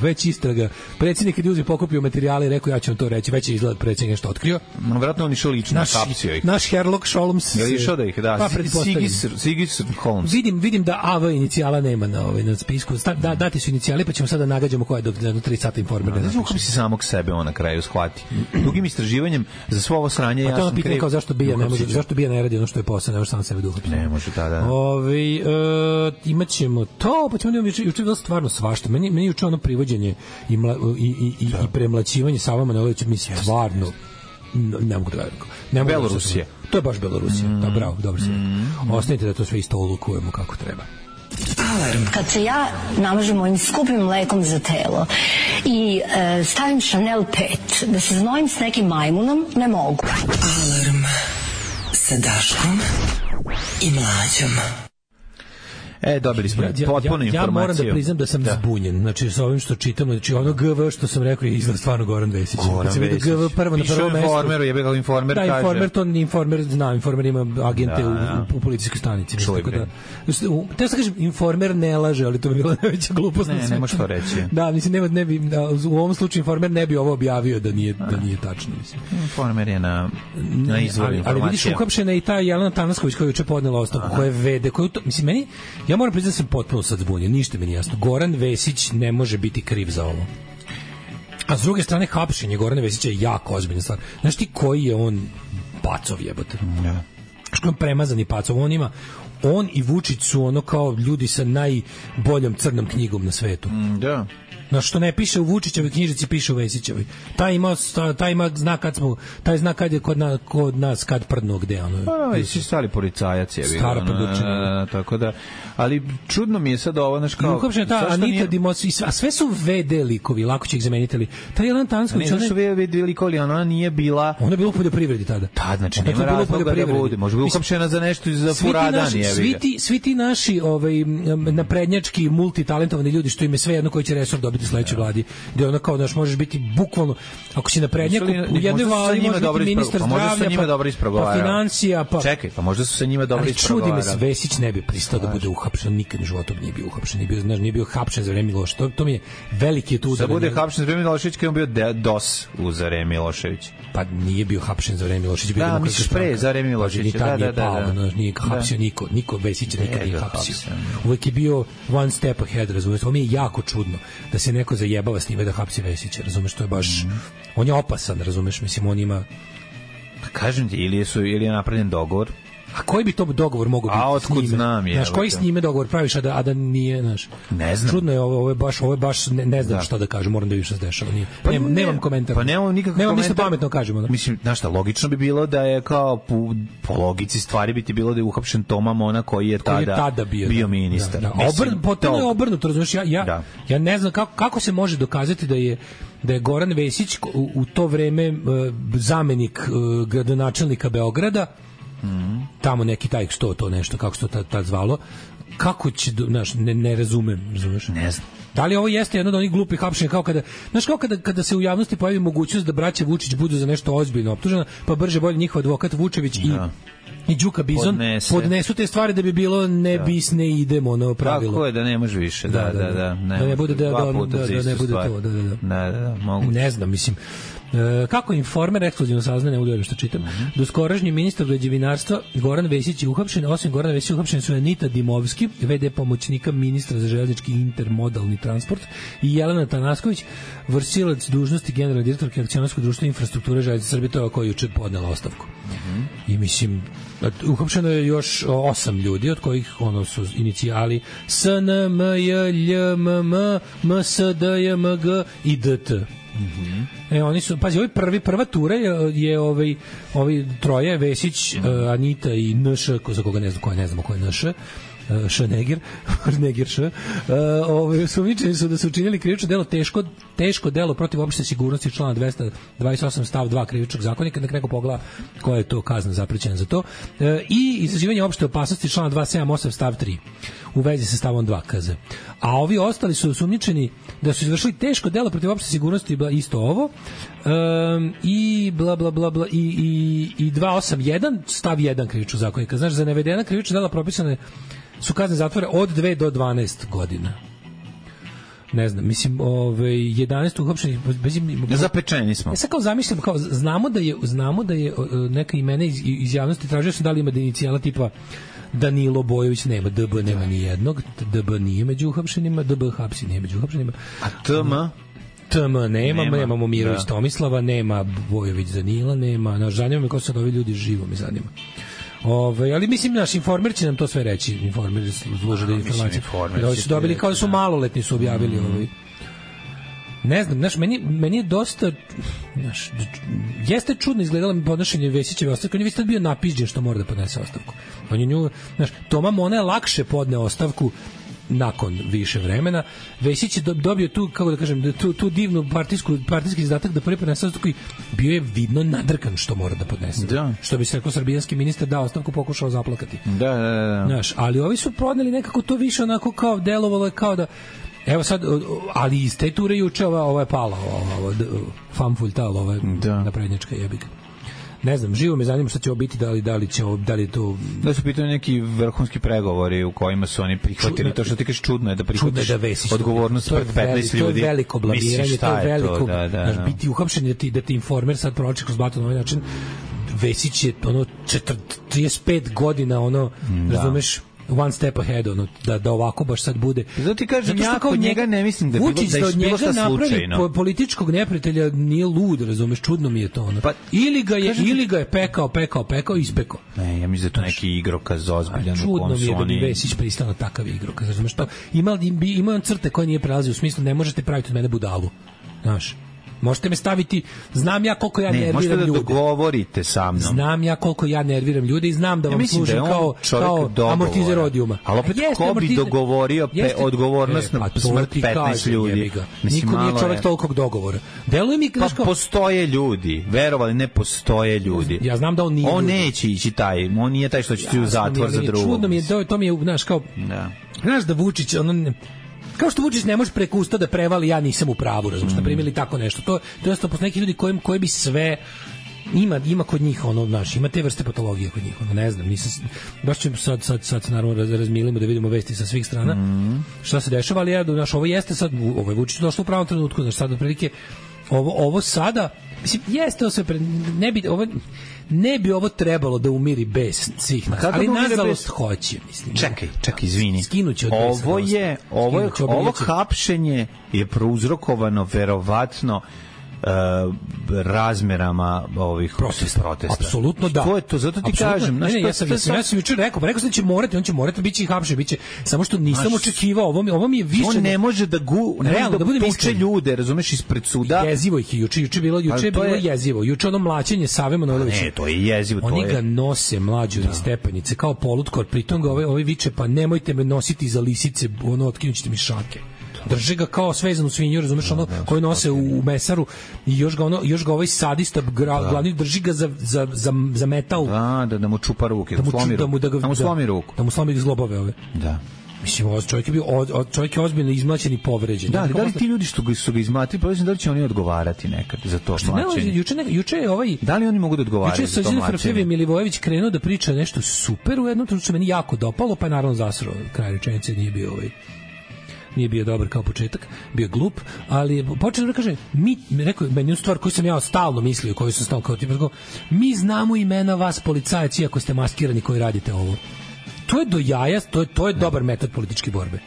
S7: već istraga. Predsjednik kad je uzeo pokupio materijale i rekao ja ću vam to reći, već je izgled predsjednik nešto otkrio.
S6: Vratno on išao lično, kapsio ih.
S7: Naš Sherlock Holmes.
S6: Je li išao da ih da? Sigis Holmes.
S7: Vidim da AV inicijala nema na spisku. Dati su inicijali, pa ćemo sada nagađamo koja je do 3 sata informirana.
S6: Ne znam kako bi se samog sebe on na kraju shvati. Dugim istraživanjem za svo ovo sranje ja sam kriv.
S7: Kao zašto bija ne radi ono što je posao, ne može sam sebe duhati.
S6: Ne može tada.
S7: Imaćemo to, pa ćemo juče bilo stvarno svašta. Meni juče ono privođenje i premlaćivanje Sava Manojlovića mi stvarno ne mogu da verujem.
S6: Belorusija.
S7: To je baš Belorusija. Da, bravo, dobro se. Ostanite da to sve isto olukujemo kako treba.
S11: Alarm. Kad se ja namažem ovim skupim mlekom za telo i stavim Chanel 5, da se znojim s nekim majmunom, ne mogu.
S12: Alarm sa Daškom i Mlađom.
S6: Dobili smo potpunu informaciju.
S7: Ja moram da priznam da sam zbunjen. Znači, sa ovim što čitam, znači ono GV što sam rekao je izgled stvarno Goran Vesić.
S6: Goran Vesić.
S7: GV prvo na prvom mestu.
S6: Informeru, je bio Informer kaže.
S7: Da, Informer, to Informer, znam, Informer ima agente u policijskoj stanici. Tako da, te sam kažem, Informer ne laže, ali to bi bila najveća glupost.
S6: Ne možeš to reći.
S7: Da, mislim, ne bi, u ovom slučaju Informer ne bi ovo objavio da nije tačno. Mislim.
S6: Informer je na izvoru informacija.
S7: Ali vidiš, uhapšena i ta Jelena Tanasković koja je juče podnela ostavku, koja je vede, mislim, meni, ja moram priznati da sam potpuno sad zbunjen, ništa mi nije jasno. Goran Vesić ne može biti kriv za ovo. A s druge strane, hapšenje Gorana Vesića je jako ozbiljna stvar. Znaš ti koji je on pacov jebote? Što je on premazani pacov? On i Vučić su ono kao ljudi sa najboljom crnom knjigom na svetu.
S6: Da.
S7: Na što ne piše u Vučićevoj knjižici, piše u Vesićevoj. Taj ima znak taj znak kad je kod nas kad prdno gde ono.
S6: Svi stari policajac je bio.
S7: Stara prdučina.
S6: Tako da, ali čudno mi je sad ovo, znaš kao.
S7: Uopšte ta Anita Dimos, a sve su VD likovi, lako će ih zameniti. Ta Jelena Tansković,
S6: ona su VD likovi, ona nije bila.
S7: Ona je bila u poljoprivredi tada.
S6: Pa znači nema razloga da bude. Može biti uhapšena za nešto za furadan je.
S7: Svi ti naši naprednjački multitalentovani ljudi što im je sve jedno koji će resor dobiti u sledećoj vladi, gde ona kao da možeš biti bukvalno, ako si naprednjak u jednoj vladi možeš biti ministar zdravlja, pa financija, pa
S6: čekaj, pa možda su sa njima dobro ispregovarali.
S7: Čudi me, Vesić ne bi pristao da bude uhapšen, nikad u životu nije bio uhapšen, nije bio hapšen za vreme Miloševića. To mi je veliki tu udar.
S6: Da bude hapšen za vreme Miloševića, kad on bio DOS u za vreme Miloševića.
S7: Pa nije bio hapšen za vreme Miloševića, bio
S6: da, misliš pre za vreme Miloševića.
S7: Da. Nije hapsio niko Vesić nikad nije hapsio. Uvek je bio one step ahead, razumiješ? Ovo mi je jako čudno da se neko zajebava s njime da hapsi Vesića, razumeš? To je baš, on je opasan, razumeš? Mislim, on ima...
S6: Kažem ti, ili je napravljen dogovor.
S7: A koji bi to dogovor mogao biti?
S6: A otkud znam je?
S7: Znaš, koji s njime dogovor praviš, a da nije, znaš?
S6: Ne znam.
S7: Čudno je, ovo je baš ne znam šta da kažem, moram da vidim šta se dešava. Nemam komentar.
S6: Pa nemam nikakav komentar.
S7: Nemam ništa pametno kažemo.
S6: Mislim, znaš šta, logično bi bilo da je kao po logici stvari bi ti bilo da je uhapšen Toma Mona koji je tada bio ministar.
S7: Potpuno je obrnuto, razumiješ? Ja ne znam kako se može dokazati da je Goran Vesić u to vreme zamenik gradonačelnika Beograda, tamo neki taj što to nešto, kako se to tad zvalo, kako će, znaš, ne razumem, razumeš?
S6: Ne znam.
S7: Da li ovo jeste jedno od onih glupih hapšenja, kao kada se u javnosti pojavi mogućnost da braća Vučić budu za nešto ozbiljno optužena, pa brže bolje njihov advokat Vučević i Đuka Bizon podnesu te stvari da bi bilo ne bis ne idemo ono pravilo.
S6: Tako je, da ne može više, da
S7: ne bude da ne bude to,
S6: da, moguće.
S7: Ne znam, mislim, kako Informer ekskluzivno saznaje, ne udovoljno što čitam, doskorašnji ministar građevinarstva Goran Vesić je uhapšen, osim Gorana Vesića uhapšen su Anita Dimovski, VD pomoćnika ministra za železnički intermodalni transport, i Jelena Tanasković, vršilac dužnosti generalne direktorke akcionarskog društva infrastrukture železnice Srbije, to je koja juče podnela ostavku. I mislim, uhapšeno je još 8 ljudi, od kojih ono su inicijali SNMJLMM, MSDJMG i DT. Oni su, pazi, prva tura je ovi troje, Vesić, Anita i NŠ, za koga ne znamo ko je NŠ, Šnegir, sumnjičeni su da su učinili krivično delo, teško delo protiv opšte sigurnosti, člana 228 stav 2 krivičnog zakonika, da neko pogleda koja je to kazna zaprećena za to, i izazivanje opšte opasnosti, člana 278 stav 3 u vezi sa stavom 2 KZ. A ovi ostali su sumnjičeni da su izvršili teško delo protiv opšte sigurnosti, isto ovo, i bla bla bla bla i 281 stav 1 krivičnog zakonika. Znaš, za navedena krivična dela propisane su kazne zatvora od 2 do 12 godina. Ne znam, mislim, 11 uhapšenih
S6: zapečeni smo.
S7: Ja sad kao zamišljam, kao znamo da je neka imena iz javnosti, tražio sam da li ima inicijala tipa Danilo Bojović, nema, DB nema ni jednog, DB nije među uhapšenima, DB hapsi nije među uhapšenima.
S6: A TM
S7: nemamo Mirović Tomislava, nema Bojović Danila, nema, zanima me ko su ovi ljudi, živo me zanima. Ali mislim, naš Informer će nam to sve reći. Informer služi da informacije. Da su dobili kao da su maloletni, su objavili Ne znam, znaš, meni je dosta, znaš, jeste čudno izgledalo mi podnošenje Vesićeve ostavke. On je već tad bio napižđen što mora da podnese ostavku. On je nju, znaš, Toma Mona je lakše podne ostavku nakon više vremena. Vesić je dobio tu, kako da kažem, tu divnu partijski zadatak da prvi podnese ostavku i bio je vidno nadrkan što mora da podnese. Da. Što bi se rekao, srbijanski ministar dao ostavku, pokušao zaplakati.
S6: Da.
S7: Znaš, ali ovi su podneli nekako to više onako kao delovalo je kao da evo sad, ali iz te ture juče ova je pala, famfultal, ova naprednjačka jebika. Ne znam, živo me zanima šta će ovo biti, da li to...
S6: Da su pitali neki vrhunski pregovori u kojima su oni prihvatili, to što ti kažeš čudno je da prihvatiš odgovornost pred 15 ljudi.
S7: To je veliko blamiranje, to je veliko... Biti uhapšen da ti informer sad proči kroz blato na ovaj način, Vesić je 35 godina, razumeš, one step ahead, da ovako baš sad bude.
S6: Zato ti kažem, ja kod njega ne mislim da je bilo šta slučajno.
S7: Političkog neprijatelja nije lud, razumeš, čudno mi je to. Pa, ili ga je pekao i ispekao.
S6: Ne, ja mislim da je to neki igrokaz ozbiljan.
S7: Čudno mi je da bi Vesić pristao na takav igrokaz, razumeš, to ima on crte koje nije prelazio, u smislu ne možete praviti od mene budalu, znaš. Možete me staviti, znam ja koliko ja nerviram ljude.
S6: Možete da dogovorite sa mnom.
S7: Znam ja koliko ja nerviram ljude i znam da vam služim kao amortizer odijuma.
S6: Ali opet ko bi dogovorio odgovornost na smrt 15 ljudi?
S7: Niko nije čovjek tolikog dogovora. Deluje mi
S6: pa postoje ljudi, verovali ne postoje ljudi.
S7: Ja znam da on nije.
S6: On neće ići on nije taj što će ti u zatvor za drugog.
S7: Čudno mi je, to mi je, znaš, kao, znaš da Vučić, kao što Vučić ne može preko usta da prevali ja nisam u pravu, razumiješ, na primjer ili tako nešto. To je jasno, posle neki ljudi koji bi sve ima kod njih znaš, ima te vrste patologije kod njih, ne znam, nisam baš ćemo sad naravno razmilimo da vidimo vesti sa svih strana. Šta se dešava, ali ovo jeste sad, ovo je Vučić došlo u pravom trenutku, znači sad otprilike ovo sada, mislim, jeste ovo sve ne bi ovo trebalo da umiri bes svih nas, ali nažalost hoće, mislim.
S6: Čekaj, izvini.
S7: Skinuće od
S6: ovo hapšenje je prouzrokovano verovatno razmerama ovih protesta.
S7: Apsolutno da.
S6: To je to, zato ti kažem.
S7: Ja sam jučer rekao da će morati, on će morati biti hapšen, biće, samo što nisam očekivao, ovo mi je više...
S6: On ne može da tuče ljude, razumeš, ispred suda.
S7: Jezivo ih je, juče je bilo jezivo. Juče mlaćenje Save Manojlovića.
S6: Ne, to je jezivo.
S7: Oni ga nose mlađu iz stepenice, kao polutkor, pritom ga ovaj viče, pa nemojte me nositi za lisice, otkinućete mi šake. Drže ga kao svezanu svinju, razumeš, koju nose u mesaru i još ga ovaj sadista glavni drži ga za metal.
S6: Da mu čupa ruke, da mu slomi ruku.
S7: Da mu slomi zglobove ove.
S6: Da.
S7: Mislim, čovjek je ozbiljno izmlaćen i povređen.
S6: Da li ti ljudi što su ga izmlatili, pa da li će oni odgovarati nekad za to mlaćenje?
S7: Juče je ovaj...
S6: Da li oni mogu da odgovaraju
S7: za to mlaćenje? Juče je Milivojević krenuo da priča nešto super u jednom trenutku, što meni jako dopalo, pa je naravno zasrao kraj rečenice, nije bio dobar kao početak, bio glup, ali počeo da kaže, rekao meni stvar koju sam ja stalno mislio, koju sam stalno kao tipa, mi znamo imena vas policajac, iako ste maskirani koji radite ovo. To je do jaja, to je dobar metod političke borbe.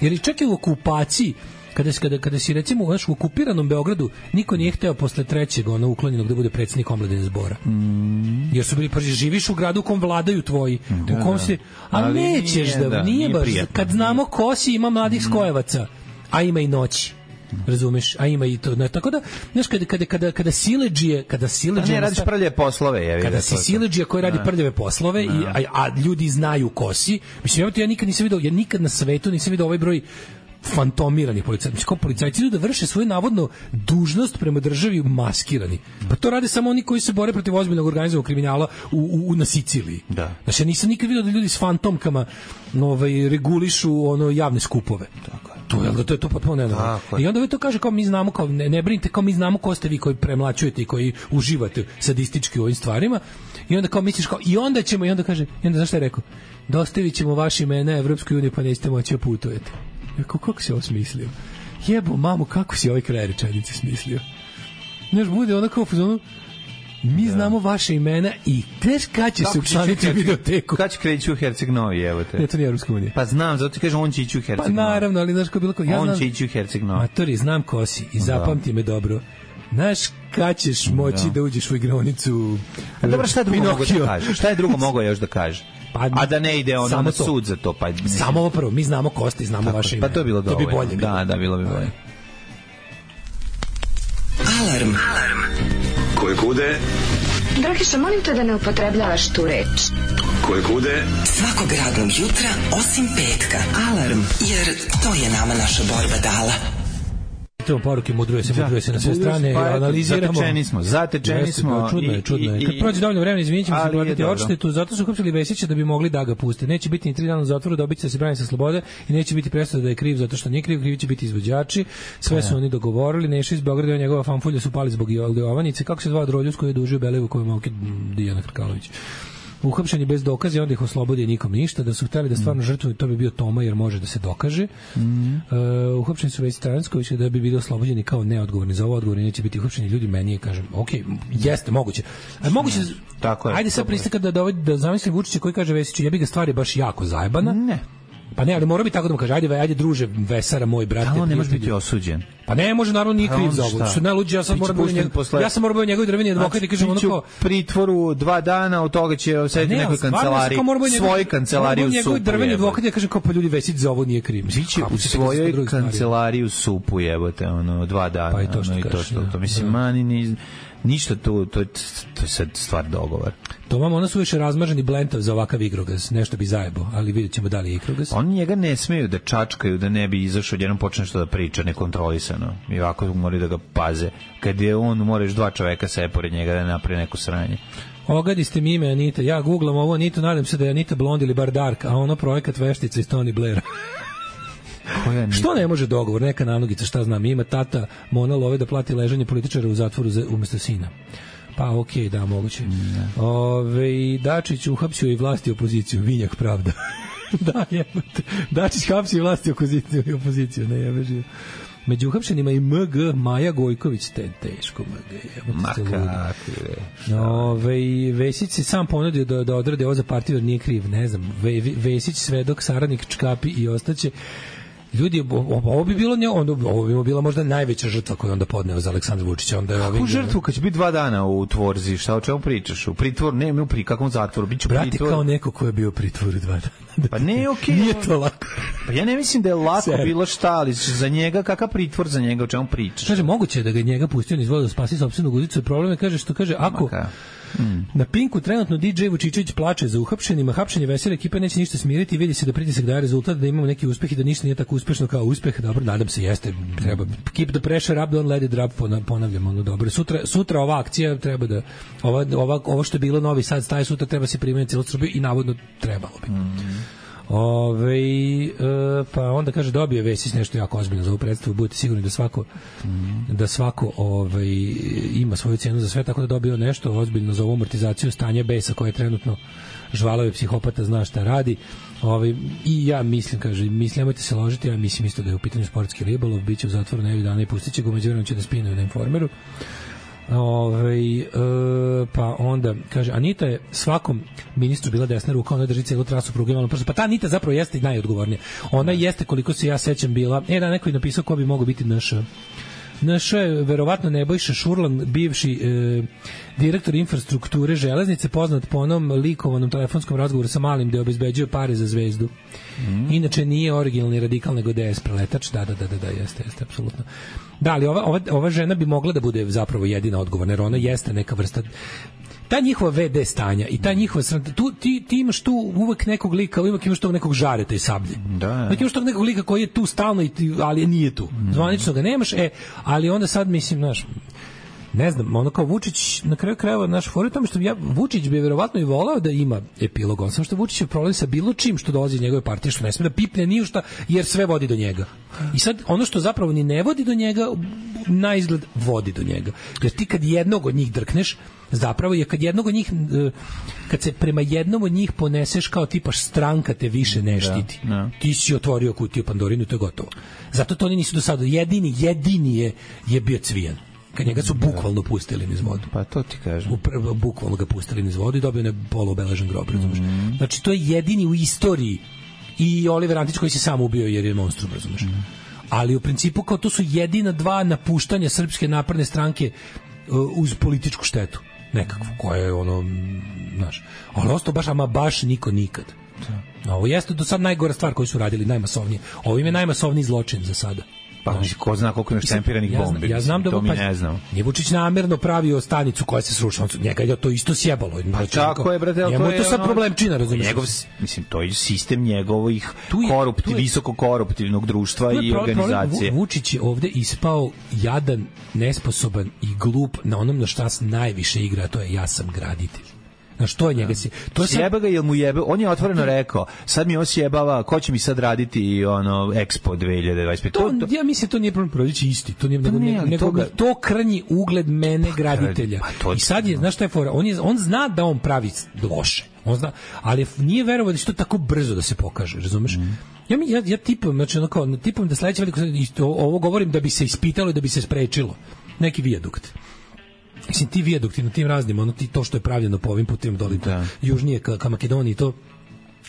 S7: Jer čak i u okupaciji, kada si recimo u okupiranom Beogradu, niko nije hteo posle trećeg uklonjenog da bude predsjednik omladine zbora. Jer su bili, živiš u gradu u kom vladaju tvoji, u kom se, a nećeš da, nije baš, kad znamo ko si, ima mladih skojevaca, a ima i noći. Razumeš, a ima i to. Tako da, znaš, kada siledžije,
S6: ne radiš prljave poslove,
S7: kada si siledžija koji radi prljave poslove, a ljudi znaju ko si, mislim, ja nikad na svetu nisam vidio ovaj broj fantomiranih policajaca. Mislim, kao policajci idu da vrše svoju navodno dužnost prema državi maskirani. Pa to rade samo oni koji se bore protiv ozbiljnog organizovanog kriminala na Siciliji.
S6: Da.
S7: Znači, ja nisam nikad vidio da ljudi s fantomkama regulišu javne skupove. Tako je. To je to potpuno nenormalno. I onda to kaže kao mi znamo, kao ne brinite, kao mi znamo ko ste vi koji premlaćujete i koji uživate sadistički u ovim stvarima. I onda kao misliš kao i onda ćemo, i onda kaže, i onda znaš šta je rekao? Dostavit ćemo vaše imena Evropskoj uniji, pa nećete moći da putujete. Kako si ovo smislio? Jebo mamu, kako si ovaj kraj rečenice smislio? Znaš, bude ona kao mi znamo vaše imena i teš kad će se učlaniti u videoteku.
S6: Kad će kreći u Herceg Novi, evo te.
S7: Ne, to nije Evropska unija.
S6: Pa znam, zato ti kažem, on će ići u Herceg Novi.
S7: Pa naravno, ali znaš ko bilo ko...
S6: On će ići u Herceg Novi.
S7: Matori, znam ko si i zapamti me dobro. Znaš kad ćeš moći da uđeš u igronicu
S6: Dobro, šta je drugo mogo da kaže? Šta je drugo mogo još da kaže? A da ne ide ono na sud za to.
S7: Samo ovo prvo, mi znamo ko ste i znamo vaše ime.
S6: Pa to je bilo dovoljno.
S7: To bi bolje.
S6: Da, bilo bi bolje.
S12: Alarm.
S2: Koje kude?
S13: Dragiša, molim te da ne upotrebljavaš tu reč.
S2: koje kude.
S12: Svakog radnog jutra, osim petka. Alarm, jer to je nama naša borba dala.
S7: Čitamo poruke, mudruje se na sve strane, analiziramo.
S6: Zatečeni smo.
S7: Čudno je. Kad prođe dovoljno vremena, izvinit ćemo se platiti odštetu, zato su uhapsili Vesića da bi mogli da ga puste. Neće biti ni 3 dana u zatvoru, dobit će da se brani sa slobode i neće biti presuda da je kriv zato što nije kriv, krivi će biti izvođači. Sve su oni dogovorili, Neša iz Beograda i njegova fanfulja su pali zbog Jovanice. Kako se dva Droljus koji je dužio Belevu koju Malke Dijana Krkalović. Uhapšeni bez dokaza, onda ih oslobodi nikom ništa, da su hteli da stvarno žrtvuju, to bi bio Toma jer može da se dokaže. Uhapšeni su Vesić Transković da bi bili oslobođeni kao neodgovorni za ovo, odgovorni neće biti uhapšeni ljudi, meni je, kažem, jeste, moguće. A moguće,
S6: tako je.
S7: Ajde sad pristaka da zamislim Vučića koji kaže Vesiću, jebi ga, stvar je baš jako zajebana.
S6: Ne.
S7: Pa ne, ali mora bi tako da mu kaže, ajde druže, Vesara, moj brate.
S6: Ali on ne može biti osuđen.
S7: Pa ne može, naravno, nije kriv za ovo. Što najluđe, ja sam morao biti njegovi drveni advokat i kažem ono kao...
S6: pritvoru 2 dana, od toga će sedeti nekoj kancelariji, svoj kancelariji u Supu.
S7: Njegovi drveni advokat ja kažem kao, pa ljudi, Vesić za ovo nije kriv.
S6: U svojoj kancelariji u Supu, jebote, 2 dana.
S7: Pa i to
S6: što mislim, mani ništa tu, to je sad stvar dogovor.
S7: To vam, ona su više razmaženi blentav za ovakav igrogaz, nešto bi zajebo, ali vidjet ćemo da li je igrogaz.
S6: Oni njega ne smeju da čačkaju, da ne bi izašao, jednom počne što da priča nekontrolisano. I ovako moraju da ga paze. Kad je on, moraš 2 čoveka sve pored njega da napravi neko sranje.
S7: Ogadi ste mi ime Anita, ja googlam ovo Anitu, nadam se da je Anita blond ili bar dark, a ono projekat veštica iz Tony Blaira. Što ne može dogovor, neka nanogica, šta znam, ima tata Mona Love da plati ležanje političara u zatvoru umesto sina. Pa okej, da, moguće. Dačić uhapsio i vlasti opoziciju, vinjak pravda. Da, jebate. Dačić hapsi i vlasti opoziciju, ne jebe živo. Među uhapšenima i MG Maja Gojković, teško MG. Vesić se sam ponudio da odrade ovo za partiju, jer nije kriv, ne znam. Vesić, svedok, saradnik, čkapi i ostaće. Ljudi, ovo bi bila možda najveća žrtva koju onda podneo za Aleksandra Vučića.
S6: Kakvu žrtvu kad će biti 2 dana u tvorzi, šta o čemu pričaš? U pritvor, ne u kakvom zatvoru, bit će u pritvoru.
S7: Brate, kao neko ko je bio u pritvoru 2 dana.
S6: Pa ne, okej.
S7: Nije to lako.
S6: Pa ja ne mislim da je lako bilo šta, ali za njega, kakav pritvor za njega, o čemu pričaš?
S7: Kaže, moguće je da ga njega pustio niz vodu da spasi sopstvenu guzicu. Problem je, kaže, ako na Pinku trenutno DJ Vučićević plače za uhapšenima, hapšenje Vesele ekipe neće ništa smiriti, vidi se da pritisak daje rezultat, da imamo neki uspeh i da ništa nije tako uspešno kao uspeh. Dobro, nadam se, jeste, treba keep the pressure up, don't let it drop, ponavljam, dobro. Sutra ova akcija treba da ovo što je bilo Novi Sad staje sutra treba se primeniti cijelu Srbiju i navodno trebalo bi. Pa onda kaže dobio Vesić nešto jako ozbiljno za ovu predstavu, budete sigurni da svako ima svoju cenu za sve, tako da dobio nešto ozbiljno za ovu amortizaciju stanja besa koje je trenutno žvalave psihopata, zna šta radi. I ja mislim, nemojte se ložiti, ja mislim isto da je u pitanju sportski ribolov, bit će u zatvoru nedelju dana i pustit će ga, umeđu vremenu će da spinuju na Informeru. Pa onda kaže, Anita je svakom ministru bila desna ruka, ona drži cijelu trasu pruge, pa ta Anita zapravo jeste najodgovornija. Ona jeste, koliko se ja sećam, bila, da neko je napisao ko bi mogao biti naš je verovatno Nebojša Šurlan, bivši direktor infrastrukture železnice, poznat po onom likovanom telefonskom razgovoru sa Malim gde obezbeđuje pare za Zvezdu. Inače nije originalni radikal nego DS preletač. Da, jeste, apsolutno. Da, ali ova žena bi mogla da bude zapravo jedina odgovorna, jer ona jeste neka vrsta ta njihova VD stanja i ta njihova ti imaš tu uvek nekog lika, uvek imaš tog nekog Žareta i Sablje. Uvek imaš tog nekog lika koji je tu stalno, ali nije tu. Zvanično ga nemaš, ali onda sad mislim, znaš, ne znam, ono kao Vučić, na kraju krajeva naš fora tamo što Vučić bi verovatno i voleo da ima epilog, on samo što Vučić je problem sa bilo čim što dolazi iz njegove partije, što ne sme da pipne ni u šta, jer sve vodi do njega. I sad ono što zapravo ni ne vodi do njega, na izgled vodi do njega. Jer ti kad jednog od njih drkneš, zapravo je kad jednog od njih, kad se prema jednom od njih poneseš kao tipaš stranka te više ne štiti. Ti si otvorio kutiju Pandorinu i to je gotovo. Zato to oni nisu do sada. Jedini je bio Cvijan. Kad njega su bukvalno pustili niz vodu.
S6: Pa to ti kažem.
S7: Bukvalno ga pustili niz vodu i dobio ne poluobeležen grob, razumeš. Znači to je jedini u istoriji. I Oliver Antić koji se sam ubio jer je monstrum, razumeš. Ali u principu kao to su jedina 2 napuštanja Srpske napredne stranke uz političku štetu nekakvu, koja je ono, znaš, ali ostao baš niko nikad. Ovo jeste do sad najgora stvar koju su radili, najmasovnije. Ovo im je najmasovniji zločin za sada.
S6: Pa ko zna koliko ima štempiranih bombi.
S7: Ja znam da
S6: to mi ne znam.
S7: Nije Vučić namerno pravio stanicu koja se srušila. Njega je to isto sjebalo.
S6: Pa tako je, brate,
S7: njemu je to sad problemčina, razumiješ?
S6: Njegov, mislim, to je sistem njegovih visoko koruptivnog društva i organizacije.
S7: Vučić je ovde ispao jadan, nesposoban i glup na onom na šta se najviše igra, to je ja sam graditelj. Na što je njega se to
S6: sjeba ga, jel mu jebe, on je otvoreno rekao, sad mi osjebava, ko će mi sad raditi Expo 2025.
S7: To, ja mislim to nije problem proći isti, to nije nego to krnji ugled mene graditelja. I sad je, znaš šta je fora, on zna da on pravi loše. On zna, ali nije verovao da će to tako brzo da se pokaže, razumeš? Ja tipujem, znači tipujem da sledeće veliko ovo govorim da bi se ispitalo i da bi se sprečilo neki vijadukt. Mislim, ti vijadukti na tim raznim, to što je pravljeno po ovim putima doli, južnije ka Makedoniji, to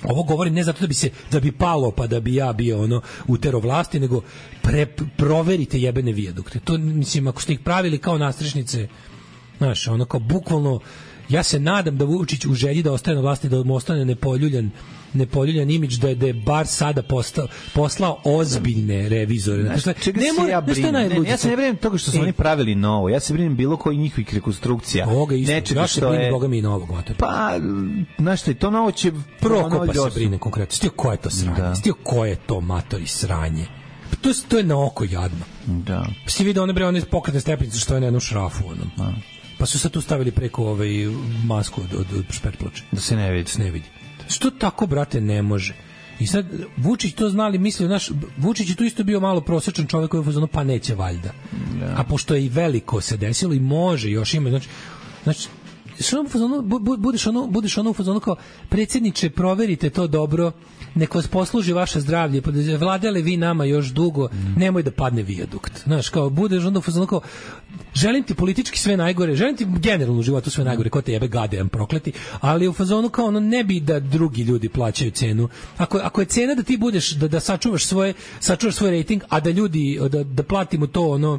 S7: ovo govorim ne zato da bi palo pa da bi ja bio utero vlasti, nego proverite jebene vijadukte. To, mislim, ako ste ih pravili kao nastrešnice, znaš, kao bukvalno, ja se nadam da Vučić u želji da ostaje na vlasti, da mu ostane nepoljuljan imidž, da je bar sada poslao ozbiljne revizore.
S6: Ja se ne brinem toga što su oni pravili novo. Ja se brinem bilo koji njihovih rekonstrukcija.
S7: Ja se brinem Boga mi i novog.
S6: Pa, znaš šta, to novo će...
S7: Prokopa se brine konkretno. Stio ko je to sranje? Stio ko je to matori sranje? To je na oko jadno.
S6: Da.
S7: Si vidio one pokretne stepenice što je na jednu šrafu. Pa su sad tu stavili preko masku od špetploče.
S6: Da se ne vidi.
S7: Što tako, brate, ne može? I sad, Vučić to znali, mislio, Vučić je tu isto bio malo prosječan čovjek koji je u fazonu, pa neće valjda. A pošto je i veliko se desilo i može još ima, znači što budeš u fazonu kao, predsjedniče, proverite to dobro, nek vas posluži vaše zdravlje, vladali vi nama još dugo, nemoj da padne vijadukt. Znaš, kao, budeš onda u fazonu kao, želim ti politički sve najgore, želim ti generalno u životu sve najgore, ko te jebe gadejan prokleti, ali u fazonu kao ne bi da drugi ljudi plaćaju cenu. Ako je cena da ti budeš, da sačuvaš svoj rating, a da ljudi, da platimo to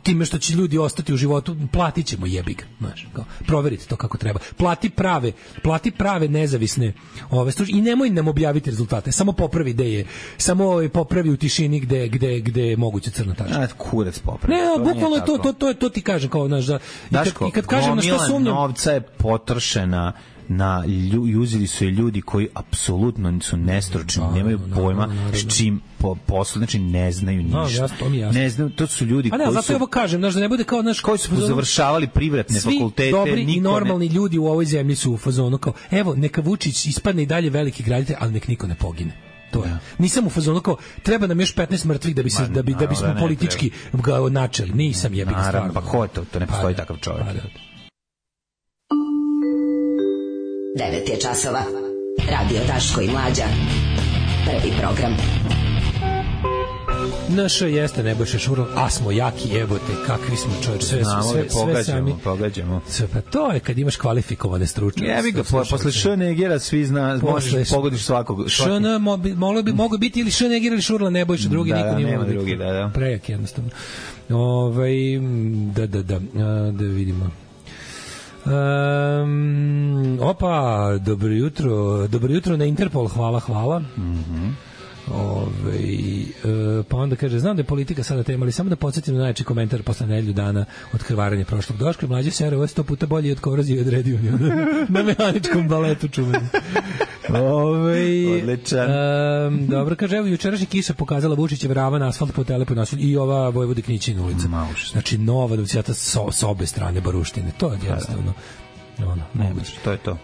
S7: time što će ljudi ostati u životu, platit ćemo jebi ga, znaš, kao, proverite to kako treba. Plati prave nezavisne i nemoj nam objaviti rezultate, samo popravi ideje, samo popravi u tišini gde je moguće crna tačka.
S6: Kurac popravi.
S7: Ne, bukvalno je to ti kažem, kao, znaš, i kad kažem na što sumnjam,
S6: novca je potrošena uzeli su je ljudi koji apsolutno su nestručni, nemaju pojma s čim poslu, znači ne znaju ništa. Ne znaju, to su ljudi koji su...
S7: zato ovo kažem, znaš, da ne bude kao,
S6: koji su završavali privatne fakultete.
S7: Svi dobri i normalni ljudi u ovoj zemlji su u fazonu kao, evo, neka Vučić ispadne i dalje veliki graditelj, ali nek niko ne pogine. To je. Nisam u fazonu kao, treba nam još 15 mrtvih da bismo politički ga načeli. Nisam jebi ga stvarno.
S6: Pa ko je to? To ne postoji takav čovjek.
S10: 9 je časova. Radio Daško i Mlađa. Prvi program.
S7: Naš jeste Nebojša Šurov, a smo jaki, jebote, kakvi smo, čovječ, sve sami.
S6: Pogađamo.
S7: Pa to je kad imaš kvalifikovane stručnjake.
S6: Jebi ga, posle Š-Negera svi zna, možeš pogodiš svakog.
S7: Š-N mogu biti ili Š-Neger ili Šurla, Nebojša, drugi niko nije mogu biti.
S6: Drugi, da.
S7: Prejak jednostavno. Da vidimo. Dobro jutro na Interpol, hvala. Pa onda kaže, znam da je politika sada tema, ali samo da podsjetim na najjači komentar posle nedelju dana od krvarenja prošlog Daška. Mlađe se ovo je 100 puta bolji od korozije i odredio na mehaničkom baletu čuveni.
S6: Odličan.
S7: Dobro, kaže, evo jučerašnja kiša pokazala Vučićev ravan asfalt po Telepu naselju i ova Vojvode Knićina ulica. Znači nova dovcijata s obe strane baruštine. To je jednostavno.
S6: To je to.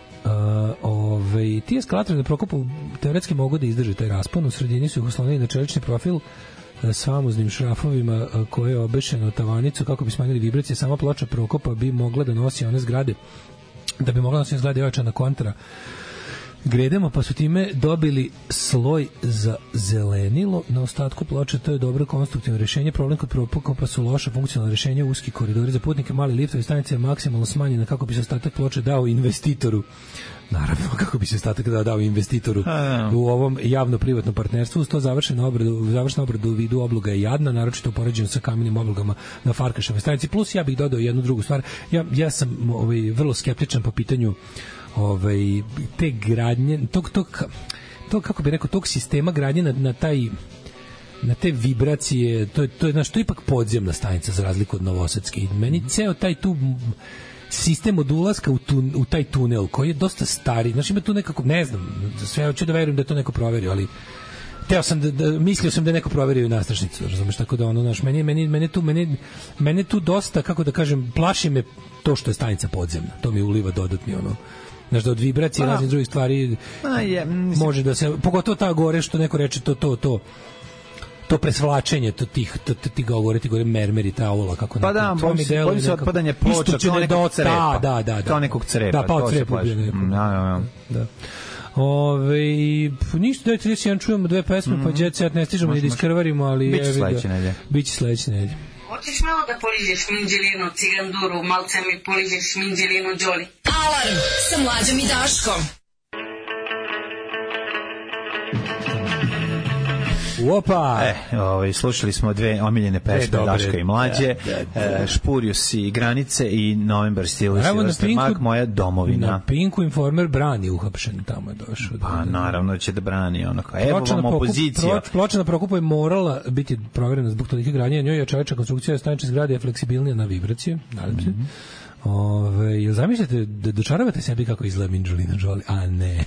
S7: Ti eskalatori na Prokopu teoretski mogu da izdrže taj raspon. U sredini su ih oslonili na čelični profil s famoznim šrafovima koje je obešeno tavanicu kako bi smanjili vibracije. Sama ploča Prokopa bi mogla da nosi one zgrade, da bi mogla nositi zgrade ojačana kontra gredemo, pa su time dobili sloj za zelenilo na ostatku ploče. To je dobro konstruktivno rješenje. Problem kod Prokopa su loša funkcionalna rješenja, uski koridori za putnike, mali liftovi, stanica je maksimalno smanjena kako bi se ostatak ploče dao investitoru. Naravno, kako bi se ostatak dao investitoru u ovom javno-privatnom partnerstvu. Uz to završena obrada u vidu obloga je jadna, naročito upoređena sa kamenim oblogama na Farkaševoj stanici. Plus ja bih dodao jednu drugu stvar. Ja sam vrlo skeptičan po pitanju te gradnje, tog kako bih rekao, tog sistema gradnje na taj na te vibracije, to je znaš, to je ipak podzemna stanica za razliku od Novosadske. I meni ceo taj tu sistem od ulaska u taj tunel koji je dosta stari, znači ima tu nekako, ne znam, sve hoću da verujem da je to neko proverio, ali mislio sam da je neko proverio i nastrašnicu, razumeš, tako da ono, znaš, mene tu dosta, kako da kažem, plaši me to što je stanica podzemna, to mi uliva dodatni ono, znaš, da od vibracije i raznih drugih stvari može da se, pogotovo ta gore što neko reče to presvlačenje ti gore mermeri, ta aula, kako
S6: pa da, bojim se otpadanje ploča kao nekog crepa. Kao nekog crepa.
S7: Da, pao crep. Da. Ništa, dajte reći, čujemo dve pesme, pa Jet Set ne stižemo ni da iskrvarimo, ali biće sledeće nedelje.
S3: Hoćeš malo da poližeš minđelinu, ciganduru, malce mi poližeš minđelinu, Đoli.
S4: Alarm sa Mlađom i Daškom.
S7: Opa!
S6: Slušali smo dve omiljene pesme Daška i Mlađe, Špurius i Granice i November Still Mag, moja domovina.
S7: Na Pinku Informer brani uhapšen, tamo je došao.
S6: Pa naravno će da brani ono kao, evo vam opozicija.
S7: Ploča na Prokupu je morala biti proverena zbog tolike gradnje, njoj je čoveča konstrukcija stanične zgrade je fleksibilnija na vibracije, nadam se. Jel zamišljate da dočaravate sebi kako izgleda Angelina Jolie? A ne.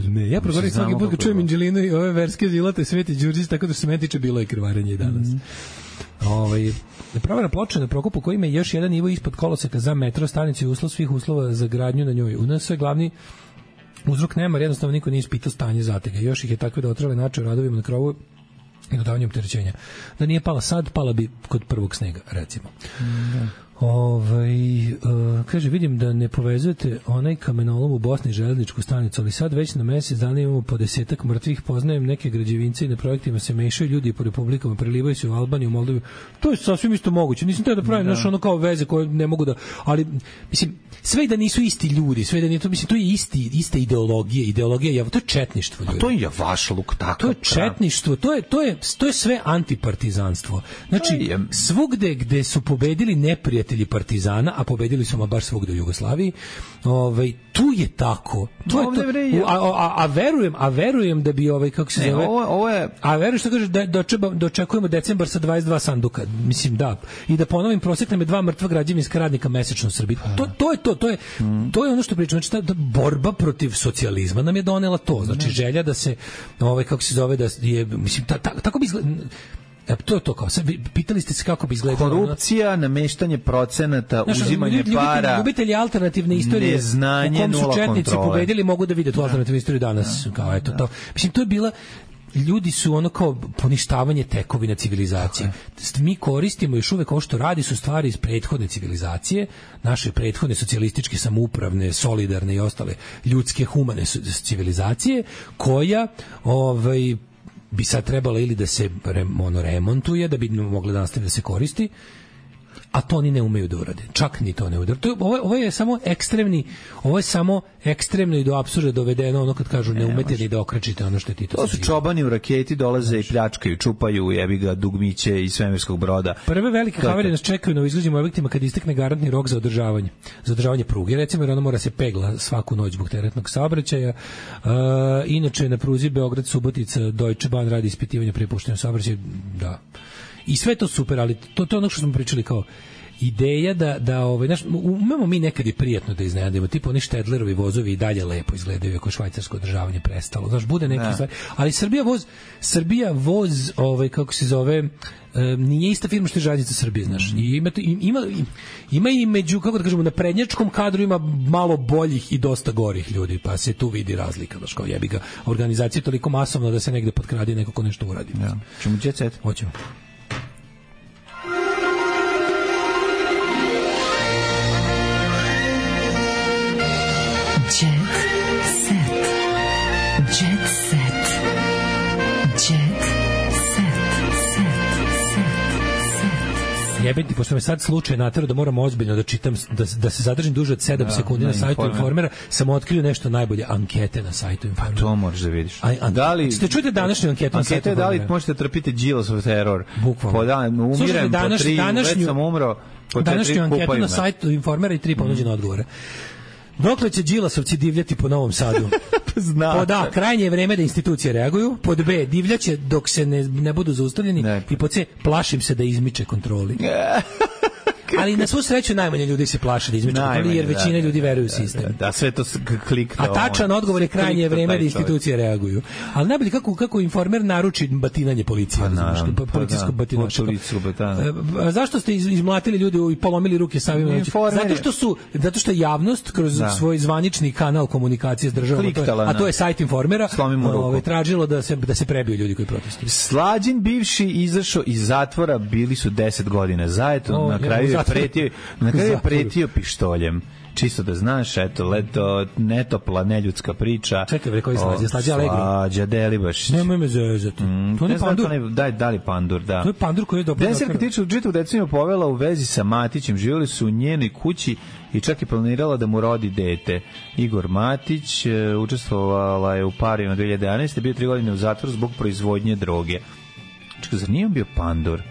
S7: Ne. Ja progovorim svaki put kad čujem Angelinu i ove verske zilate Sveti Đurđić, tako da se meni tiče bilo je krvarenje i danas. Provera ploča na Prokupu koji ima još jedan nivo ispod koloseka za metro stanicu i uslov svih uslova za gradnju na njoj. U nas je glavni uzrok nemar, jednostavno niko nije ispitao stanje zatega. Još ih je takve da otrale način radovima na krovu i dodavanjem opterećenja. Da nije pala sad, pala bi kod prvog snega, recimo. Kaže, vidim da ne povezujete onaj kamenolom u Bosni železničku stanicu, ali sad već na mesec dana imamo po 10 mrtvih, poznajem neke građevince i na projektima se mešaju ljudi po republikama, prelivaju se u Albaniju, Moldaviju. To je sasvim isto moguće. Nisam teo da pravim nešto ono kao veze koje ne mogu da, ali mislim, sve i da nisu isti ljudi, sve i da nije to, mislim, to je ista ideologija, to je četništvo.
S6: A to je javašluk, tako.
S7: To je četništvo, to je sve antipartizanstvo. Znači, svugde gde su pobedili neprijatelji partizana, a pobedili su baš svugde u Jugoslaviji, tu je tako. A verujem da bi kako se zove, a verujem što kaže da očekujemo decembar sa 22 sanduka. Mislim, da. I da ponovim, prosjek nam je 2 mrtva građevinska radnika mesečno u Srbiji. To je ono što pričam. Znači, ta borba protiv socijalizma nam je donela to. Znači, želja da se, kako se zove, da je, mislim, tako bi izgleda. To je to kao, sad pitali ste se kako bi izgledalo.
S6: Korupcija, nameštanje procenata, uzimanje para,
S7: ljubitelji alternativne istorije,
S6: neznanje,
S7: u kom su četnici
S6: kontrole
S7: pobedili, mogu da vide tu alternativnu istoriju danas. Kao, eto, to. Mislim, to je bila, ljudi su ono kao poništavanje tekovina civilizacije. Mi koristimo još uvek ovo što radi su stvari iz prethodne civilizacije, naše prethodne socijalističke, samoupravne, solidarne i ostale ljudske, humane civilizacije, koja bi sad trebala ili da se remontuje, da bi mogla da nastavi da se koristi, a to oni ne umeju da urade. Čak ni to ne urade. Ovo je samo ekstremno i do apsurda dovedeno, ono kad kažu ne umete ni da okrećite ono što je Tito.
S6: To su čobani u raketi, dolaze i pljačkaju, čupaju, jebi ga, dugmiće iz svemirskog broda.
S7: Prve velike havarije nas čekaju na izgrađenim objektima kad istekne garantni rok za održavanje pruge. Recimo, jer ona mora se pegla svaku noć zbog teretnog saobraćaja. Inače, na pruzi Beograd-Subotica Deutsche Bahn radi ispitivanje prepuštenja saobraćaja. Da. I sve to super, ali to je ono što smo pričali kao ideja znaš, umemo mi nekad i prijatno da iznenadimo, tipa oni Štedlerovi vozovi i dalje lepo izgledaju ako švajcarsko održavanje prestalo, znaš, bude neki stvari, ali Srbija voz kako se zove, nije ista firma što je Železnica Srbije, znaš, i ima i među, kako da kažemo, na prednjačkom kadru ima malo boljih i dosta gorih ljudi, pa se tu vidi razlika, znaš, kao jebi ga, organizacija je toliko masovna da se negde potkradi neko ko nešto uradi.
S6: Ja. Čemo Jet Set?
S7: Hoćemo. Jebiti, pošto me sad slučaj natjerao da moram ozbiljno da čitam, da se zadržim duže od 7 sekundi na sajtu Informera, sam otkrio nešto najbolje, ankete na sajtu Informera.
S6: Pa to možeš da vidiš.
S7: Ste čujete današnju anketu na sajtu Informera?
S6: Da li možete trpiti Đilasov teror?
S7: Bukvalno.
S6: Umirem po 3, već sam umro po 4
S7: današnju anketu
S6: kupovima.
S7: na sajtu Informera i 3 ponuđene odgovore. Dokle će Đilasovci divljati po Novom Sadu?
S6: zna.
S7: Pod A, krajnje je vreme da institucije reaguju. Pod B, divljaće dok se ne budu zaustavljeni. I pod C, plašim se da izmiče kontroli. Ali na svu sreću najmanje ljudi se plaše da izmiče kontroli, jer većina ljudi veruje u sistem.
S6: Da, sve to klikne.
S7: A tačan odgovor je krajnje vreme da institucije reaguju. Ali najbolje kako Informer naruči batinanje policije. Policijsko batinačko. Zašto ste izmlatili ljudi i polomili ruke samima? Zato što je javnost kroz svoj zvanični kanal komunikacije s državom, a to je sajt Informera, tražilo da se prebiju ljudi koji protestuju.
S6: Slađin bivši izašao iz zatvora, bili su 10 godina zajedno, na kraju je pretio pištoljem. Čisto da znaš, eto, leto, netopla, neljudska priča.
S7: Čekaj, bre, koji Slađa? Slađa Allegro?
S6: Slađa Delibašić.
S7: Nemoj me zezati. To je Pandur?
S6: Da li Pandur, da.
S7: To je Pandur koji je dobro.
S6: Deserka tiču čitavu deceniju povela u vezi sa Matićem. Živjeli su u njenoj kući i čak je planirala da mu rodi dete. Igor Matić učestvovala je u parima 2011. Bio 3 godine u zatvoru zbog proizvodnje droge. Čekaj, zar nije bio Pandur?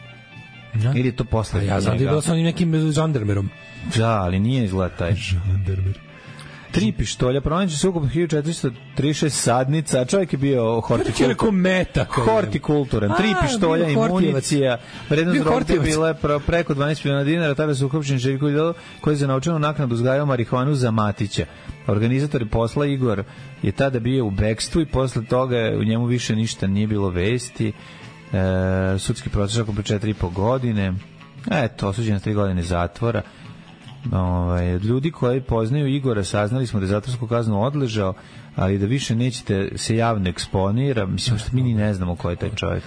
S6: Ili je to posle njega?
S7: Ja znam da je bilo sa onim nekim žandarmerom.
S6: Da, ali nije izgleda taj.
S7: Žandarmer.
S6: 3 pištolja, pronađe se ukupno 1436 sadnica, a čovjek je bio hortikulturan. 3 pištolja i municija. Vrednost droge bila je preko 12 miliona dinara, tada su uhapšeni Željko Vidal, koji je za novčanu naknadu uzgajao marihuanu za Matića. Organizator posla Igor je tada bio u bekstvu i posle toga u njemu više ništa nije bilo vesti. Sudski proces oko 4,5 godine. Eto, osuđen 3 godine zatvora. Ljudi koji poznaju Igora saznali smo da je zatvorsku kaznu odležao, ali da više nećete se javno eksponira. Mislim što mi ni ne znamo ko je taj čovjek.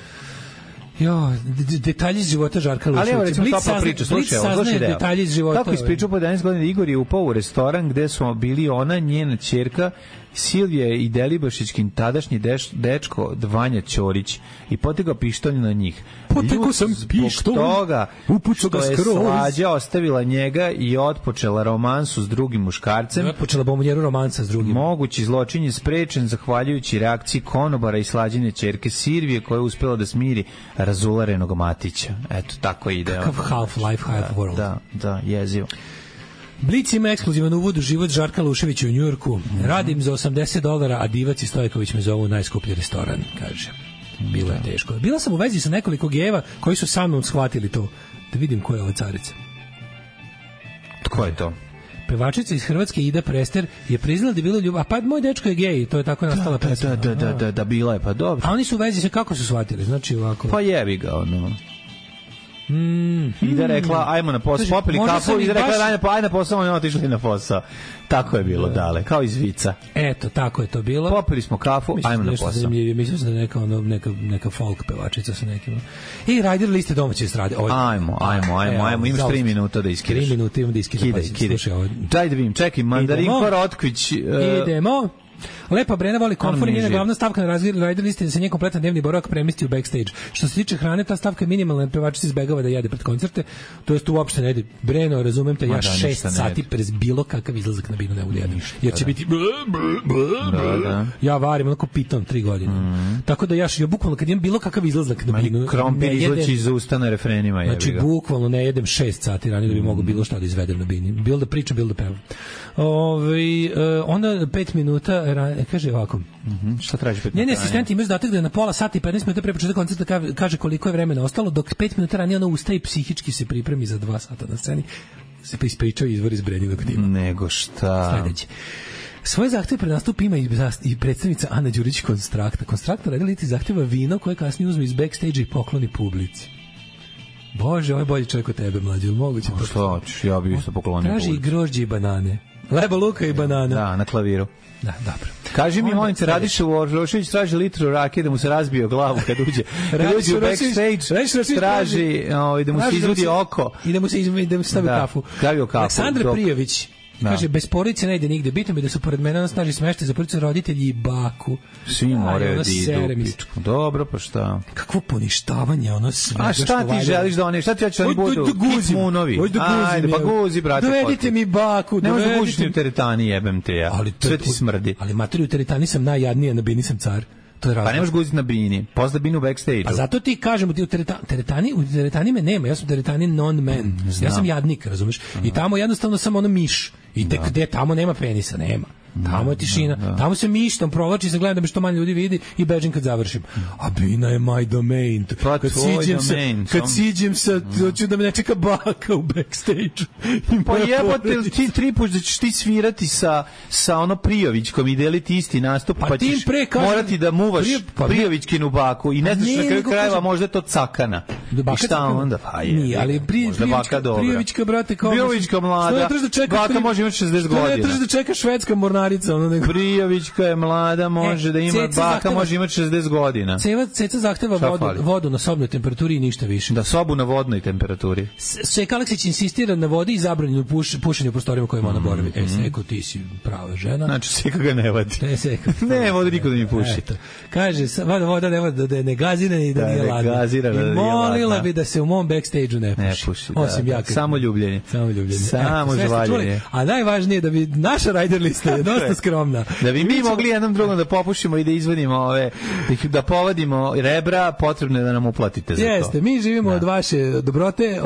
S7: Detalji iz života Žarka Luševića.
S6: Ali evo recimo topla priča, slušaj
S7: detalji iz života.
S6: Kako ispričao po 11 godina, Igor je upao u restoran gde su bili ona, njena ćerka Silvija i Delibašićkin tadašnji dečko Vanja Ćorić i potegao pištolj na njih.
S7: Potegao sam pištolj, upucao ga skroz.
S6: Slađa ostavila njega i otpočela romansu s drugim muškarcem.
S7: Otpočela bombonjeru romansa s drugim.
S6: Mogući zločin je sprečen zahvaljujući reakciji konobara i Slađine ćerke Silvije koja je uspela da smiri razularenog Matića. Eto, tako ide.
S7: Kakav half-life, half-world.
S6: Da, jezivo.
S7: Blic ima ekskluzivan uvod u život Žarka Luševića u Njujorku. Radim za $80, a Divac i Stojković me zovu najskuplji restoran, kaže. Bilo je teško. Bila sam u vezi sa nekoliko gejeva koji su sa mnom shvatili to. Da vidim ko je ova carica.
S6: Tko je to?
S7: Pevačica iz Hrvatske Ida Prester je priznala da je bilo ljubav. A pa moj dečko je gej, to je tako nastala pesma.
S6: Da, bila je, pa dobro.
S7: A oni su u vezi sa kako su shvatili? Znači ovako.
S6: Pa jebi ga, ono. Ida rekla, ajmo na posao, popili kafu, Ida rekla, ajde na posao, oni otišli na posao. Tako je bilo, dale, kao iz vica.
S7: Eto, tako je to bilo.
S6: Popili smo kafu, ajmo na posao.
S7: Mislim da je neka folk pevačica sa nekim. I Rider liste domaće estrade.
S6: Ajmo, imaš 3 minuta da iskideš.
S7: 3 minuta imam da iskideš.
S6: Daj da vidim, čekaj, Mandarinko Rotkvić.
S7: Idemo. Lepa Brena voli komfor i njena glavna stavka na Rider listi da se njen kompletan dnevni boravak premesti u backstage. Što se tiče hrane, ta stavka je minimalna, pevačica izbegava da jede pred koncerte, to jest uopšte ne jede. Breno, razumem te, ja 6 sati prez bilo kakav izlazak na binu ne mogu jedem, jer će biti ja varim onako piton 3 godine. Tako da ja bukvalno kad imam bilo kakav izlazak na binu,
S6: krompir izlači iz usta na refrenima.
S7: Znači bukvalno ne jedem 6 sati ranije da bi mogao bilo šta da izvedem na bini. Bilo da pričam, bilo da pevam. Onda 5 minuta kaže ovako.
S6: Šta traži 5 minuta?
S7: Njeni asistenti imaju zadatak da na pola sata i 15 minuta pre početka koncerta kaže koliko je vremena ostalo, dok 5 minuta ranije ona ustaje i psihički se pripremi za 2 sata na sceni. Se pa ispričao izvor iz Brenjinog tima.
S6: Nego šta?
S7: Sledeće. Svoje zahteve pred nastup ima i predstavnica Ana Đurić Konstrakta. Konstrakta radiliti zahteva vino koje kasnije uzme iz backstage i pokloni publici. Bože, ovo je bolji čovjek od tebe, mlađe, ili moguće?
S6: Šta hoćeš, ja bih isto poklonio publici.
S7: Traži i grožđe i banane. Leba, luka i banana.
S6: Da, na klaviru.
S7: Da, dobro.
S6: Kaži mi, molim se, Radiša Urošević traži litru rakije da mu se razbije o glavu kad uđe u backstage, traži da mu se izvodi oko.
S7: I da mu se stavi kafu. Aleksandra Prijović kaže, bez porodice ne ide nigde. Bitno mi da su pored mene snaži smeštaj za porodicu roditelji i baku.
S6: Svi moraju da idu pičku. Dobro, pa šta?
S7: Kakvo poništavanje, ono sve.
S6: A šta ti želiš da oni, šta ti hoćeš da oni budu? Kitmunovi. Ajde, pa guzi, brate.
S7: Dovedite mi baku.
S6: Ne možeš da guziš u teretani, jebem te ja. Sve ti smrdi.
S7: Ali materi u teretani sam najjadnija, na bini sam car.
S6: Pa ne možeš guziti na bini, posle binu backstage-u.
S7: A zato ti kažem, u teretani me nema, ja sam u teretani non-man. Ja sam jadnik, razumeš? I tamo jednostavno sam ono miš. I tek gde tamo nema penisa, nema. Tamo je tišina. Tamo se mištom provlači, se gledam da me što manje ljudi vidi i bežim kad završim. A Bina je my domain. Kad siđem sa, hoću da me ne čeka baka u backstage.
S6: Pa jebote, ti 3 puta da ćeš ti svirati sa ono Prijovićkom i deliti isti nastup, pa ćeš morati da muvaš Prijovićkinu baku i ne znaš na kraju krajeva možda je to cakana. I šta onda? Pa je,
S7: ali Prijovićka, brate, kao...
S6: Prijovićka mlada, baka može imati 60 godina.
S7: Ne trebaš da čeka švedska mornarica.
S6: Prijovićka je mlada, može da ima, baka može imati 60 godina.
S7: Ceca zahteva vodu na sobnoj temperaturi i ništa više.
S6: Da, sobu na vodnoj temperaturi.
S7: Seka Aleksić insistira na vodi i zabranjenu pušenju u prostorijama kojima ona boravi. Seko, ti si prava žena.
S6: Znači, Seka ga ne vadi. Ne, voda niko da mi puši.
S7: Kaže, voda ne vodi da je negazirana i da nije ladna. I molila bi da se u mom backstage-u ne puši. Osim ja.
S6: Samo ljubljenje. Samo žvaljenje.
S7: A najvažnije da bi naša rider lista je dosta skromna.
S6: Da bi mi mogli jednom drugom da popušimo i da izvodimo da povadimo rebra, potrebno je da nam uplatite za to.
S7: Jeste, mi živimo od vaše dobrote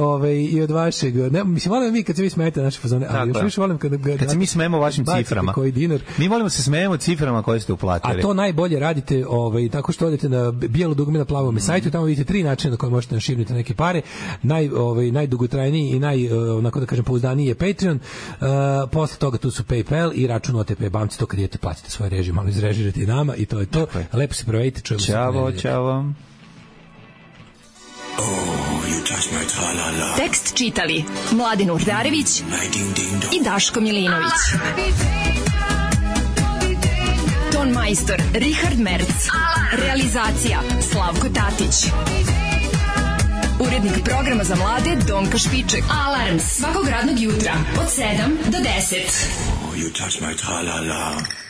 S7: i od vašeg... Mislim, volim mi kad se vi smijete naše fazone, ali još više volim kad
S6: se mi smijemo vašim ciframa. Mi volimo se smijemo ciframa koje ste uplatili.
S7: A to najbolje radite tako što odete na bijelo dugme na plavom sajtu, tamo vidite 3 načina na koje možete našibniti neke pare. Najdugotrajniji i onako da kažem pouzdaniji je Patreon. Posle toga tu su PayPal i račun OTP banci, to kad idete platite svoje režije, malo izrežirate i nama i to je to. Lepo se provedite, čujemo se.
S6: Ćao.
S4: Tekst čitali Mladin Urdarević i Daško Milinović. Ton majstor Richard Merc. Realizacija Slavko Tatić. Urednik programa za mlade Donka Špiček. Alarms svakog radnog jutra od 7 do 10.
S12: You touch my tra-la-la.